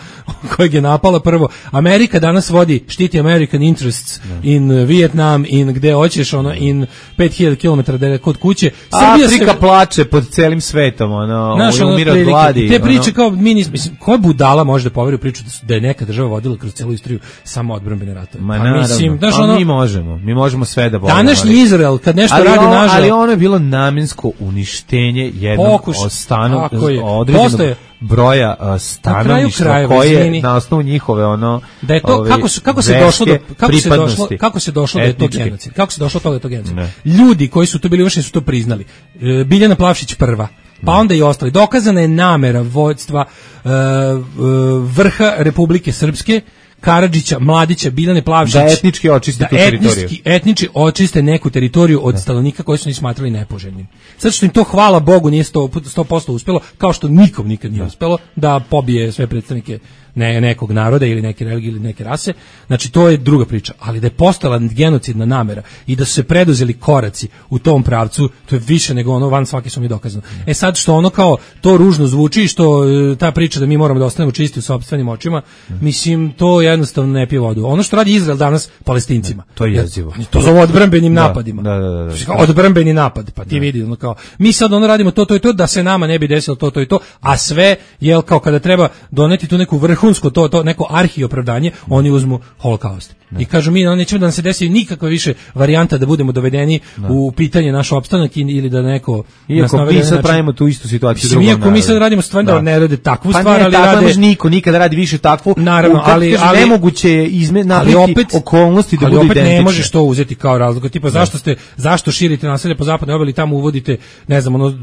kojeg je napala prvo. Amerika danas vodi, štiti American interests da. in Vietnam, in gde hoćeš, ono, in pet hiljada kilometara kod kuće. Srbija Afrika se... plače pod celim svetom, ono, Naš, ono umira od gladi. Te priče ono... kao, mi nismo, mislim, koja budala može da poveri u priču da, su, da je neka država vodila kroz celu istoriju samo odbrambene ratove. Ma naravno, mislim, znaš, ono, mi možemo, mi možemo sve da volimo. Današnji Izrael, kad nešto ali radi on, nažal... Ali ono je bilo namjensko uništenje jednog stanu, određenog broja uh, stanovništva koje na osnovu njihove ono da je to ove, kako su, kako se došlo do kako se došlo kako se došlo da je to genocid, kako se došlo do toga da je to genocid. Ne. Ljudi koji su to bili uvršteni su to priznali. E, Biljana Plavšić prva, pa onda i ostali. Dokazana je namera vođstva e, vrha Republike Srpske, Karadžića, Mladića, Biljane Plavšić, da etnički očiste tu teritoriju. Da etnički očiste neku teritoriju od da. stanovnika koji su ni smatrali nepoželjnim. Zato što im to, hvala Bogu, nije sto posto uspelo, kao što nikom nikad nije da. uspelo da pobije sve predstavnike ne, nekog naroda ili neke religije ili neke rase. Znači, to je druga priča. Ali da je postala genocidna namera i da su se preduzeli koraci u tom pravcu, to je više nego ono van svake su mi dokazano. E sad što ono kao to ružno zvuči, što ta priča da mi moramo da ostanemo čisti u sopstvenim očima, mislim, to jednostavno ne pije vodu. Ono što radi Izrael danas Palestincima. To je jezivo. To zove odbrambenim da, napadima. Da, da, da, da. Odbrambeni napad. Pa ti da. vidi, ono kao, mi sad ono radimo to, to i to, da se nama ne bi desilo to, to i to, a sve, jel, kao kada treba doneti tu neku vrhunsko, to, to neko arhi opravdanje, oni uzmu holokaust. I kažu mi, nećemo da nam se desi nikakva više varijanta da budemo dovedeni da. u pitanje naš opstanak ili da neko... Iako mi sad znači, pravimo tu istu situaciju mislim, drugom iako mi sad radimo stvar da, da ne rade takvu pa stvar, ne, ali tako rade... Ne niko nikada radi više takvu, naravno, ali, ali nemoguće je izme, napraviti okolnosti da budu identične. Ali opet ne možeš to uzeti kao razlog. Tipa, zašto ste, zašto širite naselje po zapadnoj obali, tamo uvodite, ne znam, ono,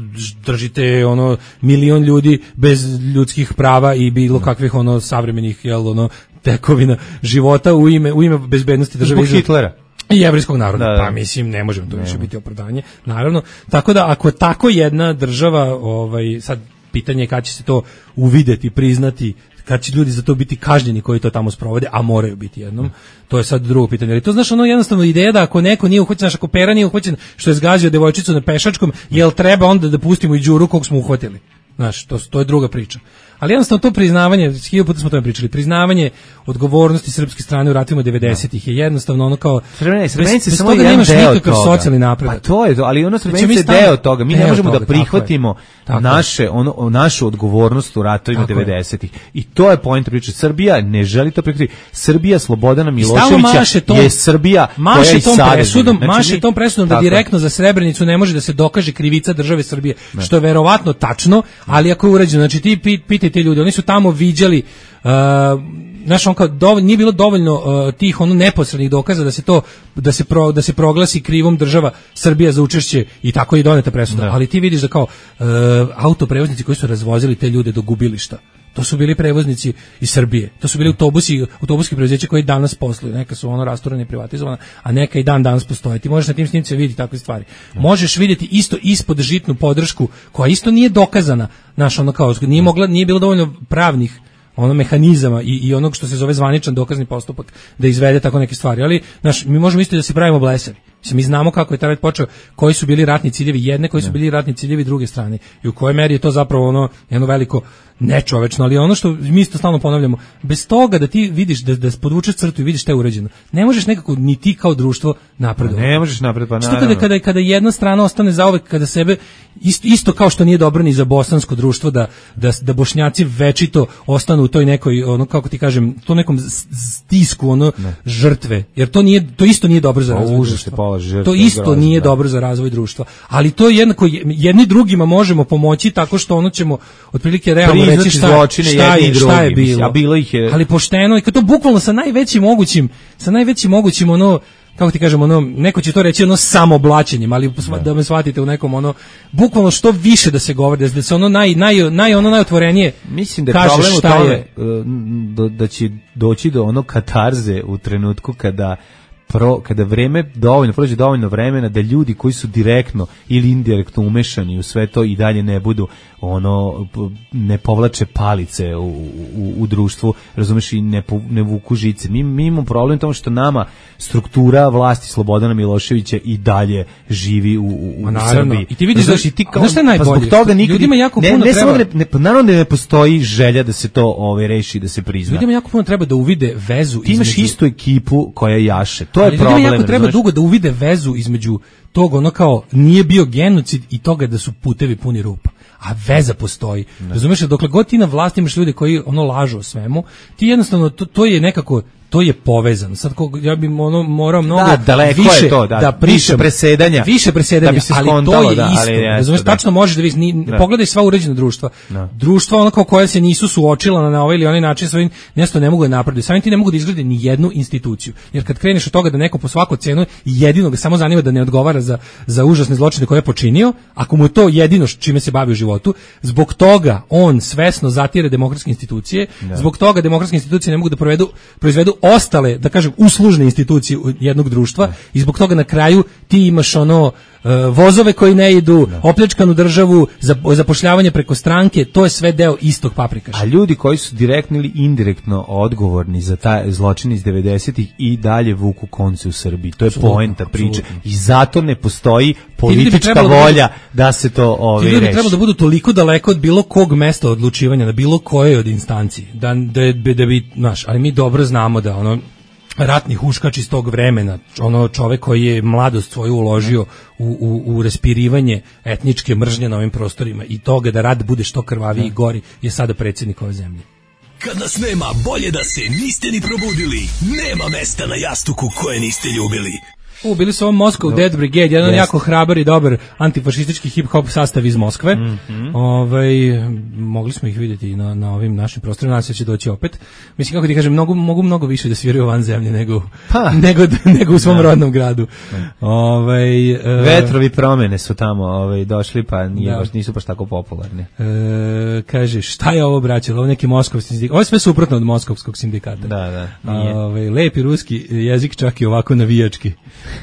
držite ono milion ljudi bez ljudskih prava i bilo kakvih ono savremenih, jel, ono, tekovina života u ime u ime bezbednosti države zbog Hitlera i jevrejskog naroda. Da, da. Pa mislim ne možemo to ne. više biti opravdanje. Naravno, tako da ako je tako jedna država, ovaj sad pitanje je kad će se to uvideti, priznati, kad će ljudi za to biti kažnjeni koji to tamo sprovode, a moraju biti jednom. To je sad drugo pitanje. Ali to znaš, ono jednostavno ideja da ako neko nije uhvaćen, ako pera nije uhvaćen što je zgazio devojčicu na pešačkom, jel treba onda da pustimo i Đuru kog smo uhvatili? Znaš, to, to je druga priča. Ali jednostavno to priznavanje, hiljadu puta smo o tome pričali, priznavanje odgovornosti srpske strane u ratovima devedesetih je jednostavno ono kao Srebrenice, Srebrenice bez samo toga jedan nemaš deo nikakav toga. socijalni napredak. Pa to je to, ali ono Srebrenice je stavimo- deo toga. Mi ne deo možemo toga, da prihvatimo tako je. naše ono našu odgovornost u ratovima Tako je. devedesetih. I to je point priče. Srbija ne želi to prihvatiti. Srbija Slobodana I stalno Miloševića maše tom- je Srbija koja maše i tom sada presudom, živi. Znači, maše mi- tom presudom da tako je. direktno za Srebrenicu ne može da se dokaže krivica države Srbije, što je verovatno tačno, ali ako je urađeno, znači ti pi- pitaj te ljudi, oni su tamo viđali uh, znaš, on kao dovoljno, nije bilo dovoljno uh, tih ono neposrednih dokaza da se to da se pro, da se proglasi krivom država Srbija za učešće i tako je doneta presuda. Da. Ali ti vidiš da kao uh, autoprevoznici koji su razvozili te ljude do gubilišta, to su bili prevoznici iz Srbije. To su bili autobusi, autobuski preduzeća koji danas posluju. Neka su ono rasturane i privatizovana, a neka i dan danas postoje. Ti možeš na tim snimcima vidjeti takve stvari. Možeš vidjeti isto ispod žitnu podršku koja isto nije dokazana. Znaš, ono kao nije mogla, nije bilo dovoljno pravnih ono mehanizama i, i onog što se zove zvaničan dokazni postupak da izvede tako neke stvari. Ali, znaš, mi možemo isto da se pravimo blesavi. Mislim, mi znamo kako je taj rat počeo, koji su bili ratni ciljevi jedne, koji su bili ratni ciljevi druge strane i u kojoj meri je to zapravo ono jedno veliko nečovečno, ali ono što mi isto stalno ponavljamo, bez toga da ti vidiš, da, da podvučeš crtu i vidiš šta je urađeno, ne možeš nekako ni ti kao društvo napredovati. Ne možeš napred, pa Što naravno. kada, kada, kada jedna strana ostane zauvek, kada sebe, isto, isto kao što nije dobro ni za bosansko društvo, da, da, da Bošnjaci večito ostanu u toj nekoj, ono, kako ti kažem, to nekom s- stisku, ono, žrtve, jer to nije, to isto nije dobro za Pa razvoj užas društva. je položaj žrtve, To isto grozno, nije da. dobro za razvoj društva. Ali to je jednako, jedni drugima možemo pomoći tako što ono ćemo otprilike realno Priznati reći šta, zločine šta, jedni je, i šta je drugi, mislim, bilo. a bilo ih je- Ali pošteno i kad to bukvalno sa najvećim mogućim, sa najvećim mogućim ono, kako ti kažemo, ono, neko će to reći ono samoblaćenjem, ali da. da me shvatite u nekom ono, bukvalno što više da se govori, da se ono naj, naj, naj, ono najotvorenije Mislim da je kažeš problem u šta tome je. uh, do- da će doći do ono katarze u trenutku kada pro, kada vreme dovoljno, prođe dovoljno vremena da ljudi koji su direktno ili indirektno umešani u sve to i dalje ne budu ono, p- ne povlače palice u, u, u društvu, razumeš, i ne, po- ne vuku žice. Mi, mi imamo problem u tom što nama struktura vlasti Slobodana Miloševića i dalje živi u, u, u Ma naravno. Srbiji. I ti vidiš da- Razumeš, i ti kao, znaš šta je najbolje? pa zbog toga nikad, Ljudima jako ne, puno ne samo treba- da ne, ne, naravno da ne postoji želja da se to ovaj, reši, da se prizna. Ljudima jako puno treba da uvide vezu Ti imaš između- istu ekipu koja jaše. To je Ali ljudima problem. jako treba razumeš? dugo da uvide vezu između tog ono kao nije bio genocid i toga da su putevi puni rupa. A veza postoji. Razumeš, dokle god ti na vlasti imaš ljude koji ono lažu o svemu, ti jednostavno to, to je nekako to je povezano. Sad ko, ja bih ono morao mnogo Da, daleko više je to, da. da pričam, Više presedanja. više presedanja, Da bi se ali skontalo, to je da, isto. ali jeste, Razumeš, da. tačno možeš da vidiš, ni, Da. pogledaj sva uređena društva. Da. Društva ono kao koja se nisu suočila na, na ovaj ili onaj način svojim nešto ne mogu da napreduju. Samim ti ne mogu da izgrade ni jednu instituciju. Jer kad kreneš od toga da neko po svaku cenu jedino ga samo zanima da ne odgovara za za užasne zločine koje je počinio, ako mu je to jedino š- čime se bavi u životu, zbog toga on svesno zatire demokratske institucije, zbog toga demokratske institucije ne mogu da provedu, proizvedu ostale, da kažem, uslužne institucije u- jednog društva i zbog toga na kraju ti imaš ono e, vozove koji ne idu, opljačkanu državu, zap- zapošljavanje preko stranke, to je sve deo istog paprikaša. A ljudi koji su direktno ili indirektno odgovorni za taj zločin iz devedesetih i dalje vuku konce u Srbiji. To je Apsolutno, poenta priče. apsolutno. I zato ne postoji ljudi bi politička trebalo da budu- volja da se to Ti ovaj, ljudi reši. treba da budu toliko daleko od bilo kog mesta odlučivanja, na bilo koje od instanci, da, da, bi- da bi, znaš, ali mi dobro znamo da ono, ratni huškač iz tog vremena, ono čovek koji je mladost svoju uložio u, u, u respirivanje etničke mržnje na ovim prostorima i toga da rat bude što krvaviji i gori, je sada predsjednik ove zemlje. Kad nas nema, bolje da se niste ni probudili. Nema mesta na jastuku koje niste ljubili. U, bili su ovo Moscow Dead Brigade, jedan Jest. jako hrabar i dobar antifašistički hip-hop sastav iz Moskve. Mhm. Ovaj, mogli smo ih vidjeti na, na ovim našim prostorima, nadam se da će doći opet. Mislim, kako ti kažem, mogu, mogu mnogo više da sviraju van zemlje nego, Pa. nego, nego u svom rodnom gradu. Ovaj, e, Vetrovi promene su tamo ovaj, došli, pa nije Da. baš, nisu baš tako popularni. e, kaže, šta je ovo, braće? Ovo je neki moskovski sindikat. Ovo je sve suprotno od moskovskog sindikata. Da, da, nije. Ovaj, lepi ruski jezik, čak i ovako navijački.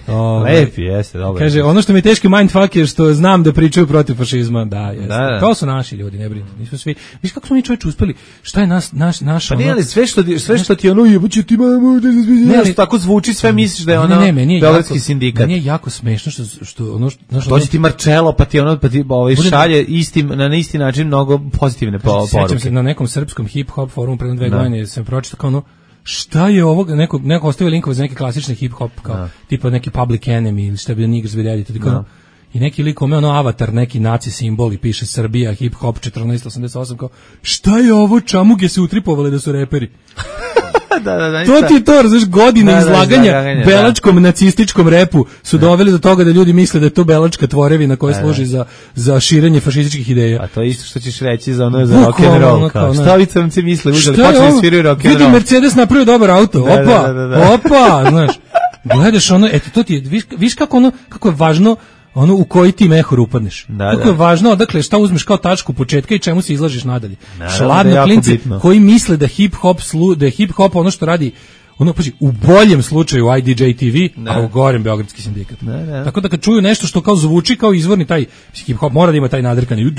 Ove, Lepi, jeste, dobro. Kaže, ono što mi je teški mindfuck je što znam da pričaju protiv fašizma. Da, jeste. Da, da. To su naši ljudi, ne brini. Nismo svi. Viš kako smo mi čovječe uspeli? Šta je nas naš naš Pa ono... ne, ali sve što sve što ti ono jebuće ti mamo, ne, ali tako zvuči, sve misliš da je ono beogradski sindikat. Meni je jako smešno što što ono što dođe ti Marcello pa ti ono pa ti ovaj šalje istim na isti način mnogo pozitivne poruke. Sećam se na nekom srpskom hip hop forumu pre dve godine sam pročitao kao ono šta je ovo, neko, neko ostavio linkove za neke klasične hip-hop, kao, no. tipa neki Public Enemy ili šta bi Niggers with Attitude, no. I neki lik ome ono avatar, neki naci simbol i piše Srbija, hip-hop četrnaest osamdeset osam, kao, šta je ovo, čamuge se utripovali da su reperi? da, da, da, to ti je to, razliš, godine da, izlaganja da, da, belačkom nacističkom repu su da. doveli do toga da ljudi misle da je to belačka tvorevina koja da, služi da. za, za širenje fašističkih ideja. A to je isto što ćeš reći za ono za rock and roll. Kao, šta ovi crnci misle, uzeli, počeli sviraju rock and roll. Vidi, Mercedes napravio dobar auto, opa, da, da, da, da. opa, znaš, gledaš ono, eto, to ti je, viš, viš kako ono, kako je važno ono u koji ti mehur upadneš. Da, kako da. je važno, odakle šta uzmeš kao tačku početka i čemu se izlažiš nadalje. Šladno da klinci bitno. Koji misle da hip hop slu, da je hip hop ono što radi ono paži u boljem slučaju I D J T V, ne. a u gorem beogradski sindikat. Ne, ne. Tako da kad čuju nešto što kao zvuči kao izvorni taj hip hop mora da ima taj nadrkani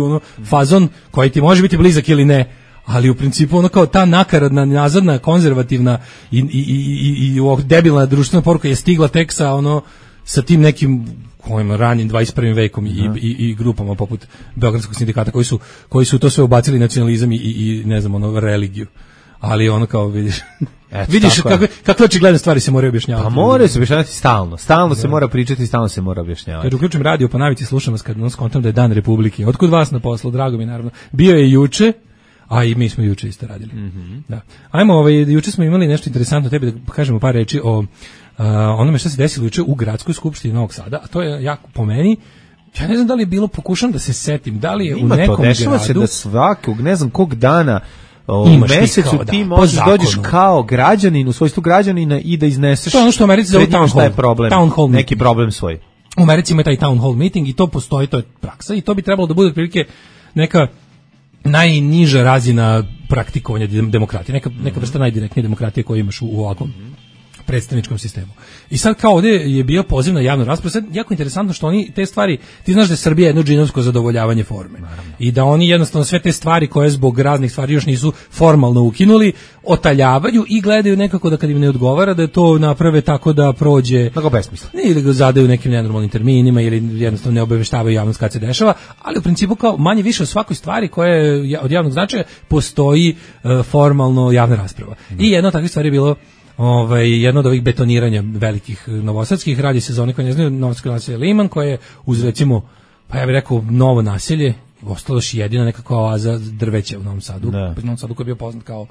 ono fazon koji ti može biti blizak ili ne. Ali u principu ono kao ta nakaradna, nazadna, konzervativna i, i, i, i, i debilna društvena poruka je stigla tek sa ono sa tim nekim kojim ranim dvadeset prvim vekom i, i, i grupama poput Beogradskog sindikata koji su, koji su to sve ubacili nacionalizam i, i, i ne znam, ono, religiju. Ali ono kao vidiš, Eto, vidiš kakve, kakve očigledne stvari se moraju objašnjavati. Pa mora se objašnjavati stalno, stalno da. se mora pričati, stalno se mora objašnjavati. Kad uključim radio po navici slušam vas kad nas kontam da je Dan Republike. Otkud vas na poslu, drago mi naravno. Bio je juče, a i mi smo juče isto radili. Mm-hmm. Da. Ajmo, ovaj, juče smo imali nešto interesantno, tebi da kažemo par reči o Uh, onome što se desilo juče u gradskoj skupštini Novog Sada, a to je jako po meni, ja ne znam da li je bilo, pokušam da se setim, da li je Ima u nekom to, dešava gradu... se da svakog, ne znam kog dana u mesecu ti, kao, ti da, možeš dođeš kao građanin, u svojstvu građanina i da izneseš... To je ono što u Americi zove town hall, problem, town hall neki problem svoj. U Americi ima taj town hall meeting i to postoji, to je praksa i to bi trebalo da bude otprilike neka najniža razina praktikovanja demokratije, neka, neka vrsta najdirektnije demokratije koju imaš u, u ovakvom predstavničkom sistemu. I sad kao ovdje je bio poziv na javnu raspravu, sad jako interesantno što oni te stvari, ti znaš da je Srbija jedno džinovsko zadovoljavanje forme. Naravno. I da oni jednostavno sve te stvari koje zbog raznih stvari još nisu formalno ukinuli, otaljavaju i gledaju nekako da kad im ne odgovara da to naprave tako da prođe tako besmisla. Ili ga zadaju nekim nenormalnim terminima ili jednostavno ne obaveštavaju javnost kad se dešava, ali u principu kao manje više o svakoj stvari koja je od javnog značaja postoji uh, formalno javna rasprava. Mm. I jedna od takvih stvari je bilo Ovaj, jedno od ovih betoniranja velikih novosadskih, radi se za one koji ne znaju, novosadsko naselje Liman, koje je uz recimo, pa ja bih rekao, novo naselje, ostalo još jedina nekakva oaza drveća u Novom Sadu, u Novom Sadu koji je bio poznat kao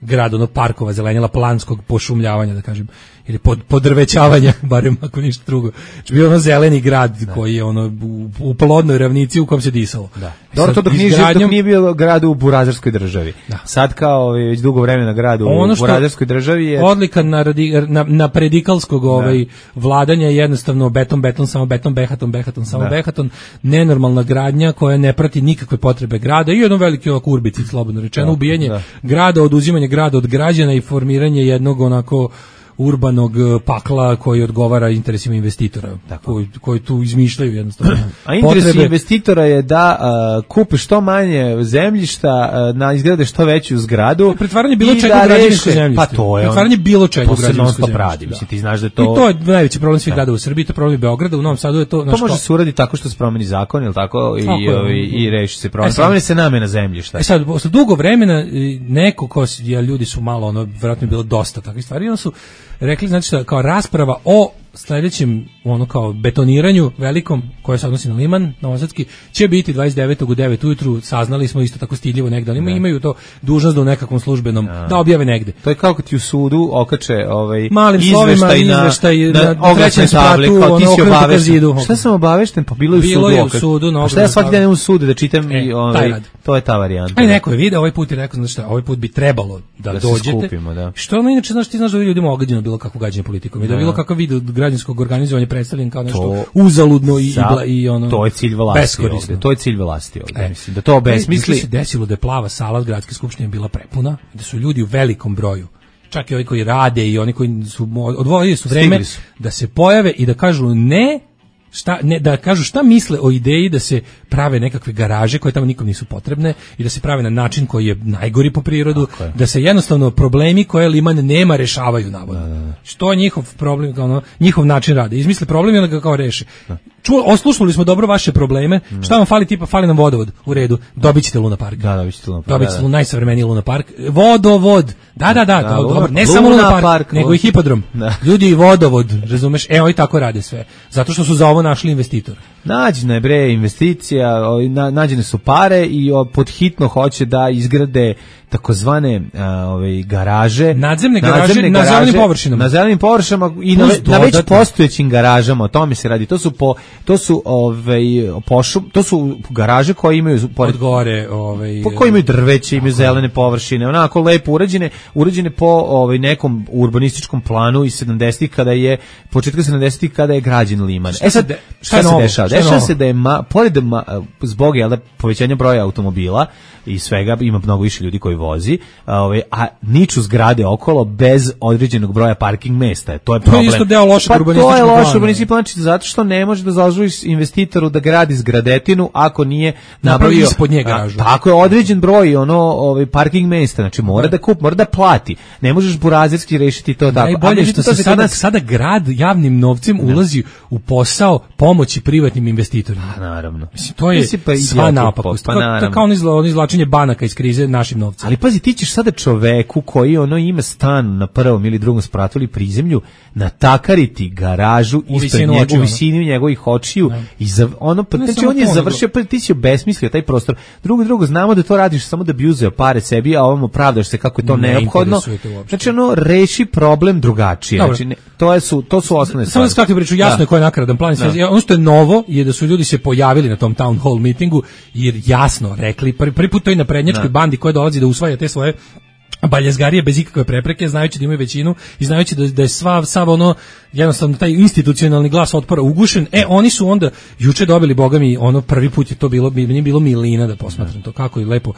grad onog parkova, zelenjela, planskog pošumljavanja, da kažem, ili pod, podrvećavanja, barem ako ništa drugo. Znači bio ono zeleni grad da. koji je ono u, u plodnoj ravnici u kom se disalo. Da. Dobro, to dok nije, izgradnjom... dok nije bio grad u burazerskoj državi. Da. Sad kao već dugo vremena grad u ono burazerskoj državi je... Odlika na, radi, na, na predikalskog ovaj, vladanja je jednostavno beton, beton, samo beton, behaton, behaton, samo da. behaton, nenormalna gradnja koja ne prati nikakve potrebe grada i jedno veliki ovako urbici, slobodno rečeno, da. ubijanje da. grada, oduzimanje grada od građana i formiranje jednog onako urbanog pakla koji odgovara interesima investitora, koji, koji tu izmišljaju jednostavno. A interes potrebe... investitora je da uh, kupi što manje zemljišta, uh, na izgrade što veću zgradu. Pretvaranje bilo čega u građevinsko zemljište. Pa to je. Pretvaranje bilo čega u građevinsko zemljište. Mislim, ti znaš da to... I to je najveći problem svih gradova u Srbiji, to je problem Beograda, u Novom Sadu je to... To može se uraditi tako što se promeni zakon, ili tako, i, tako i, i reši se problem. E promeni se namena zemljišta. E sad, posle dugo vremena, neko ko, ja, ljudi su malo, ono, vjerojatno je bilo dosta takvih stvari, ono su rekli, znači što kao rasprava o sledećem ono kao betoniranju velikom koje se odnosi na Liman, novosadski, će biti dvadeset devetog u devet ujutru, saznali smo isto tako stidljivo negde, ali ne. imaju to dužnost da u nekakvom službenom, ja. da objave negde. To je kao kad ti u sudu okače ovaj, malim slovima izveštaj na, na, na trećem spratu, kao ti si obavešten. Šta sam obavešten? Pa bilo je u bilo sudu. Je u sudu no, šta ja svaki dan u sudu da čitam e, i ovaj, to je ta varijanta. Aj neko je video ovaj put i rekao, znači šta, ovaj put bi trebalo da, da dođete. Skupimo, da. Što ono inače, znaš, ti znaš da ljudima ogađeno bilo kakvo gađenje politikom i da bilo kakav video građanskog organizovanja predstavljen kao nešto to, uzaludno i, za, i ono to je cilj vlasti ovde, to je cilj vlasti ovde, e, mislim da to obesmisli. Se desilo da je plava sala gradske skupštine bila prepuna, da su ljudi u velikom broju, čak i ovi koji rade i oni koji su odvojili su vreme su. da se pojave i da kažu ne, šta, ne, da kažu šta misle o ideji da se prave nekakve garaže koje tamo nikom nisu potrebne i da se prave na način koji je najgori po prirodu, da se jednostavno problemi koje Liman nema rešavaju navodno. Što je njihov problem, ono, njihov način rada. Izmisle problem i onda ga kao reše. Čuo, oslušali smo dobro vaše probleme. Mm. Šta vam fali, tipa fali nam vodovod. U redu, dobit ćete Luna Park. Da, dobit ćete Luna Park. Dobit ćete da, da. najsavremeniji Luna Park. Vodovod. Da, da, da, da to, Luna, dobro. Ne Luna samo Luna Park, Park nego i hipodrom. Da. Ljudi i vodovod, razumeš? E, oni tako rade sve. Zato što su za ovo našli investitor. Nađena je bre investicija, na, nađene su pare i o, podhitno hoće da izgrade takozvane ove garaže, nadzemne garaže, nadzemne na garaže, zelenim površinama. Na zelenim površinama i na, na već postojećim garažama, o tome se radi. To su po to su ovaj pošum, to su garaže koje imaju pored gore, ovaj po koji imaju drveće, imaju zelene površine, onako lepo urađene, urađene po ovaj nekom urbanističkom planu iz sedamdesetih kada je početka sedamdesetih kada je građen Liman. Šta e sad de, šta, šta se dešava? Dešava se da je ma, pored ma, zbog jel da povećanja broja automobila i svega ima mnogo više ljudi koji vozi, a, ovaj, a niču zgrade okolo bez određenog broja parking mesta. To je problem. To je isto deo lošeg pa urbanističkog plana. To je loš urbanistički plan, zato što ne može da dozvoliš investitoru da gradi zgradetinu ako nije napravio ispod nje garažu. A, tako je određen broj ono ovaj parking mesta, znači mora da kup, mora da plati. Ne možeš burazerski rešiti to tako. Najbolje što se sada, nas... sada grad javnim novcem ne. ulazi u posao pomoći privatnim investitorima. A, naravno. Mislim, to je pa sva napakost. Pa, to je kao ono izvlačenje banaka iz krize našim novcem. Ali pazi, ti ćeš sada čoveku koji ono ima stan na prvom ili drugom spratu ili prizemlju natakariti garažu ispred njega, u visini njegovih očiju ne. i za, ono, pa, znači on je završio, pa ti si obesmislio taj prostor. Drugo, drugo, znamo da to radiš samo da bi uzeo pare sebi, a ovamo pravdaš se kako je to ne neophodno. Znači ono, reši problem drugačije. Dobro. Znači, ne, to, je su, to su osnovne stvari. Samo da skratko priču, jasno da. je ko je nakaradan plan. Da. Ono što je novo je da su ljudi se pojavili na tom town hall meetingu jer jasno rekli, prvi, prvi put to i na prednjačkoj bandi koja dolazi da usvaja te svoje baljezgarije bez ikakve prepreke, znajući da imaju većinu i znajući da, da je sva, sav ono, jednostavno taj institucionalni glas otpora ugušen, e, oni su onda juče dobili, boga mi, ono, prvi put je to bilo, nije bilo milina da posmatram to, kako je lepo.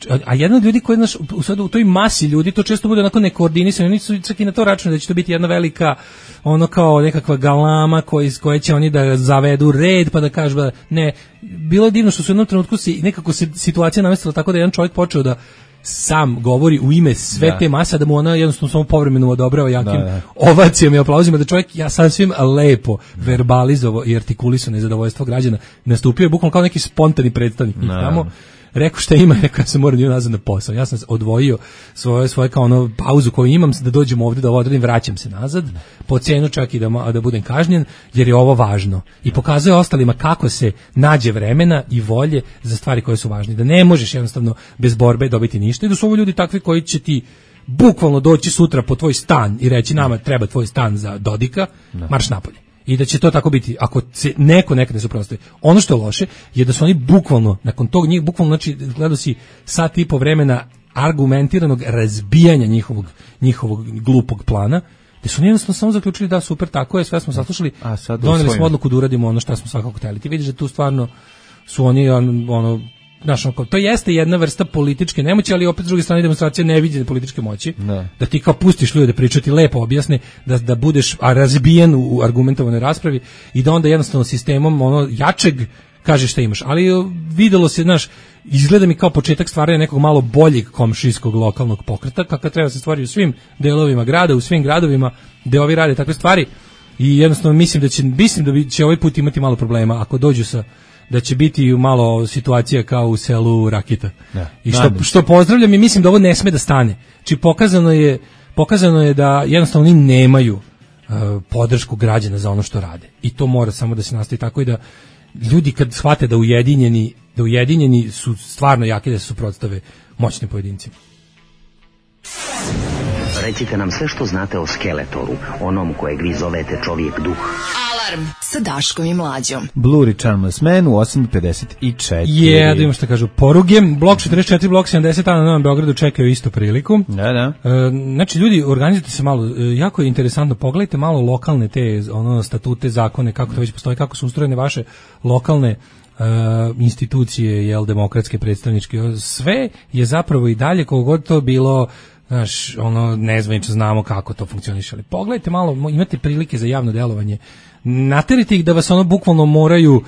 A, a jedan od ljudi koji, znaš, u, sad, u toj masi ljudi, to često bude onako nekoordinisano, oni su čak i na to računali da će to biti jedna velika, ono kao nekakva galama koji, koje će oni da zavedu red, pa da kažu da ne, bilo je divno što su u jednom trenutku si, nekako se situacija namestila tako da jedan čovjek počeo da sam govori u ime sve da. te mase, da mu ona jednostavno samo povremeno odobrava jakim da, da. ovacijama i aplauzima, da čovjek ja sasvim lepo verbalizovao i artikulisao nezadovoljstvo građana, nastupio je bukvalno kao neki spontani predstavnik njih tamo. Rekao šta ima, rekao ja sam moram nazad na posao. Ja sam odvojio svoje, svoje kao ono pauzu koju imam da dođem ovdje da ovo odradim, vraćam se nazad, po cenu čak i da, da budem kažnjen, jer je ovo važno. I pokazuje ostalima kako se nađe vremena i volje za stvari koje su važne. Da ne možeš jednostavno bez borbe dobiti ništa i da su ovo ljudi takvi koji će ti bukvalno doći sutra po tvoj stan i reći nama treba tvoj stan za Dodika, marš napolje. I da će to tako biti ako se neko nekad ne suprotstavi. Ono što je loše je da su oni bukvalno nakon tog njih bukvalno znači gledao si sat i po vremena argumentiranog razbijanja njihovog njihovog glupog plana, da su jednostavno samo zaključili da super tako je, sve smo saslušali, doneli smo odluku da uradimo ono što smo svakako hteli. Ti vidiš da tu stvarno su oni ono Znaš, to jeste jedna vrsta političke nemoći, ali opet s druge strane demonstracija neviđene političke moći. Ne. Da ti kao pustiš ljude da pričaju, ti lepo objasne, da, da budeš razbijen u, u argumentovanoj raspravi i da onda jednostavno sistemom ono jačeg kažeš šta imaš. Ali videlo se, znaš, izgleda mi kao početak stvaranja nekog malo boljeg komšijskog lokalnog pokreta, kakav treba se stvari u svim delovima grada, u svim gradovima gde ovi rade takve stvari i jednostavno mislim da će, mislim da će ovaj put imati malo problema ako dođu sa da će biti malo situacija kao u selu Rakita. Ja, I što, što pozdravljam i mislim da ovo ne sme da stane. Či pokazano je, pokazano je da jednostavno oni nemaju uh, podršku građana za ono što rade. I to mora samo da se nastavi tako i da ljudi kad shvate da ujedinjeni, da ujedinjeni su stvarno jaki da se suprotstave moćnim pojedincima. Recite nam sve što znate o Skeletoru, onom kojeg vi zovete čovjek duh. Alarm sa Daškom i Mlađom. Blue Charmless Man u osam pedeset četiri. Je, da imamo što kažu poruge. Blok četrdeset četiri, blok sedamdeset na Novom Beogradu čekaju istu priliku. Da, da. E, znači, ljudi, organizujte se malo, e, jako je interesantno, pogledajte malo lokalne te ono, statute, zakone, kako to već postoji, kako su ustrojene vaše lokalne Uh, institucije, jel, demokratske, predstavničke, sve je zapravo i dalje, koliko god to bilo znaš, ono, nezvanično znamo kako to funkcioniše, ali pogledajte malo, imate prilike za javno delovanje, naterite ih da vas ono bukvalno moraju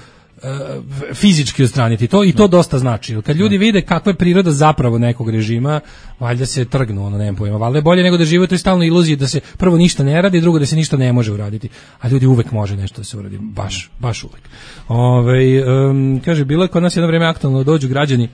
fizički odstraniti to i to dosta znači. Kad ljudi vide kakva je priroda zapravo nekog režima, valjda se trgnu, ono nemam pojma. Valjda je bolje nego da žive u toj stalnoj iluziji da se prvo ništa ne radi, drugo da se ništa ne može uraditi. A ljudi uvek može nešto da se uradi, baš, baš uvek. Ove, um, kaže, bilo je kod nas jedno vreme aktualno da dođu građani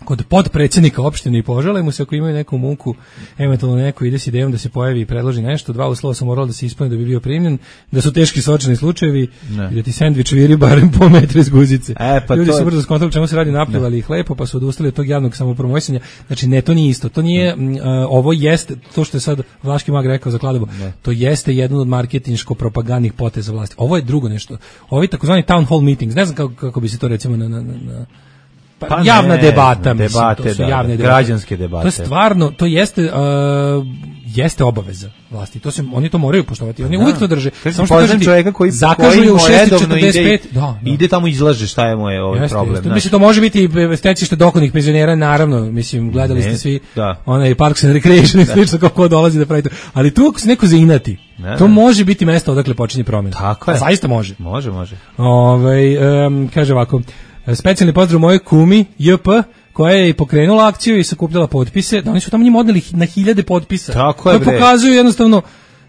kod podpredsjednika opštine i požale mu se ako imaju neku muku, eventualno neko ide s idejom da se pojavi i predloži nešto, dva uslova su morali da se ispune da bi bio primljen, da su teški sočani slučajevi ne. I da ti sendvič viri barem po metru iz guzice. E, pa ljudi to... su brzo skontali čemu se radi, napljevali ih lepo, pa su odustali od tog javnog samopromovisanja. Znači, ne, to nije isto. To nije, uh, ovo jeste, to što je sad Vlaški mag rekao za Kladovo, ne. To jeste jedan od marketinško-propagandnih poteza vlasti. Ovo je drugo nešto. Ovi takozvani town hall meetings, ne znam kako, kako bi se to recimo na... na, na Pa, pa javna ne, debata, mislim, debate, to su javne da, debate. Građanske debate. To je stvarno, to jeste uh, jeste obaveza vlasti. To se oni to moraju poštovati. Oni da. Uvijek to drže. Samo što kažem čovjeka koji zakažu u šest četrdeset pet, ide, da, da. Ide tamo izlaže šta je moj ovaj jeste, problem. Jeste. Mislim to može biti stecište dokonih penzionera, naravno, mislim gledali ne, ste svi da. Onaj Parks and Recreation i slično kako dolazi da pravi to. Ali tu ako se neko zainati, ne, to ne. Može biti mesto odakle počinje promena. Tako je. A zaista može. Može, može. Ovaj um, kaže ovako, specijalni pozdrav mojoj kumi J P koja je i pokrenula akciju i sakupljala potpise, da oni su tamo njima odneli na hiljade potpisa. Tako je, koje pokazuju jednostavno,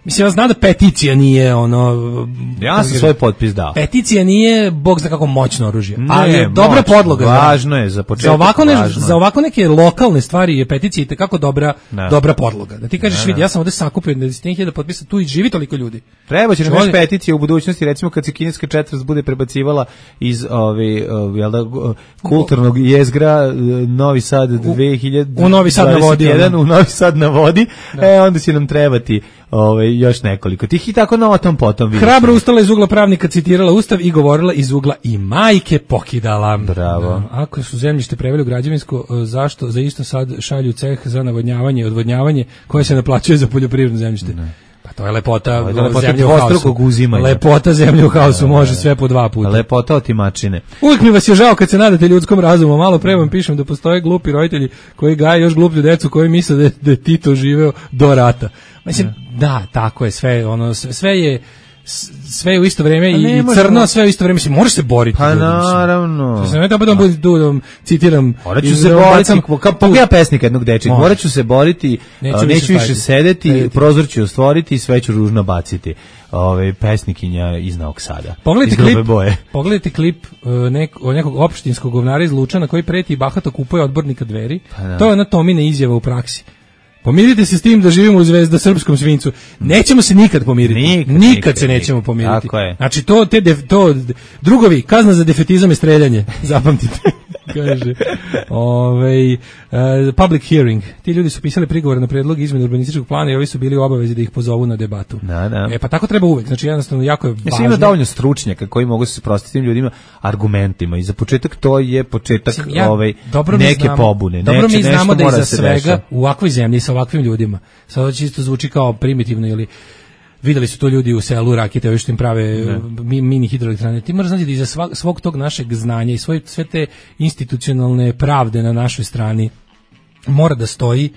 mislim, ja znam da peticija nije ono... Ja sam svoj potpis dao. Peticija nije, bog zna kako moćno oružje, ne, ali je dobra moćno, podloga. Važno je za početak. Za ovako, ne, za ovako neke lokalne stvari je peticija itekako dobra, ne. dobra podloga. Da ti kažeš, vidi, ja sam ovde sakupio desetine hiljada potpisa, tu i živi toliko ljudi. Treba će nam još peticije u budućnosti, recimo kad se kineska četvrt bude prebacivala iz ove, ove, jel da, kulturnog jezgra Novi Sad dve hiljade dvadeset jedan, u Novi Sad na vodi, u Novi Sad na vodi, da. E, onda će nam trebati Ove, još nekoliko tih i tako na tom potom. Hrabro ustala iz ugla pravnika, citirala Ustav i govorila iz ugla i majke pokidala. Bravo. Da, ako su zemljište preveli u građevinsko, zašto za isto sad šalju ceh za navodnjavanje i odvodnjavanje koje se naplaćuje za poljoprivredno zemljište? Ne. Pa to je lepota, lepota zemlje u haosu. Lepota zemlje u haosu, može sve po dva puta. Lepota otimačine. Uvijek mi vas je žao kad se nadate ljudskom razumu. Malo pre vam pišem da postoje glupi roditelji koji gaje još gluplju decu koji misle da je, da je Tito živeo do rata. Mislim, ne. Da, tako je, sve, ono, sve je sve u isto vrijeme i, i crno, sve u isto vrijeme, mislim, možeš se boriti. Pa ljudi, naravno. Mislim, ja budem budi tu, da citiram. Morat ću se boriti, kako ja pesnika jednog dečeg, morat ću se boriti, neću, neću više sedeti, sedeti, prozor ću stvoriti i sve ću ružno baciti. Ove pesnikinja iz Novog Sada. Pogledajte klip, pogledajte klip uh, nek, nekog opštinskog govnara iz Lučana koji preti i bahato kupuje odbornika Dveri. Pa to je ona Tomina izjava u praksi. Pomirite se s tim da živimo u zvezda srpskom svincu. Nećemo se nikad pomiriti. Nikad, nikad, nikad se nećemo nikad. Pomiriti. Tako je. Znači to te def, to drugovi, kazna za defetizam je streljanje. Zapamtite. Kaže. Ovaj uh, public hearing. Ti ljudi su pisali prigovor na predlog izmene urbanističkog plana i ovi su bili u obavezi da ih pozovu na debatu. Da, da. E pa tako treba uvek. Znači jednostavno jako je važno. Mislim, ima dovoljno stručnjaka koji mogu se sprostiti tim ljudima argumentima i za početak to je početak Mislim, ja, ovaj neke znamo, pobune. Dobro Neće, mi znamo da iza svega deša. U ovakvoj zemlji sa ovakvim ljudima. Sada čisto zvuči kao primitivno ili videli su to ljudi u selu Rakite, ovi što im prave mi, mini hidroelektrane. Ti moraš znati da iza svog, svog tog našeg znanja i svoje, sve te institucionalne pravde na našoj strani mora da stoji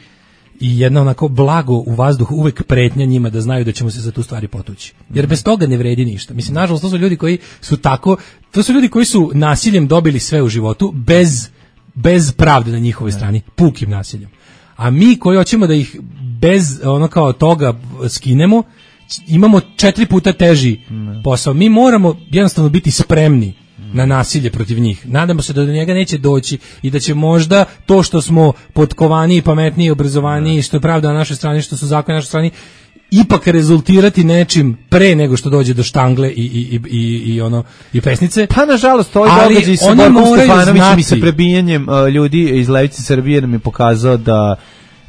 i jedna onako blago u vazduhu uvek pretnja njima da znaju da ćemo se za tu stvari potući. Jer bez toga ne vredi ništa. Mislim, nažalost, to su ljudi koji su tako, to su ljudi koji su nasiljem dobili sve u životu bez, bez pravde na njihovoj strani, pukim nasiljem. A mi koji hoćemo da ih bez ono kao toga skinemo, imamo četiri puta teži posao. Mi moramo jednostavno biti spremni na nasilje protiv njih. Nadamo se da do njega neće doći i da će možda to što smo potkovaniji, pametniji, obrazovaniji, što je pravda na našoj strani, što su zakoni na našoj strani, ipak rezultirati nečim pre nego što dođe do štangle i, i, i, i ono i pesnice. Pa nažalost to je događaj sa Borkom Stefanovićem i sa prebijanjem uh, ljudi iz Levice Srbije nam je pokazao da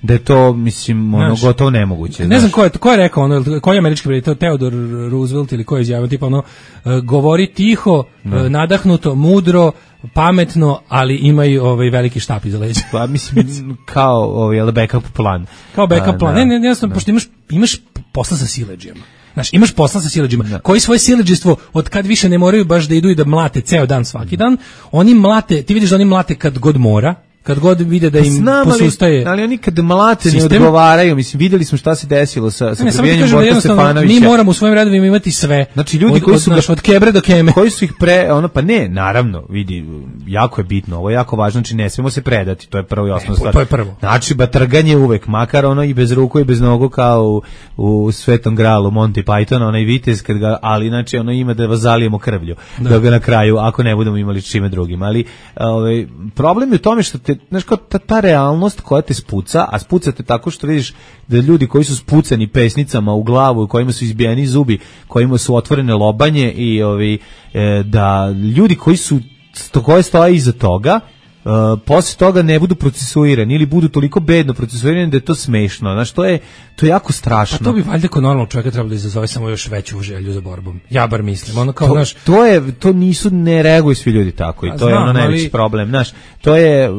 da je to, mislim, ono, znaš, gotovo nemoguće. Ne znaš. znam ko je, ko je rekao, ono, koji je američki predstavnik, Theodore Roosevelt ili ko je izjavio, tipa ono, uh, govori tiho, uh, nadahnuto, mudro, pametno, ali imaju ovaj veliki štap iza leđa. Pa mislim kao ovaj backup plan. Kao backup plan. Ne, ne, ne, jasno, pošto imaš imaš posla sa siledžijama. Znaš, imaš posla sa siledžijama koji svoje siledžstvo od kad više ne moraju baš da idu i da mlate ceo dan svaki dan, oni mlate, ti vidiš da oni mlate kad god mora. kad god vide da im Znam, posustaje. Ali, ali oni kad mlate ne sistem, odgovaraju, mislim, videli smo šta se desilo sa, sa ne, prebijanjem Borka Stefanovića. Mi moramo u svojim radovima imati sve. Znači, ljudi od, koji od, su... naš, od kebre do keme. Koji su ih pre... Ono, pa ne, naravno, vidi, jako je bitno, ovo je jako važno, znači ne smemo se predati, to je prvo i osnovna stvar. To je prvo. Znači, batrganje uvek, makar ono i bez ruku i bez nogu kao u, u Svetom gralu Monty Pythona, onaj vitez, kad ga, ali znači ono ima da vas zalijemo krvlju, da. da ga na kraju, ako ne budemo imali čime drugim. Ali ovaj, problem je u tome što te, znaš, kao ta, ta realnost koja te spuca, a spuca te tako što vidiš da ljudi koji su spucani pesnicama u glavu, kojima su izbijeni zubi, kojima su otvorene lobanje i ovi, e, da ljudi koji su sto, koje stoje iza toga, Uh, posle toga ne budu procesuirani ili budu toliko bedno procesuirani da je to smešno. Znaš, to je, to je jako strašno. Pa to bi valjda kod normalnog čovjeka trebalo da izazove samo još veću želju za borbom. Ja bar mislim. Ono kao, to, znaš, to, je, to nisu, ne reaguju svi ljudi tako i to znam, je ono najveći ali... problem. Znaš, to je,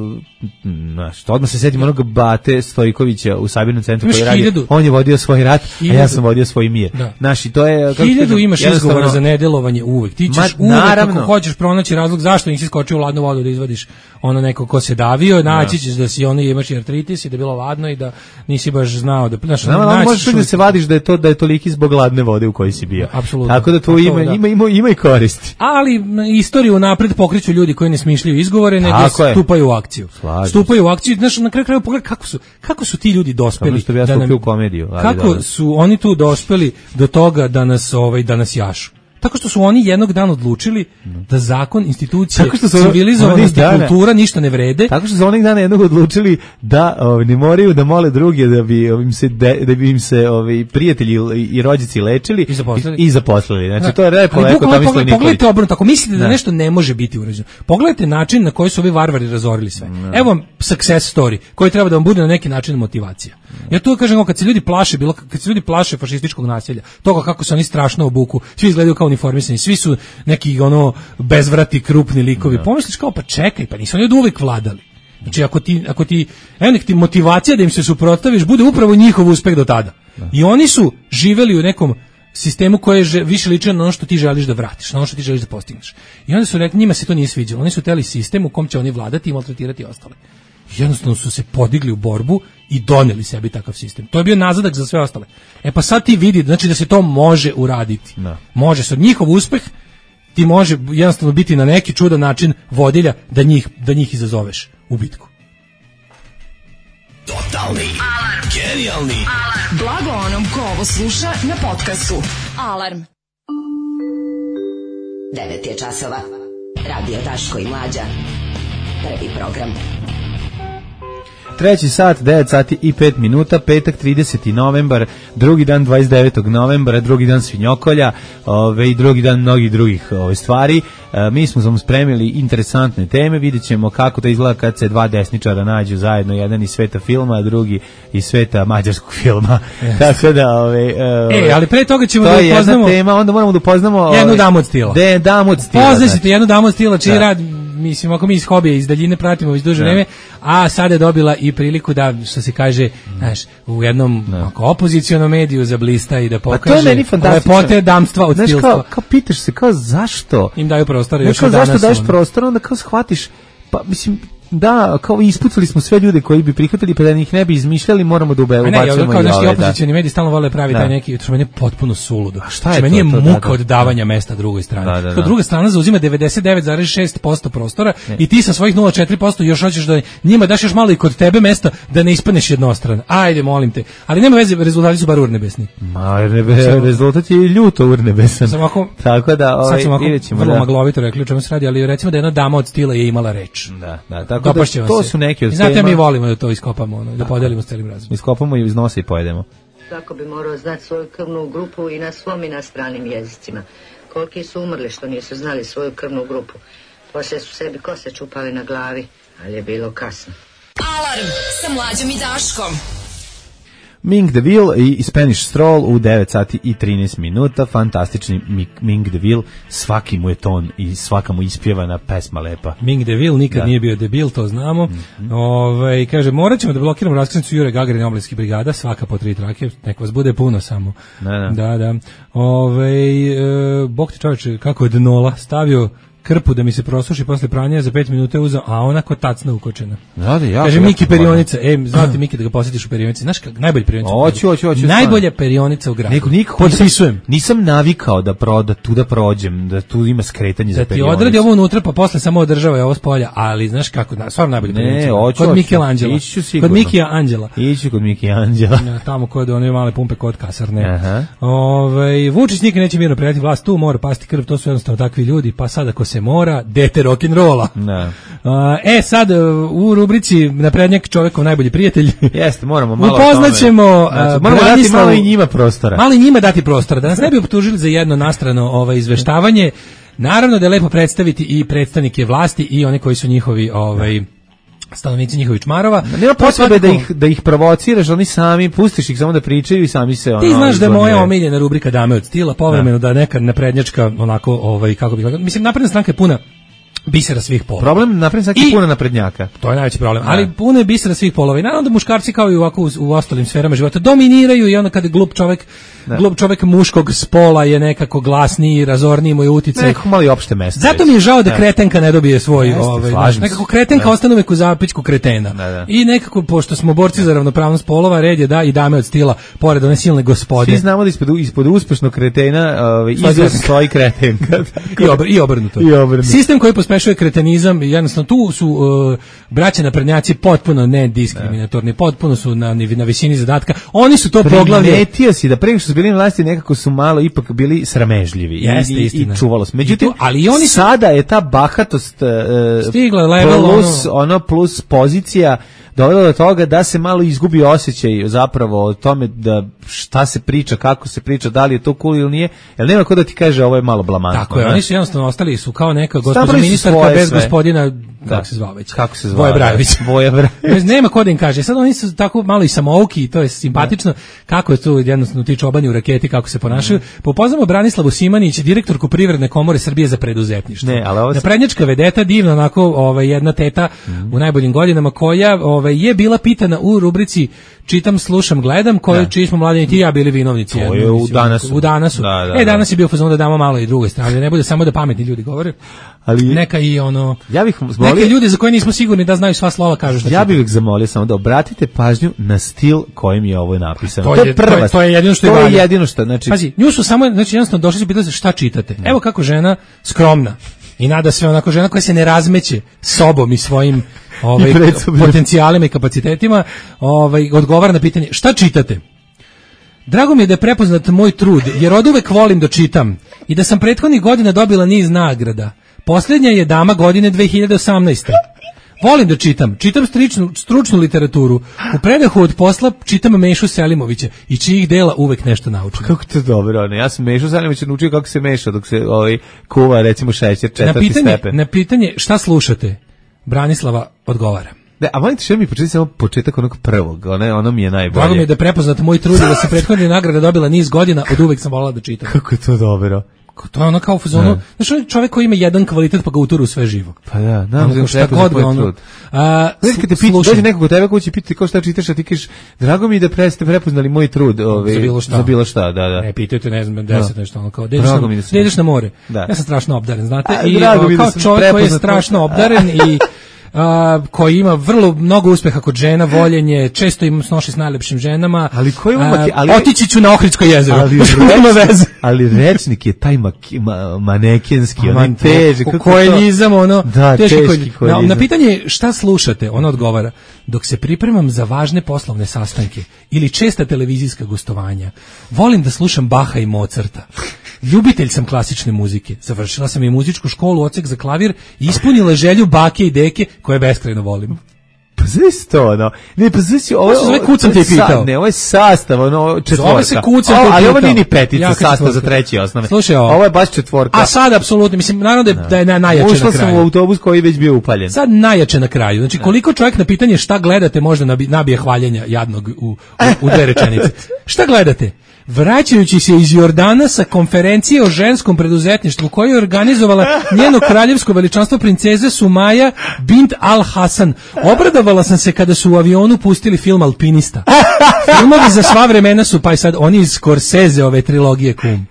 znaš, to odmah se setim onog Bate Stojkovića u Sabirnom centru koji radi. Hiljadu. On je vodio svoj rat, hiljadu. A ja sam vodio svoj mir. Da. Znaš, i to je... Hiljadu kažem, imaš izgovora za nedelovanje uvek. Ti ćeš Ma, uvek naravno. Ako hoćeš pronaći razlog zašto nisi skočio u ladnu vodu da izvadiš ono neko ko se davio, naći ćeš da si ono imaš artritis i da je bilo ladno i da nisi baš znao da znaš, no, no, možeš da se vadiš da je to da je toliki zbog ladne vode u kojoj si bio. Apsolutno. Tako da to ima, da. ima ima ima i koristi. Ali istoriju napred pokreću ljudi koji ne smišljaju izgovore, nego stupaju u akciju. Slažim. Stupaju u akciju, znaš, na kraju krajeva pogledaj kako su kako su ti ljudi dospeli da ja nam, u komediju, ali kako dobro. Su oni tu dospeli do toga da nas ovaj da nas jašu. Tako što su oni jednog dana odlučili da zakon, institucije, civilizovanost i kultura ništa ne vrede. Tako što su onih dana jednog odlučili da ovaj, ne moraju da mole druge da bi im se de, da bi im se ovaj prijatelji i rođaci lečili i zaposlili. I, i zaposlili. Znači to je lepo lepo tamo misle Nikolić. Pogledajte obrnuto, ako mislite da, da nešto ne može biti urađeno. Pogledajte način na koji su ovi varvari razorili sve. Da. Evo vam success story koji treba da vam bude na neki način motivacija. Ja to kažem, kad se ljudi plaše, bilo kad se ljudi plaše fašističkog nasilja, toga kako se oni strašno obuku, svi izgledaju kao uniformisani, svi su neki ono bezvrati krupni likovi. Pomisliš kao pa čekaj, pa nisu oni od uvek vladali. Znači ako ti ako ti evo nek ti motivacija da im se suprotstaviš bude upravo njihov uspeh do tada. Da. I oni su živeli u nekom sistemu koji je više liči na ono što ti želiš da vratiš, na ono što ti želiš da postigneš. I onda su rekli, njima se to nije sviđalo. Oni su hteli sistem u kom će oni vladati i maltretirati ostale. Jednostavno su se podigli u borbu i doneli sebi takav sistem. To je bio nazadak za sve ostale. E pa sad ti vidi, znači da se to može uraditi. Da. Može se. Njihov uspeh ti može jednostavno biti na neki čudan način vodilja da njih, da njih izazoveš u bitku. Totalni alarm. Genijalni alarm. Blago onom ko ovo sluša na podcastu. Alarm. devet je časova. Radio Daško i Mlađa. Prvi program. Treći sat, devet sati i pet minuta, petak trideseti novembar, drugi dan dvadeset devetog novembra, drugi dan svinjokolja, ove, i drugi dan mnogih drugih ove, stvari. E, mi smo vam spremili interesantne teme, vidjet ćemo kako to izgleda kad se dva desničara nađu zajedno, jedan iz sveta filma, a drugi iz sveta mađarskog filma. Yes. Tako da, ove, e, ali pre toga ćemo to da upoznamo... To je jedna tema, onda moramo da upoznamo... Jednu ove, damu od stila. De, damu od stila. Poznaćete jednu damu od stila, čiji rad... Mislim, ako mi iz hobija, iz daljine pratimo iz duže vreme, a sada je dobila i priliku da, što se kaže, znaš, u jednom ako, opozicionom mediju zablista i da pokaže lepote damstva od stilstva. Kao, kao pitaš se, kao zašto? Im daju prostor još od danas. Zašto daješ prostor, onda kao shvatiš, pa mislim... Da, kao ispucali smo sve ljude koji bi prihvatili, pa da ih ne bi izmišljali, moramo da ubacimo. Ne, ja kao naši opozicioni mediji stalno vole pravi taj neki, što meni je potpuno suludo. A šta je to? Meni je muka od davanja mesta drugoj strani. Kao druga strana zauzima devedeset devet zarez šest posto prostora i ti sa svojih nula zarez četiri posto još hoćeš da njima daš još malo i kod tebe mesta da ne ispadneš jednostran. Ajde, molim te. Ali nema veze, rezultati su bar urnebesni. Ma, rezultat je ljuto urnebesan. Tako da, ovaj, videćemo. Vrlo maglovito rekli o čemu se radi, ali recimo da jedna dama od stila je imala reč. Da, da. Tako da to su neki od tema. Znate, mi volimo da to iskopamo, ono, da podelimo s celim razumom. Iskopamo i iz nosa i pojedemo. Svako bi morao znati svoju krvnu grupu i na svom i na stranim jezicima. Koliki su umrli što nisu znali svoju krvnu grupu. Poslije su sebi kose čupali na glavi, ali je bilo kasno. Alarm sa Mlađom i Daškom. Ming DeVille i Spanish Stroll u devet sati i trinaest minuta, fantastični Ming DeVille, svaki mu je ton i svaka mu ispjevana pesma lepa. Ming DeVille nikad da. Nije bio debil, to znamo. Mm-hmm. Ove, kaže, morat ćemo da blokiramo raskrsnicu Jure Gagarina omladinskih brigada, svaka po tri trake, nek vas bude puno samo. Da, da. da, da. Ove, e, Bog ti čovječe, kako je Dnola stavio krpu da mi se prosuši posle pranja, za pet minuta je uzeo, a ona ko tacna ukočena. Da, da, ja. Kaže Miki perionica, ej, znate Miki da ga posjetiš u perionici. Znaš kako najbolja perionica? Hoću, hoću, hoću. Najbolja perionica u gradu. Neko nikako potpisujem. Nisam navikao da proda tu da prođem, da tu ima skretanje za perionicu. Da ti odradi ovo unutra pa posle samo održava je ovo s polja, ali znaš kako, na, stvarno najbolja perionica. Ne, hoću. Kod Michelangela. Ići ću sigurno. Kod Mikija Anđela. Ići kod Mikija Anđela. Ja, tamo kod one male pumpe kod kasarne. Aha. Ovaj Vučić nikad neće mirno predati vlast, tu mora pasti krv, to su jednostavno takvi ljudi, pa sad ako se mora, dete rock'n'rolla. Da. E, sad u rubrici naprednjak čovjekov najbolji prijatelj. Jeste, moramo malo upoznaćemo, znači, moramo dati malo i njima prostora. Malo i njima dati prostora, da nas ne bi optužili za jedno nastrano ovaj, izveštavanje. Naravno da je lepo predstaviti i predstavnike vlasti i one koji su njihovi ovaj stanovnici njihovih čmarova. Nema potrebe da ih da ih provociraš, oni sami pustiš ih samo da pričaju i sami se ono. Ti znaš da je moja omiljena rubrika Dame od stila, povremeno da, da neka naprednjačka onako ovaj kako bih rekao, mislim napredna stranka je puna bisera svih polova. Problem naprednjaka svaki puno naprednjaka. To je najveći problem. Ali puno je bisera svih polova. I naravno da muškarci kao i ovako u, u ostalim sferama života dominiraju i onda kada glup čovjek, da. glup čovjek muškog spola je nekako glasniji, razorniji mu je uticaj. Nekako malo i opšte mesto. Zato mi je žao da, da. kretenka ne dobije svoj, Jeste, ovaj, znaš, nekako kretenka da. ostane uvek u zapičku kretena. Da, da. I nekako, pošto smo borci za ravnopravnost polova, red je da i dame od stila, pored one silne gospode. Svi znamo da ispod, ispod uspešnog kretena ovaj, iza stoji kretenka. I, obr, i obrnuto. I obrnuto. Sistem koji pospešuje kretenizam, jednostavno tu su uh, braća naprednjaci potpuno nediskriminatorni, potpuno su na, na visini zadatka. Oni su to poglavlje. Primetio si da pre što su bili na vlasti nekako su malo ipak bili sramežljivi. Jeste, i, istina. I čuvalo se. Međutim, I to, ali oni su... sada je ta bahatost uh, stigla level plus, ono... ono plus pozicija dovelo do toga da se malo izgubi osjećaj zapravo o tome da šta se priča, kako se priča, da li je to cool ili nije, jer nema ko da ti kaže ovo je malo blamantno. Tako je, oni su jednostavno ostali su kao neka gospođa ministarka bez sve. Gospodina, kako se zvao već? Kako se zvao? Voja Brajović. Voja Brajović. Nema ko da im kaže. Sad oni su tako malo i samouki i to je simpatično. Kako je tu jednostavno ti čobani u raketi, kako se ponašaju. Mm. Popoznamo Branislavu Simanić, direktorku Privredne komore Srbije za preduzetništvo. Ne, ali ovo se... Naprednjačka vedeta, divna onako, ovaj, jedna teta mm. u najboljim godinama koja ovaj, je bila pitana u rubrici Čitam, slušam, gledam, koji čiji smo mladeni ti ja bili vinovnici. To je u danasu. U danasu. Da, da, e, danas je bio fazon da damo malo i drugoj strane, ne bude samo da pametni ljudi govore. Ali neka i ono ja bih zamolio, neke ljudi za koje nismo sigurni da znaju sva slova kažu šta. Ja bih ih zamolio samo da obratite pažnju na stil kojim je ovo napisano. To, to je prva, to je, to je jedino što je, to je jedino što, znači pazi, nju su samo znači jednostavno došli su pitali šta čitate. Ne. Evo kako žena skromna i nada sve onako žena koja se ne razmeće sobom i svojim ovaj potencijalima i kapacitetima, ovaj odgovara na pitanje šta čitate. Drago mi je da je prepoznat moj trud, jer oduvek volim da čitam i da sam prethodnih godina dobila niz nagrada. Posljednja je dama godine dve hiljade osamnaeste. Volim da čitam, čitam stručnu, stručnu literaturu. U predahu od posla čitam Mešu Selimovića i čijih dela uvek nešto naučim. Kako to dobro, ne? Ja sam Mešu Selimovića naučio kako se meša dok se ovaj kuva recimo šećer četvrti na pitanje, stepen. Na pitanje šta slušate, Branislava odgovara. Da, a volite što mi početi samo početak onog prvog, ono, ono mi je najbolje. Drago mi je da je prepoznat moj trud da se prethodne nagrade dobila niz godina, od uvek sam volala da čitam. Kako je to dobro. To je ono kao u fazonu, znaš, on je čovjek koji ima jedan kvalitet pa ga uturu u sve živo. Pa da, nam ono, šta god ga ono. A, znaš, kad te pita, dođe nekog od tebe kući pita kao šta čitaš, a ti kažeš, drago mi da pre, ste prepoznali moj trud. Ove, za bilo šta. Za bilo šta, da, da. Ne, pitajte, ne znam, deset nešto, ono kao, da ideš na more. Da. Ja sam strašno obdaren, znate, a, i o, kao čovjek koji je strašno obdaren i Uh, koji ima vrlo mnogo uspeha kod žena, voljenje, često im snoši s najlepšim ženama. Ali koji umak, ali otići ću na Ohridsko jezero. Ali, reč, ali rečnik je taj ma, ma, manekenski, on je teži. Kojeljizam, ono, da, teški kojeljizam. Na, na pitanje šta slušate, ona odgovara, dok se pripremam za važne poslovne sastanke ili česta televizijska gostovanja, volim da slušam Baha i Mozarta. Ljubitelj sam klasične muzike. Završila sam i muzičku školu, odsek za klavir i ispunila želju bake i deke koje beskrajno volim. Pa znaš to, ono. Ne, pa znaš, ovo je... Ovo kucam te pitao. Ne, ovo je sastav, ono, četvorka. Zove se kucam te pitao. Ali ovo nije ni petica, sastav za treći osnovne. Slušaj, ovo. Ovo je baš četvorka. A sad, apsolutno, mislim, naravno da je, da je najjače na kraju. Ušla sam u autobus koji je već bio upaljen. Sad najjače na kraju. Znači, koliko čovjek na pitanje šta gledate možda nabije hvaljenja jadnog u, u, u dve rečenice. Šta gledate? Vraćajući se iz Jordana sa konferencije o ženskom preduzetništvu koju je organizovala njeno kraljevsko veličanstvo princeze Sumaja bint Al Hasan. Obradovala sam se kada su u avionu pustili film Alpinista. Filmovi za sva vremena su, pa i sad oni iz Scorsese ove trilogije kum.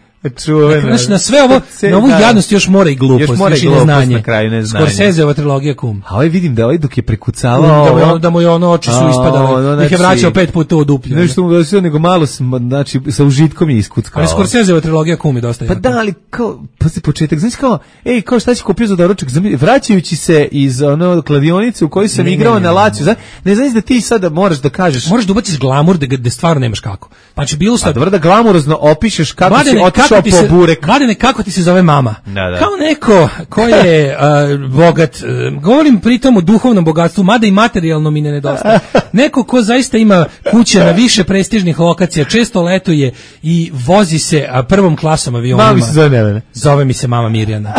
Čuveno. Znači, na sve ovo, na ovu jadnost još mora i glupost, još, mora još i i neznanje. Na kraju neznanje. Scorseseova trilogija Kum. A ovaj vidim da ovaj dok je prekucavao... Da mu je, da mu je ono oči su ispadale, da ih je vraćao pet puta u duplju. Nešto mu da nego malo, znači, sa užitkom je iskuckao. Ali Scorseseova trilogija Kum je dosta Pa jaka. da, ali kao, pa se početak, znači kao, ej, kao šta si kupio za doručak, vraćajući se iz ono kladionice u kojoj sam ne, igrao ne, ne, na Lazio, ne, ne znaš da ti sada moraš da kažeš... Moraš da ubaciš glamur da, da stvarno nemaš kako. Pa će bilo sad... A dobro da glamurozno opišeš kako Mladene, si otišao po se, burek. Mladene, kako ti se zove mama? Da, da. Kao neko ko je uh, bogat, uh, govorim pritom o duhovnom bogatstvu, mada i materijalno mi ne nedostaje. Neko ko zaista ima kuće na više prestižnih lokacija, često letuje i vozi se a, prvom klasom avionima. Mama mi se zove Nevene. Zove mi se mama Mirjana.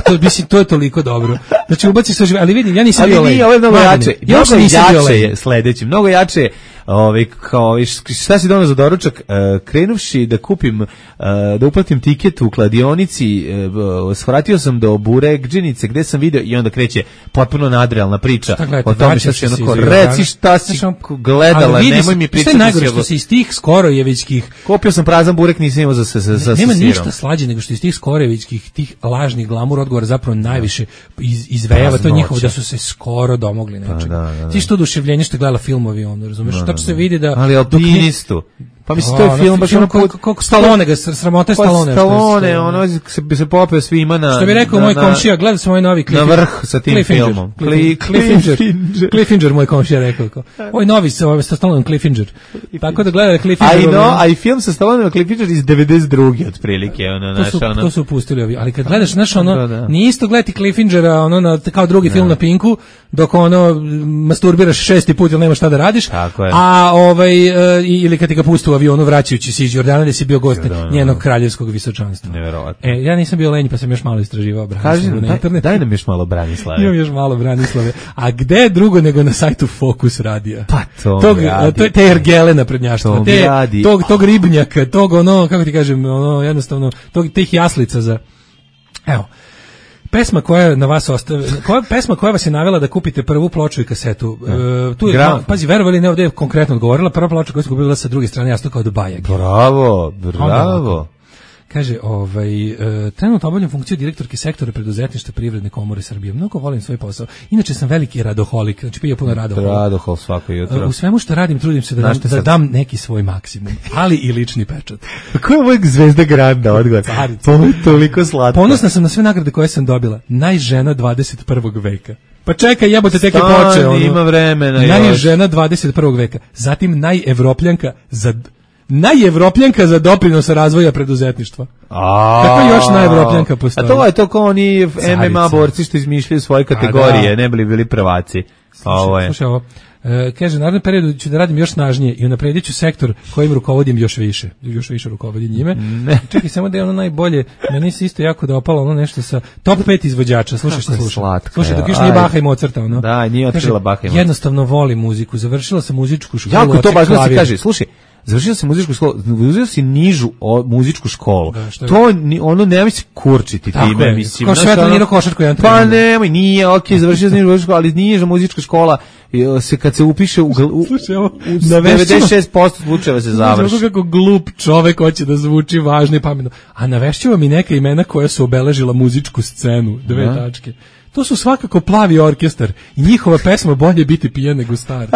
To, mislim, to je toliko dobro. Znači, ubaci sve žive, ali vidim, ja nisam bio lenj. Ali nije, ovo je mnogo jače. Ja mnogo jače je sledeći, mnogo jače je, ovaj, kao, šta si donao za doručak, uh, krenuvši da kupim, uh, da uplatim tiket u kladionici, uh, svratio sam do Burekđenice, gde sam video, i onda kreće potpuno nadrealna priča o tome šta si onako, reci šta si gledala, nemoj mi pričati. Šta je najgore što se iz tih skorojevićkih... Kupio sam prazan burek, nisam imao za, za, za, za nema ništa slađe nego što iz tih skorojevićkih, tih lažnih glamur odgovora zapravo najviše iz, izvejava to njihovo da su se skoro domogli nečega. Ti što oduševljenje što gledala filmovi, ono, razumeš? Tačno se vidi da... Ali alpinistu. Pa mislim, to je film baš ono put... Koliko Stallone ga, sramota je Stallone. Stallone, ono se bi se popeo svima na... Što bi rekao moj komšija, gledao sam ovaj novi Cliffinger. Na vrh sa tim filmom. Cliffinger. Cliffinger, moj komšija rekao. Ovaj novi sa Stallone Cliffinger. Tako da gleda Cliffinger. A i no, a i film sa Stallone Cliffinger iz devedeset druge otprilike, ono, naš, ono... To su pustili ovi, ali kad gledaš, znaš, ono, nije isto gledati Cliffingera, ono, na, kao drugi film na Pinku, dok ono, masturbiraš šesti put ili nema šta da radiš, a ovaj, ili kad ti ga pustu u avionu vraćajući se iz Jordana, da si bio gost njenog kraljevskog visočanstva. Neverovatno. E, ja nisam bio lenj, pa sam još malo istraživao Branislavu na internetu. Daj nam još malo Branislave. Imam još malo Branislave. A gde drugo nego na sajtu Fokus radija? Pa to tog, radi. To, te ergele naprednjaštva, te, radi. Tog, tog ribnjaka, tog ono, kako ti kažem, ono, jednostavno, tog, tih jaslica za... Evo, pesma koja na vas ostavi, koja pesma koja vas je navela da kupite prvu ploču i kasetu. E, tu je, no, pazi, verovali ne, ovdje je konkretno odgovorila, prva ploča koja se kupila sa druge strane, jasno kao do Bajag. Bravo, bravo. Kaže, ovaj, e, trenutno obavljam funkciju direktorke sektora preduzetništva Privredne komore Srbije. Mnogo volim svoj posao. Inače sam veliki radoholik, znači pija puno radohol. Radohol svako jutro. U svemu što radim trudim se da, dam, da dam neki svoj maksimum, ali i lični pečat. Ko je ovog Zvezda Granda odgovor? To je toliko slatko. Ponosna sam na sve nagrade koje sam dobila. Najžena dvadeset prvog veka. Pa čekaj, jebote, tek je počeo. Ono. Ima vremena. Najžena dvadeset prvog veka. Zatim najevropljanka za... Najevropljanka za doprinos razvoja preduzetništva. Kako još najevropljanka postoji? A to je to kao oni M M A borci što izmišljaju svoje kategorije, ne bili bili prvaci. Ovo je. Slušaj ovo. E, kaže, narednom periodu ću da radim još snažnije i unapredit ću sektor kojim rukovodim još više. Još više rukovodim njime. Ne. Čekaj, samo da je ono najbolje. Meni se isto jako dopalo ono nešto sa top pet izvođača. Slušaj što slušaj. Slušaj, dok još nije Baha i Mozarta. Ono. Da, nije otkrila Baha i Mozarta. Jednostavno volim muziku. Završila sam muzičku školu. Jako to baš se kaže. Slušaj, završio sam muzičku školu, završio si nižu o, muzičku školu. Da, to ni, ono nemoj se kurčiti time, mislim. Kao Svetlana košarku jedan. Pa nemoj, nije, okej, okay, završio sam nižu školu, ali niža muzička škola se kad se upiše u, u, u, u devedeset šest posto slučajeva se završi. Kako glup čovek hoće da zvuči važno i pametno. A navešću vam i neka imena koja su obeležila muzičku scenu, dve da. tačke. To su svakako Plavi orkestar i njihova pesma Bolje biti pijan nego star.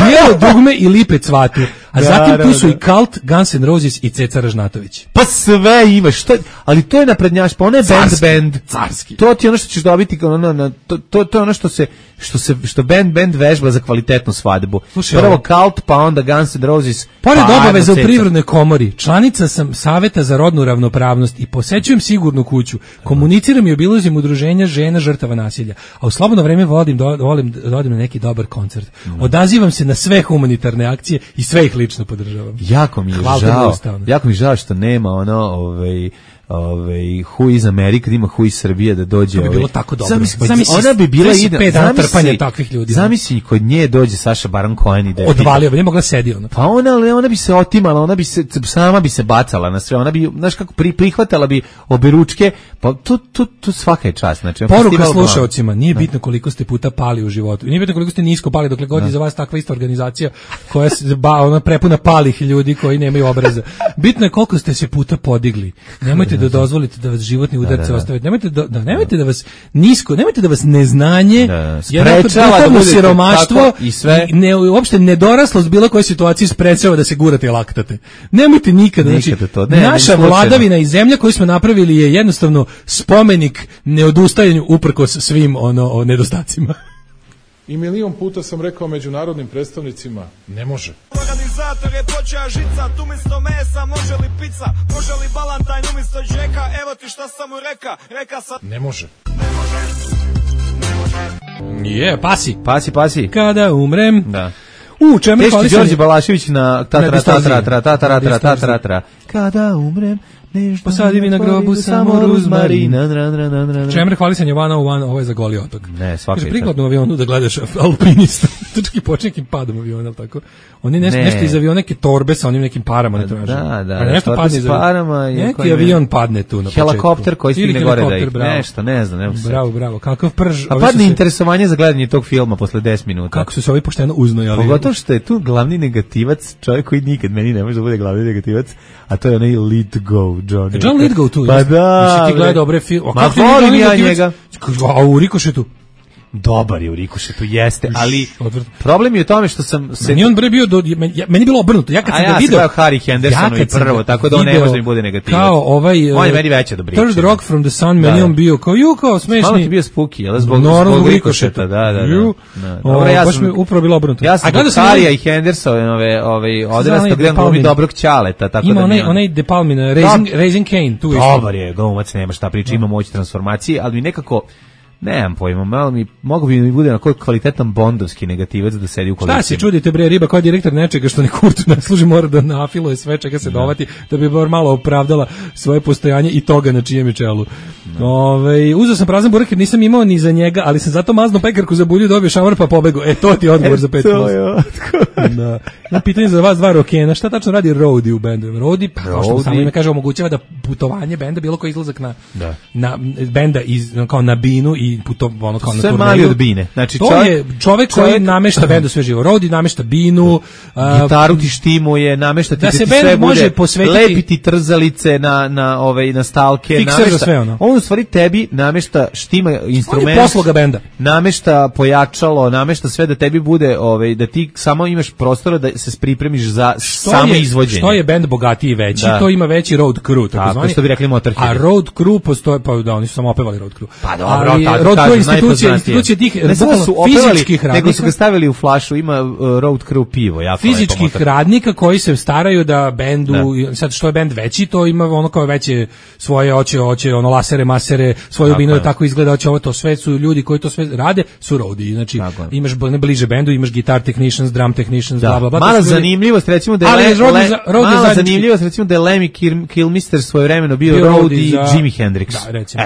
Mijelo dugme i Lipe cvatu. A da, zatim tu su da. i Kalt, Guns N' Roses i Ceca Ražnatović. Pa sve ima, što, ali to je naprednjaš, pa ono je band band. Carski. To ti je ono što ćeš dobiti, ono, na, to, to, to je ono što se, što se, što band band vežba za kvalitetnu svadbu. Slušaj, prvo Kalt, pa onda Guns N' Roses. Pored pa obaveza u Privrednoj komori, članica sam Saveta za rodnu ravnopravnost i posećujem Sigurnu kuću. Komuniciram i obilazim udruženja žena žrtava nasilja. A u slobodno vreme volim do, volim da odim na neki dobar koncert. Mm. Odazivam se na sve humanitarne akcije i sve ih lično podržavam. Jako mi je Hvala žao. Jako mi je žao što nema ono, ovaj ovaj Who is America, da ima Who is Srbija da dođe. To bi bilo ovaj, tako dobro. Zamisli, Zamisli, ona bi bila ide pet dana trpanja takvih ljudi. Zamisli kod nje dođe Saša Baron Cohen i da odvalio bi, ne mogla sedi ona. Pa ona, ona bi se otimala, ona bi se sama bi se bacala na sve, ona bi, znaš kako, pri, prihvatala bi oberučke, pa tu, tu, tu svaka je čast. Znači, poruka slušaocima, nije bitno koliko ste puta pali u životu, nije bitno koliko ste nisko pali, dokle god je za vas takva ista organizacija koja se ba, ona prepuna palih ljudi koji nemaju obraza. Bitno je koliko ste se puta podigli. Nemojte da dozvolite da vas životni udarce ostave. Nemojte da, da nemojte da vas nisko, nemojte da vas neznanje, sprečava da budete siromaštvo i sve, i ne, uopšte nedoraslost bilo koje situaciji sprečava da se gurate i laktate. Nemojte nikada, nikada znači, to. Ne, naša vladavina i zemlja koju smo napravili je jednostavno spomenik neodustajanju uprkos svim ono o nedostacima. I milion puta sam rekao međunarodnim predstavnicima, ne može. Organizator je počeo žicat, umjesto mesa može li pizza, može li balantajn umjesto džeka, evo ti šta sam mu reka, reka sam... Ne može. Je, yeah, pasi. Pasi, pasi. Kada umrem... Da. U, čemu je hvalisanje? Đorđe Balašević na tatara, tatara, tatara, tatara, tatara, kada umrem... Posadi mi na grobu samo ruzmarina. Čemer hvalisanje one oh one, ovo je za Goli otok. Ne, svaka je. Prikladno u avionu da gledaš alpinista. Trčki počne nekim padom aviona, tako. Oni nešto, nešto iz aviona, neke torbe sa onim nekim parama ne traže. Da, da, pa nešto padne s parama. Neki avion padne tu na početku. Helikopter koji stigne gore da ih nešto, ne znam. Ne bravo, bravo. Kakav prž. A padne interesovanje za gledanje tog filma posle deset minuta. Kako su se ovi pošteno uznojali. Pogotovo što je tu glavni negativac, čovjek koji nikad meni ne može da bude glavni negativac, a to je onaj Let Go, Johnny. John Lithgow tu. Pa da. Jesi ti gledao dobre filme? Ma volim ja njega. A u Rikošetu? Dobar je u Rikošetu, jeste, ali problem je u tome što sam se... Meni on bre bio, do, meni je bilo obrnuto, ja kad sam ga vidio... A ja sam Harry Hendersonu i prvo, tako da on ne može mi bude negativac. Kao ovaj... On je meni veća dobriča. Third Rock from the Sun, meni on bio kao, ju, kao smešni. Malo ti bio spooky, jel? Zbog, zbog Rikošeta, da, da, da. Dobro, ja sam... Baš mi upravo bilo obrnuto. Ja sam Harrya i Hendersonove odrastao gledam glumi dobrog ćaleta, tako da... Ima onaj, onaj De Palma, Raising Cain, tu isto. Dobar je, glumac, nema šta priča, ima moć transformacije, ali mi nekako... Nemam pojma, malo mi, mogu bi mi bude na koji kvalitetan bondovski negativac da sedi u kolicima. Šta se čudite bre, riba koja direktor nečega što ne kurtu ne služi, mora da nafiluje sve čega se dovati, da bi bar malo opravdala svoje postojanje i toga na čijem je čelu. Ove, uzeo sam prazan burek jer nisam imao ni za njega, ali sam zato mazno pekarku za bulju, dobio šamar pa pobego. E, to ti je odgovor za pet plus. Da. Ja pitanje za vas dva rokena, šta tačno radi Roadie u bendu? Roadie, pa kao što samo ime kaže, omogućava da putovanje benda, bilo koji izlazak na, da. na benda iz, kao na binu i puto, ono kao na turneju. Sve mali od bine. Znači, to čovjek, je čovjek koji čovjek, namešta bendu sve živo. Roadie namešta binu. Uh, gitaru ti štimuje, namešta ti da, da se ti sve bude, posvetiti, lepiti trzalice na, na, ove, na stalke. Namešta, sve ono. On u stvari tebi namešta štima instrument. On je posloga benda. Namešta pojačalo, namešta sve da tebi bude, ove, da ti samo imaš prostora da se pripremiš za samo izvođenje. Što je bend bogatiji i veći, da. To ima veći road crew, tako, tako što bi rekli Motorhead. A road crew postoje, pa da, oni su samo opevali road crew. Pa dobro, ali, tako road kažem, crew institucije, institucije tih ne samo su opevali, radnika, nego su ga stavili u flašu, ima uh, road crew pivo, jako fizičkih radnika koji se staraju da bendu, da. Sad što je bend veći, to ima ono kao veće svoje oće, hoće ono lasere, masere, svoju binu tako izgleda, hoće ovo to, sve su ljudi koji to sve rade, su roadie, znači tako. Imaš ne bliže bendu, imaš guitar technicians, drum technicians, bla bla bla. Mala zanimljivost recimo da je mala zanimljivost recimo da je Lemmy Kilmister svojevremeno bio roadie i Jimi Hendrix.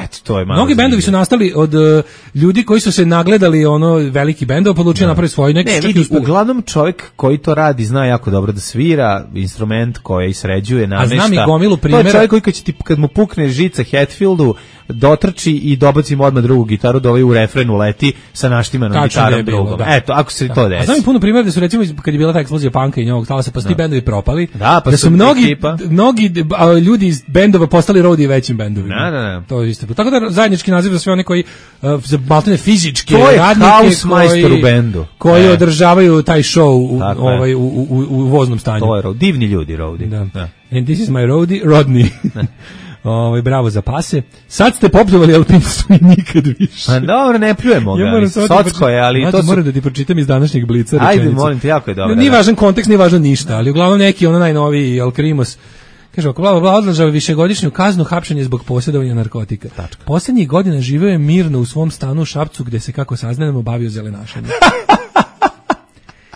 Eto, to je malo. Mnogi bendovi su nastali od uh, ljudi koji su se nagledali ono veliki bendova, odlučio napraviti svoj neki. Ne, vidi, uglavnom čovjek koji to radi zna jako dobro da svira instrument koji sređuje, namešta. A znam i gomilu primjera. To je čovjek koji kad, će ti, kad mu pukne žica Hetfieldu, dotrči i dobaci mu odmah drugu gitaru da ovaj u refrenu leti sa naštimanom gitarom drugom. Da. Eto, ako se da. To desi. A znam i puno primjera da su recimo kad je bila ta eksplozija panka i njovog talasa, pa su ti bendovi propali. Da, pa da su mnogi, ekipa. mnogi a, ljudi iz bendova postali roadie većim bendovima. Da, da, da. To je isto. Tako da zajednički naziv za sve one koji uh, za maltene fizičke to je radnike koji, u bendu. koji e. održavaju taj show u, ovaj, u, u, u, u voznom stanju. To je divni ljudi roadie. Da. Da. And this is my roadie, Rodney. Ovaj bravo za pase. Sad ste popljuvali alpinistvu i nikad više. A dobro, ne pljujemo ga. Ja Socko je, ali to su... moram da ti pročitam iz današnjeg Blica rečenicu. Ajde, molim te, jako je dobro. Nije važan kontekst, nije važno ništa, ali uglavnom neki ono najnoviji Alkrimos. Kaže, ako bla, bla, odlažava višegodišnju kaznu hapšenje zbog posjedovanja narkotika. Tačka. Posljednjih godina živeo je mirno u svom stanu u Šapcu, gde se, kako saznajemo, bavio zelenašanjem.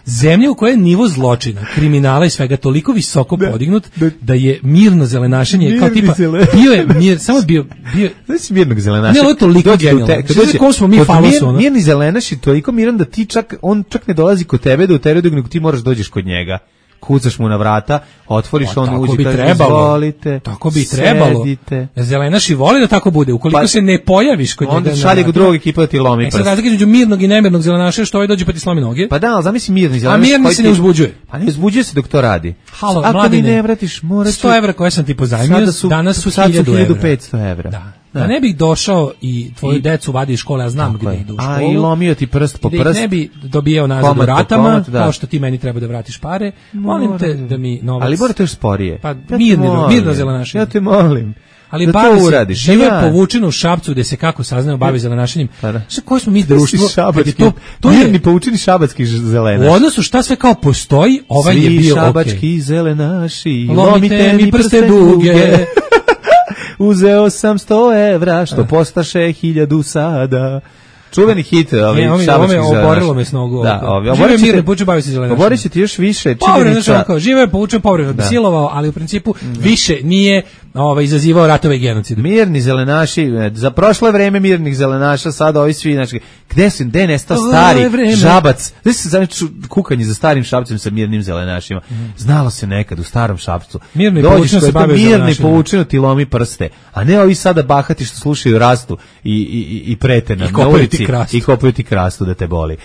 zemlja u kojoj je nivo zločina, kriminala i svega toliko visoko podignut da je mirno zelenašenje kao tipa bio je mir, samo bio bio znači mirnog zelenaša. Ne, ovo je toliko genijalno. Znači, ko smo mi falos ono. Mirni zelenaš je toliko miran da ti čak on čak ne dolazi kod tebe da u terenu nego ti moraš dođeš kod njega. Kucaš mu na vrata, otvoriš, pa, on uđe, kaže, izvolite, tako bi trebalo. Sedite. Zelenaš i voli da tako bude. Ukoliko pa, se ne pojaviš kod njega, onda šalje ga drugog ekipa da ti lomi prst. E sad razlika između mirnog i nemirnog zelenaša što ovaj dođe pa ti slomi noge. Pa da, ali zamisli mirni zelenaš. A mirni se ne uzbuđuje. Pa ne uzbuđuje se dok to radi. Halo, ako mladine, mi ne vratiš, morat ću... sto evra koje sam ti pozajmio, su, danas su hiljadu petsto evra. Da. Da ne bih došao i tvoju I, decu vadi iz škole, ja znam gdje idu u školu. A i lomio ti prst po prst. Ne bi dobijao nazad u ratama, komad, kao što ti meni treba da vratiš pare. Molim Moram. te da mi novac... Ali morate još sporije. Pa ja mirno, mirno zelenašenje. Ja te molim. Ali da bavi to uradiš. Žive ja. Povučeno u Šapcu gde se kako saznao bavi zelenašenjem. Šta koje smo mi društvo? To, to je mirni poučeni šabatski zelenaš. U odnosu šta sve kao postoji, ovaj Svi je bio okej. Šabački okay. zelenaši, lomite mi prste duge. Uzeo sam sto evra, što postaše hiljadu sada. Čuveni hit, ovi ne, šabački zelenaš. Oborilo me s nogu. Da, ovi, žive mirno, poučen bavi se zelenašem. Oborit će ti još više. Povremeno što kao, žive poučen, povremeno bi silovao, ali u principu da. više nije ovaj, izazivao ratove i genocid. Mirni zelenaši, za prošlo vreme mirnih zelenaša, sada ovi svi, znači, gde su, gde je nestao stari Šabac? Gde se znači kukanje za starim Šapcem sa mirnim zelenašima? Mm. Znalo se nekad u starom Šapcu. Mirni poučeno se bavio zelenašima. Mirni poučeno ti lomi prste, a ne ovi sada bahati što slušaju Rastu i, i, i prete nam na ulici i kopaju ti krastu da te boli.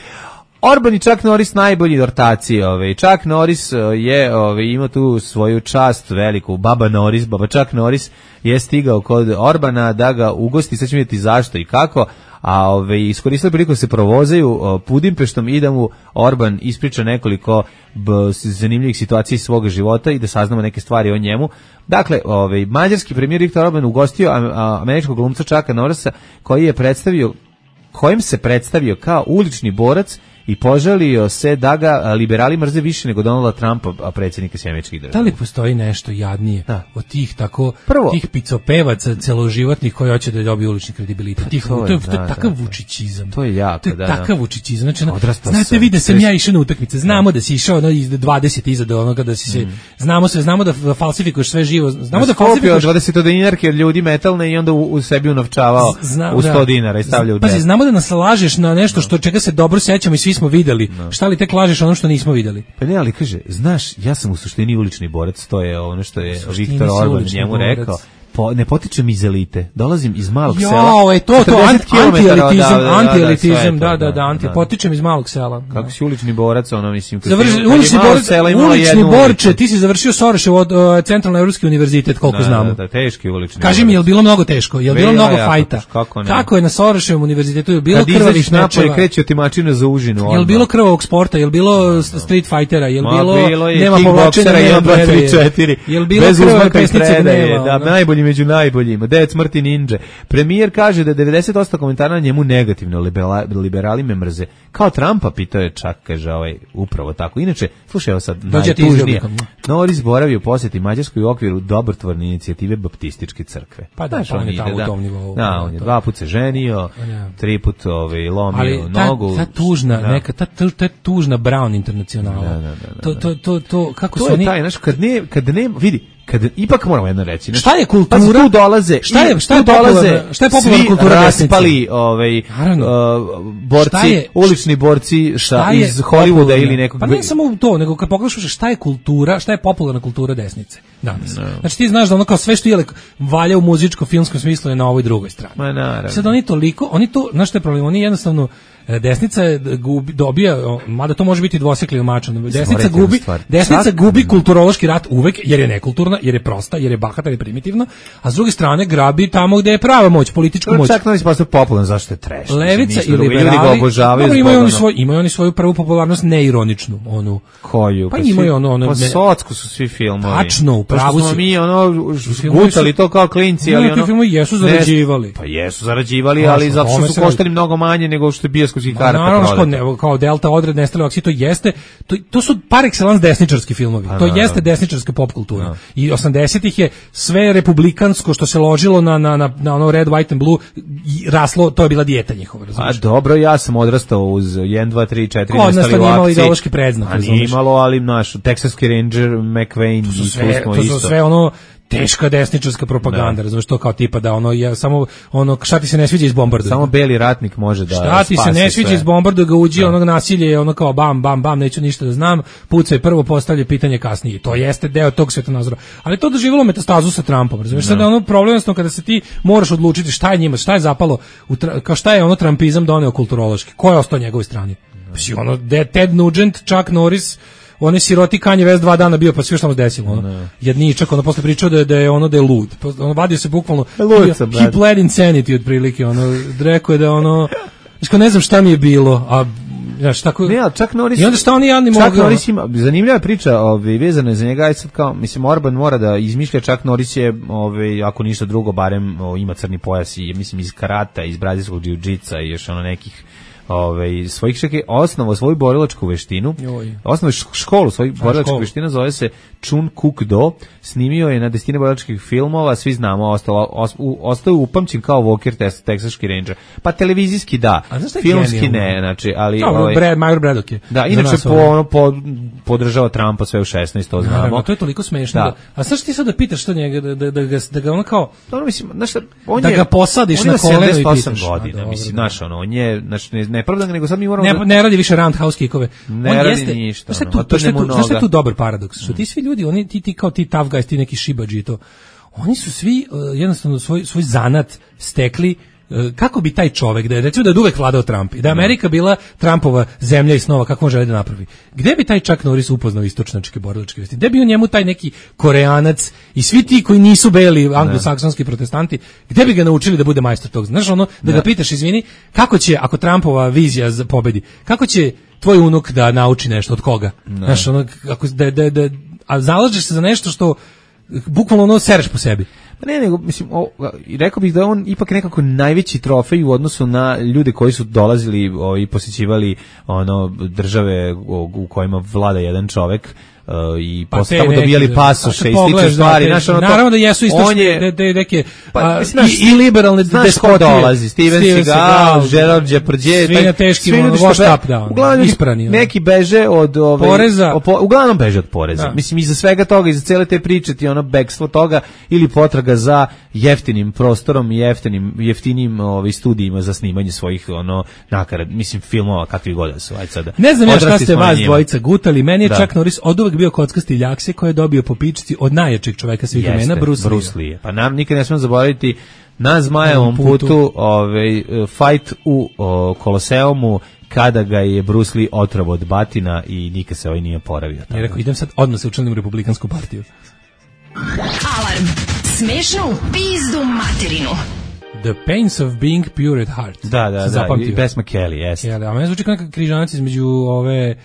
Orban i Chuck Norris najbolji ortaci, ovaj Chuck Norris je ovaj ima tu svoju čast veliku, baba Norris, baba Chuck Norris je stigao kod Orbana da ga ugosti, sad ćemo vidjeti zašto i kako, a ovaj iskoristili priliku da se provozaju Budimpeštom i da mu Orban ispriča nekoliko b, zanimljivih situacija iz svog života i da saznamo neke stvari o njemu. Dakle, ovaj mađarski premijer Viktor Orban ugostio američkog glumca Chucka Norrisa koji je predstavio kojim se predstavio kao ulični borac i požalio se da ga liberali mrze više nego Donalda Trumpa, predsjednika Sjedinjenih Država. Da li postoji nešto jadnije da. od tih tako Prvo, tih picopevaca celoživotnih koji hoće da dobiju ulični kredibilitet? Tih, to, je, to, je, to je da, takav da, vučićizam. To je jako, to je da. takav vučićizam. Znači, znate, sam, vide sam ja išao na utakmice. Znamo da, da si išao no, iz dvadeset iza do onoga da si se mm. znamo sve, znamo da falsifikuješ sve živo. Znamo da, da falsifikuješ dvadeset dinarke od ljudi metalne i onda u, u sebi unovčavao Zna, u sto da. dinara i stavljao u džep. Pazi, znamo da nas lažeš na nešto što čega se dobro sećamo i svi smo videli. No. Šta li tek lažeš ono što nismo videli? Pa ne, ali kaže, znaš, ja sam u suštini ulični borac, to je ono što je Viktor Orban njemu borac. rekao. Po, ne potičem iz elite, dolazim iz malog jo, sela. Jo, je to, to, anti-elitizam, anti-elitizam, da, da, da, anti, da. potičem iz malog sela. Kako si ulični borac, ono, mislim, Završi, ulični borac, ulični borče, ti si završio Sorešev od uh, Centralno Evropski univerzitet, koliko da, znamo. Da, da, teški ulični Kaži borac. mi, je li bilo mnogo teško, je li bilo mnogo ja, fajta? Kako, kako je na Soreševom univerzitetu, je bilo Kad krvavih mečeva? Kad izađeš kreće otimačina za užinu. Je li bilo krvavog sporta, je li bilo street fightera, je li bilo nema povlačenja, jedan, dva, tri, četiri. Je li bilo krvave pesnice gneva? Da, najbolji među najboljima. Devet smrti ninđe. Premijer kaže da devedeset posto komentara na njemu negativno, liberali me mrze. Kao Trumpa, pitao je čak, kaže ovaj, upravo tako. Inače, slušaj, evo sad, najtužnije. Norris boravio posjeti Mađarskoj u okviru dobrotvorne inicijative Baptističke crkve. Pa da, on je tamo u tom nivou. Da, on je dva put se ženio, tri put ovaj, lomio nogu. Ta tužna, neka, ta, ta tužna Brown internacionala. To, to, to, to, kako su oni... To je taj, znaš, kad ne, kad ne, vidi, kad ipak moramo jedno reći. Znači, šta je kultura? Pa tu dolaze, šta je, šta je dolaze, šta je popularna kultura raspali, ovaj, uh, borci, je, ulični borci ša, iz Hollywooda ili nekog. Pa ne samo to, nego kad pogledaš šta je kultura, šta je popularna kultura desnice danas. No. Znači ti znaš da ono kao sve što je valja u muzičko-filmskom smislu je na ovoj drugoj strani. Ma naravno. Sad oni toliko, oni to, znaš šta je problem, oni jednostavno desnica gubi, dobija, mada to može biti dvosekli mač, desnica gubi, desnica gubi kulturološki rat uvek, jer je nekulturna, jer je prosta, jer je bahata, jer je primitivna, a s druge strane grabi tamo gde je prava moć, politička moć. Čak novi postoje popularno, zašto je trash? Levica i liberali, dobro, imaju oni, svoj, imaju oni svoju prvu popularnost neironičnu, onu. Koju? Pa, pa imaju ono, ono. Pa socku su svi filmovi. Tačno, u pravu si. mi ono, gutali to kao klinci, ali ono. Filmovi jesu zarađivali. Pa jesu zarađivali, ali zato što su koštali mnogo manje nego što je bio bioskopskih karata naravno, prodate. Ne, kao Delta, Odred, Nestale akcije, to jeste, to, to su par excellence desničarski filmovi, Pa, to naravno. jeste desničarska pop kultura. Da. I osamdesetih je sve republikansko što se ložilo na, na, na, na ono red, white and blue, i raslo, to je bila dijeta njihova, A razumiješ? dobro, ja sam odrastao uz jedan, dva, tri, četiri Kod nas nestali to u nije imalo akciji. ideološki predznak, A nije razumeš? imalo, ali naš Texaski Ranger, McVeigh, To su i tu sve, smo to su isto. sve ono teška desničarska propaganda, Da. razumiješ, to kao tipa da ono je samo ono šta ti se ne sviđa iz bombardu. Samo beli ratnik može da Šta ti se spasi ne sviđa sve. iz bombardu, ga uđi, onog nasilje je ono kao bam, bam, bam, neću ništa da znam, pucaj prvo, postavlja pitanje kasnije. To jeste deo tog svetonazora. Ali to doživjelo metastazu sa Trumpom, razumiješ, sad je ono problem jednostavno kada se ti moraš odlučiti šta je njima, šta je zapalo, u tra, kao šta je ono Trumpizam doneo kulturološki, ko je ostao na njegovoj strani. Znači, ono, Ted Nugent, Chuck Norris, on je siroti Kanye West dva dana bio, pa sve što mu se desilo, ono. Jedničak, ono posle pričao da je, da je ono da je lud. Pa, ono vadio se bukvalno, Lud sam, he pled insanity otprilike, ono, rekao je da ono, znači, ne znam šta mi je bilo, a znaš, tako. Ne, ali čak Norris. I onda šta oni jadni mogu? Čak Norris ima zanimljiva priča, ovaj vezana je za njega, aj sad kao mislim Orban mora da izmišlja, čak Norris je ovaj ako ništa drugo barem o, ima crni pojas i mislim iz karata, iz brazilskog džiu-džitsa i još ono nekih ovaj svojih čak je osnovao svoju borilačku veštinu. Osnovao školu svojih borilačkih veština, zove se Chun Kuk Do. Snimio je na desetine borilačkih filmova, svi znamo, ostalo os, u, ostao upamćen kao Walker Test, Texaški Ranger. Pa televizijski da, filmski ne, znači, ali no, ovaj Brad Major Braddock je. Da, inače po ono po, podržava Trumpa sve u šesnaest, to znamo. Naravno, to je toliko smešno. Da. Da, a sad što ti sad da pitaš što njega da da da ga da ga ono kao ono mislim, znaš šta, on da je, ga posadiš na koleno i pitaš. Godina, mislim, znaš, ono, on je, znači ne, ne pravda, nego sad mi moramo ne, da... ne radi više roundhouse kickove. Ne on radi jeste, ništa. Šta Ono, tu, to šta tu, noga. šta tu dobar paradoks? Što ti svi ljudi, oni ti ti kao ti tough guys, ti neki šibadži i to. Oni su svi uh, jednostavno svoj svoj zanat stekli kako bi taj čovjek, da je recimo da je uvek vladao Trump i da je Amerika bila Trumpova zemlja i snova, kako on želi da napravi. Gde bi taj Chuck Norris upoznao istočnačke borilačke vesti? Gde bi on njemu taj neki Koreanac i svi ti koji nisu beli anglosaksonski protestanti, gde bi ga naučili da bude majstor tog? Znaš, ono, da ga pitaš, izvini, kako će, ako Trumpova vizija pobedi, kako će tvoj unuk da nauči nešto, od koga? Znaš, ono, ako, da, da, da, a zalažeš se za nešto što bukvalno ono sereš po sebi. Pa ne, nego, mislim, o, rekao bih da je on ipak nekako najveći trofej u odnosu na ljude koji su dolazili o, i posjećivali ono, države u, u kojima vlada jedan čovek, Uh, i pa posle tamo dobijali pasoše i slične stvari. Da, znaš, ono naravno to, da jesu istočne je, de, neke pa, a, znaš, i, i liberalne despotije. dolazi, Steven, Steven Seagal, Gerard Depardieu, svi na teškim wash up down. Uglavnom isprani. Neki beže od ove, poreza. Po, uglavnom beže od poreza. Da. Mislim, iza svega toga, iza cele te priče ti ono bekstvo toga ili potraga za jeftinim prostorom i jeftinim, jeftinim ovaj, studijima za snimanje svojih ono, nakarad, mislim, filmova kakvi god da su. Aj sada. Ne znam ja šta ste vas dvojica gutali, meni je da. Chuck Norris oduvek bio kockasti ljakse koji je dobio po pičci od najjačeg čoveka svih vremena, Bruce, Bruce Lee. Pa nam nikad ne smemo zaboraviti na Zmajevom putu, putu ovaj, fight u o, Koloseumu kada ga je Bruce Lee otravo od batina i nikad se ovaj nije oporavio. Ja rekao, idem sad odmah se učlanim u Republikansku partiju. Alarm. Smešnu pizdu materinu. The Pains of Being Pure at Heart. Da, da, da. I pesma Kelly, jes. Ja, a meni zvuči kao neka križanac između ove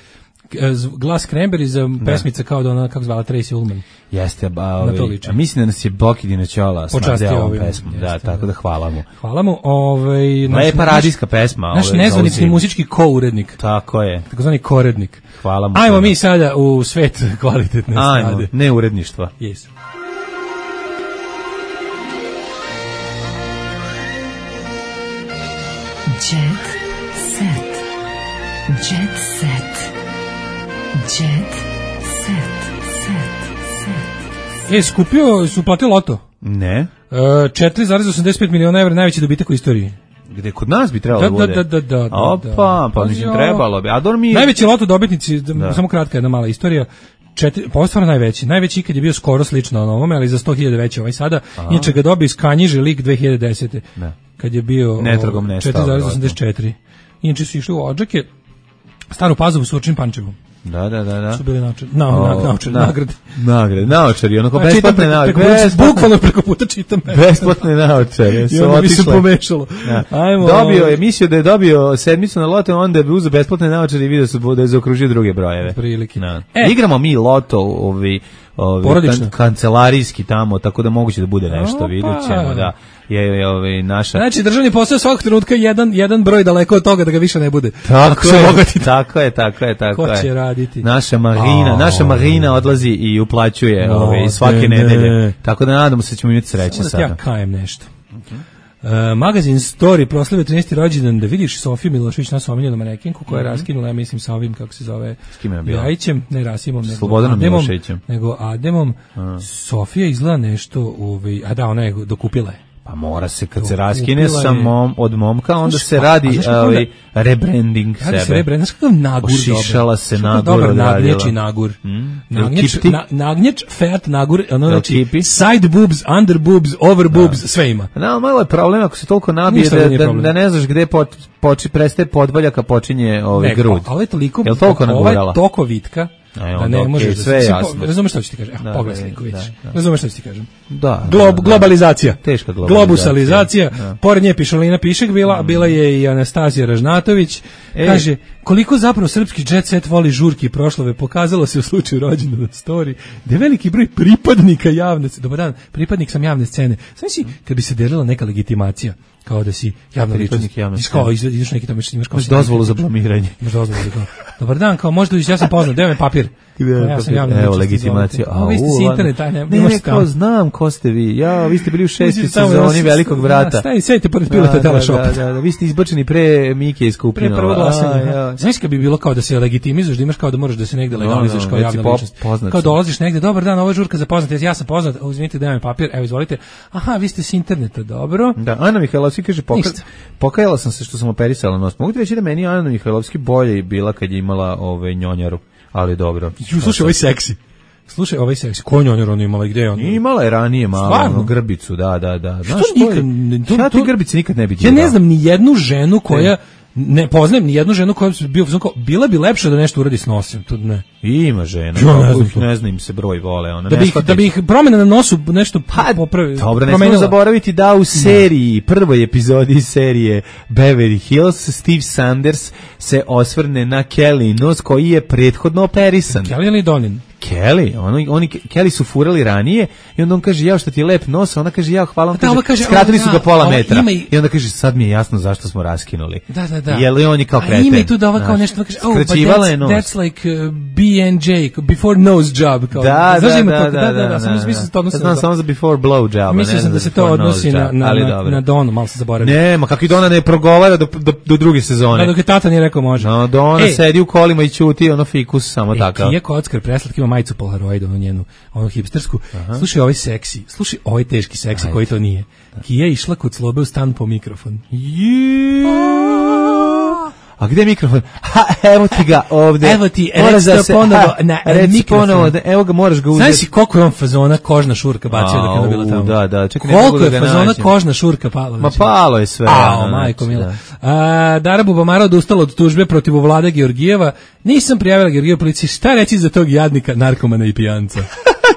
Glas Cranberry za pesmica kao da ona, kako zvala, Tracy Ullman. Jeste, ba, ovaj, a mislim da nas je Boki Dinačola snadeo ovom pesmom. Da, jeste, tako da hvala mu. Hvala mu. Ovaj, lepa radijska pesma. Naš ovaj, nezvanični muzički ko-urednik. Tako je. Takozvani korednik. Hvala mu. Ajmo mi sada u svet kvalitetne Ajmo, strade. ne uredništva. Yes. Jet set. Jet set. Jet set. Set. Set. E, skupio, su platio loto. Ne. E, četiri zarez osamdeset pet miliona evra, najveći dobitak u istoriji. Gde kod nas bi trebalo da, bude. Da, da, da, da. Opa, pa mislim trebalo bi. A dobro mi... Najveći loto dobitnici, da. Samo kratka jedna mala istorija. Četiri, pa stvarno najveći. Najveći ikad je bio skoro slično na ovome, ali za sto hiljada veći ovaj sada. Aha. Inače ga dobio iz Kanjiže lig dve hiljade desete. Ne. Kad je bio četiri zarez osamdeset četiri. Inače su išli u Odžake, Staru Pazovu, Surčin, Pančevu. Da, da, da, da. Su bili naočari, na, na, naočari, na, nagrade. Nagrade, naočari, onako besplatne naočari. Bukvalno preko puta čitam. Besplatne naočari. I onda bi se pomešalo. Ja. Ajmo. Dobio je, mislio da je dobio sedmicu na loto, onda je uzeo besplatne naočari i vidio su da je zaokružio druge brojeve. Prilike. E. Igramo mi loto, ovi, ovaj kan, kancelarijski tamo, tako da moguće da bude nešto, vidjet ćemo, da. Je, je ovaj naša. Znači državni posao svakog trenutka jedan jedan broj daleko od toga da ga više ne bude. Tako je, tako je, tako je, tako je. Ko će raditi? Naša Marina, oh. naša Marina odlazi i uplaćuje no, ovaj svake ne, nedelje. Ne. Tako da nadamo se da ćemo imati sreće sada. Ja kajem nešto. Okay. Uh, magazin Story proslavio trinaesti rođendan, da vidiš Sofiju Milošević, našu omiljenu manekenku koja je mm-hmm. raskinula, ja mislim sa ovim kako se zove, s kim je bila? Jajićem, ne Rasimom, nego Slobodanom Ademom, Miloševićem, nego Ademom. A. Sofija izgleda nešto, ovaj, a da, ona je dokupila je. Pa mora se, kad se raskine sa mom, od momka, onda se radi ovaj rebranding sebe. Radi se rebranding, znaš kakav nagur dobar. Ošišala se nagur dobar nagnječi nagur. Hmm? Nagnječ, na, nagnječ, fat nagur, ono znači side boobs, under boobs, over boobs, da. Sve ima. No, malo je problem ako se toliko nabije da, da, da ne znaš gde po, poči, prestaje podvaljaka, počinje ovaj grud. Ali je toliko, je toliko nagurala? Ovaj toko vitka, da ne možeš da sve jasno. Razumeš šta ću ti kažem? Da, pogledaj sliku, vidiš. Razumeš šta ću ti kažem? Da. Glob, da, globalizacija. Teška globalizacija. Globusalizacija. Da. Pored nje Pišolina Pišek bila, mm. bila je i Anastasija Ražnatović. E. Kaže, koliko zapravo srpski jet set voli žurke i proslave, pokazalo se u slučaju rođendana na Story, da je veliki broj pripadnika javne scene. Dobar dan, pripadnik sam javne scene. Znači si, kad bi se delila neka legitimacija, kao da si javna ličnost. Kao ideš neki tamo imaš kao dozvolu za blamiranje. Imaš dozvolu za. Dobar dan, kao možda ja sam poznat, daj mi papir. Ja sam javna evo legitimacija. A vi ste s interneta, ne, ne, ne kao znam ko ste vi. Ja, vi ste bili u šestoj sezoni Velikog brata. Staj, sedite pored pilota Teleshopa. Da, da, da, vi ste izbačeni pre Mike iz Kupinova. Pre prvo glasanje. Znaš kad bi bilo kao da se legitimizuješ, da imaš kao da moraš da se negde legalizuješ kao javna ličnost. Kao dolaziš negde, dobar dan, ovo je žurka za poznate, ja sam poznat, uzmite daj mi papir, evo izvolite. Aha, vi ste s interneta, dobro. Da, Ana Mihajlovski kaže pokajala sam se što sam operisala nos. Mogu ti reći da meni Ana Mihajlovski bolje bila kad je imala ove njonjaru, ali dobro. Ju, slušaj, ovaj seksi. Slušaj, ovaj seksi. Ko njonjaru ona imala, gde je ona? Imala je ranije malo ono, grbicu, da, da, da. Znaš, nikad, ja ti grbice nikad ne bi ja ne znam ni jednu ženu koja ne poznajem ni jednu ženu koja bi bio kao bila bi lepša da nešto uradi s nosom, to ne. Ima žena, ja, ne, znam ne znam im se broj vole, ona da bi da bi ih promena na nosu nešto pa, popravi. Dobro, ne smemo zaboraviti da u seriji, prvoj epizodi serije Beverly Hills, Steve Sanders se osvrne na Kelly nos koji je prethodno operisan. Kelly ili Donin? Kelly, oni, oni Kelly su furali ranije i onda on kaže ja što ti je lep nos, ona kaže ja hvala, on da, kaže, kaže skratili o, su ga pola metra i... i onda kaže sad mi je jasno zašto smo raskinuli. Da, da, da. Je li on je kao kreten? A ima i tu da ova kao nešto kaže, oh, but that's, that's like uh, B and J, before nose job. Kao, da, da, da, da, da, da, da, samo mislim to odnosi. Znam samo za before blow job. Mislim da se to odnosi na, na, na, na Donu, malo se zaboravio. Ne, ma kako i Dona ne progovara do, do, do druge sezone. Da, dok je tata nije rekao može. No, Dona sedi u kolima i ćuti, ono fikus, samo takav. Kija Kockar, preslatki ima majicu Polaroid, ono njenu, ono hipstersku. Aha. Slušaj ovaj seksi, slušaj ovaj teški seksi. Ajde. Koji to nije. Kija je išla kod Slobe u stan po mikrofon. A gde je mikrofon? Ha, evo ti ga ovde. Evo ti, reci to ponovo na mikrofon. Evo ga, moraš ga uzeti. Znaš si koliko je on fazona kožna šurka bacio dok je ona bila tamo? Da, da, čekaj, koliko je fazona kožna šurka palo? Ma palo je sve. Ao, majko mila. A, Dara Bubamara odustala od tužbe protiv Vlade Georgijeva. Nisam prijavila Georgijeva policiji. Šta reći za tog jadnika, narkomana i pijanca?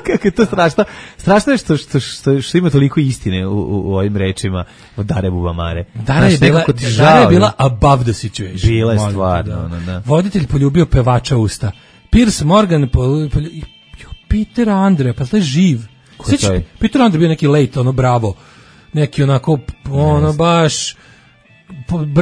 Kako je to strašno. Strašno je što, što, što, što ima toliko istine u, u, u ovim rečima od Dare Bubamare. Dara je, bila, Dara je bila above the situation. Bila je stvarno. Da. Ono, da. Voditelj poljubio pevača usta. Piers Morgan poljubio... Peter Andre, pa je živ. Sveći, Peter Andre bio neki late, ono bravo. Neki onako, ono baš...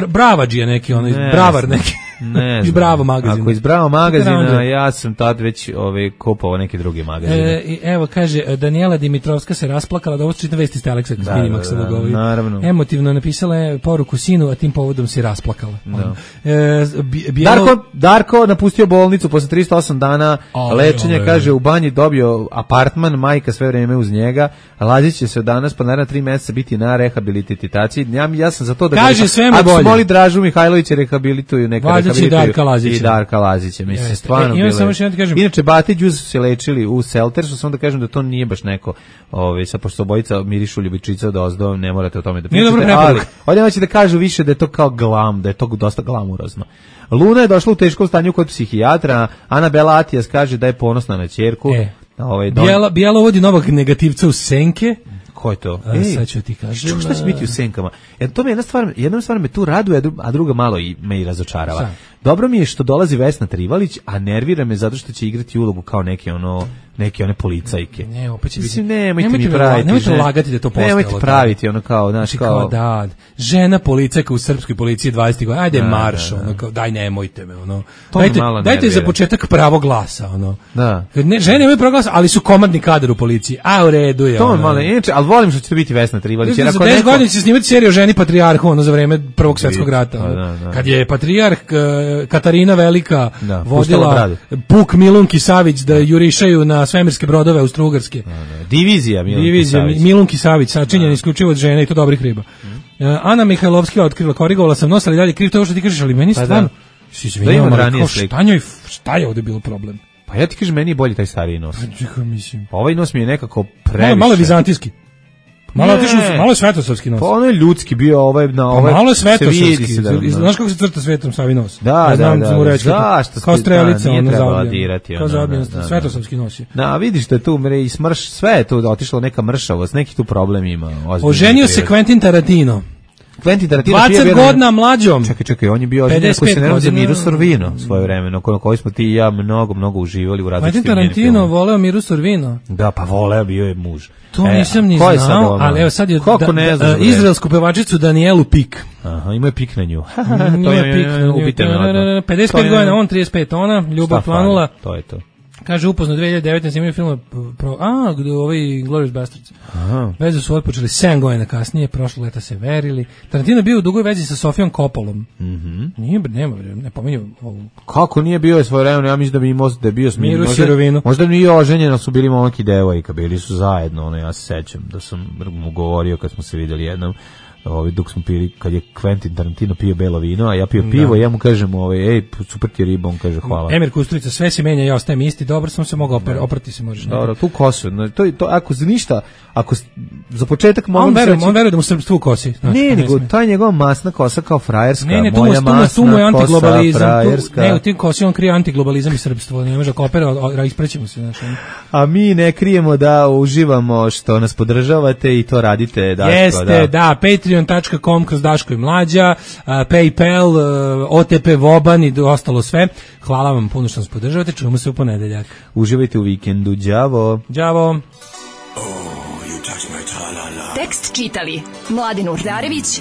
Bravađija neki, ono, ne, bravar neki. Ne iz Bravo magazina. Ako iz Bravo magazina, ja sam tad već ove, kupovao neke druge magazine. E, evo, kaže, Danijela Dimitrovska se rasplakala, da ovo su čitne vesti ste Aleksa da, Minimaxa da, da, naravno. Emotivno napisala je poruku sinu, a tim povodom se rasplakala. Da. E, bijelo... Darko, Darko napustio bolnicu posle tristo osam dana ove, lečenja, ove. Kaže, u banji dobio apartman, majka sve vreme uz njega, Lazić će se od danas pa naravno tri meseca biti na rehabilitaciji. Ja, ja sam za to da kaže, sve mu bolje. Moli Dražu Mihajlovića rehabilituju, neka rehabilituju i Darka Lazića. I Darka Lazića, mislim, stvarno e, bilo je. Kažem... Inače, Bate i Đuz su se lečili u Seltersu, samo da kažem da to nije baš neko, ovaj, sa pošto obojica mirišu ljubičica do ozdo, ne morate o tome da pričate, ali ovdje neće da kažu više da je to kao glam, da je to dosta glamurozno. Luna je došla u teškom stanju kod psihijatra, Anabela Atijas kaže da je ponosna na ćerku. E, ovaj, don... Bijela, Bijela uvodi novog negativca u Senke. Ko je to? A, sad ću ti kažem. Što, šta će biti u Senkama? Jer to me jedna stvar, jedna stvar me tu raduje, a druga malo i me i razočarava. Šta? dobro mi je što dolazi Vesna Trivalić, a nervira me zato što će igrati ulogu kao neke ono neke one policajke. Ne, opet će Mislim, biti. nemojte, Nemojte mi praviti. nemojte žen- lagati da to postalo. Nemojte tako. praviti ono kao, znaš, Znači, kao... kao da, žena policajka u srpskoj policiji dvadeset godina, ajde Da, marš, da, da. ono, kao, daj nemojte me, ono. To me Dajte, malo dajte nervira. za početak pravo glasa, ono. Da. Ne, žene imaju pravo glasa, ali su komandni kadar u policiji, a u redu je. To me ono. malo, inače, ali volim što će to biti Vesna Trivalić. Jer Za ako deset neko... godina će se snimati seriju o ženi patrijarhu, ono, za vreme Prvog svjetskog rata. Pa ono. da, da. Kad je patrijarh eh, Katarina Velika Da, pustala vodila bradu. Puk Milunki Savić da jurišaju na svemirske brodove Austrougarske. Divizija Milunki Divizija Savić. Milunki Savić, sačinjena isključivo od žena i to dobrih riba. Eh, Ana Mihajlovska otkrila, korigovala sam nos, ali dalje kriv to ovo što ti kažeš, ali meni Pa da. stvarno si Da izvinjavam, imam ali ranije kao slike. šta njoj, šta je ovde bilo problem? Pa ja ti kažem, meni je bolji taj stariji nos. Čekaj, mislim. Ovaj nos mi je nekako Malo, previše. malo vizantijski. Malo Ne. otišao, su- malo je svetosavski nos. Pa ono je ljudski bio, ovaj na Pa ovaj. malo je se vidi svetosavski. se da- da. Znaš kako se crta svetom Savi nos? Da, ja znam, da, sam mu da. reći, Zašto kao ste- strelica, da, nije ono trebala zavljeno. dirati, Kao ono, zavljeno, da, da, da. svetosavski nos je. Da, vidiš da je tu mre i smrš, sve je tu otišlo neka mršavost, neki tu problem ima. ozbiljni Oženio se prirod. Quentin Tarantino. Quentin Tarantino dvadeset bio bio- godina mlađom. Čekaj, čekaj, on je bio oženjen pedeset koji pet se ne za godina. Miru Sorvino svoje vremeno, koji, koji smo ti i ja mnogo, mnogo uživali u Quentin različitim njenim Tarantino filmovima. voleo Miru Sorvino. Da, pa voleo, bio je muž. To E, nisam ni ko je sad znao, ono? ali evo sad je Kako da- ne da- znaš, bre? izraelsku pevačicu Danielu Pik. Aha, ima je pik na nju. Ima to je pik na nju. ubite me odmah. pedeset To pet je- godina, on trideset pet, ona, ljubav Šta planula. fali? To je to. Kaže upozno dve hiljade devete snimaju filma pro a gde ovaj Glorious Bastards. Aha. Vezu su otpočeli sedam godina kasnije, prošle leta se verili. Tarantino je bio u dugoj vezi sa Sofijom Coppolom. Mhm. Nije bre, nema bre, ne pominju ovu. Kako nije bio je svoje vremeno, ja mislim da bi imao da je bio s Miru možda- Sirovinu. Možda nije oženjeno, su bili momak i devojka, bili su zajedno, ono ja se sećam da sam mu govorio kad smo se videli jednom. Ovaj dok smo pili, kad je Quentin Tarantino pio belo vino, a ja pio pivo, Da. ja mu kažem, ovaj ej, super ti je riba, on kaže hvala. Emir Kusturica, sve se menja, ja ostajem isti, dobro sam se mogao opr, oprati se možeš. Dobro, tu kosu, no, to, to, ako za ništa, ako s- za početak A mogu on se veruje, reći- on veruje da mu srpstvo u kosi. Znaš, Ne, to nego sme. taj njegova masna kosa kao frajerska, Ne, ne, tu mu, moja tu mu, tu mu je masna antiglobalizam. kosa, Tu, frajerska. ne, u tim kosi on krije antiglobalizam i srpstvo. Ne može kopera, isprećemo se. Znaš, ono. A mi ne krijemo da uživamo što nas podržavate i to radite. Daško, Jeste, da. da, patreon dot com kroz Daško i Mlađa, a, PayPal, a, O T P Voban i ostalo sve. Hvala vam puno što nas podržavate, čujemo se u ponedeljak. Uživajte u vikendu, đavo. Đavo. Tekst čitali Mladin Urdarević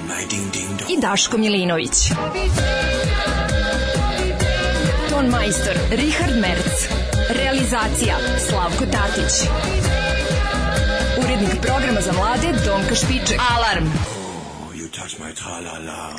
i Daško Milinović. Ton majstor Richard Merc. Realizacija Slavko Tatić. Urednik programa za mlade Donka Špiček. Alarm! You touch my tra-la-la.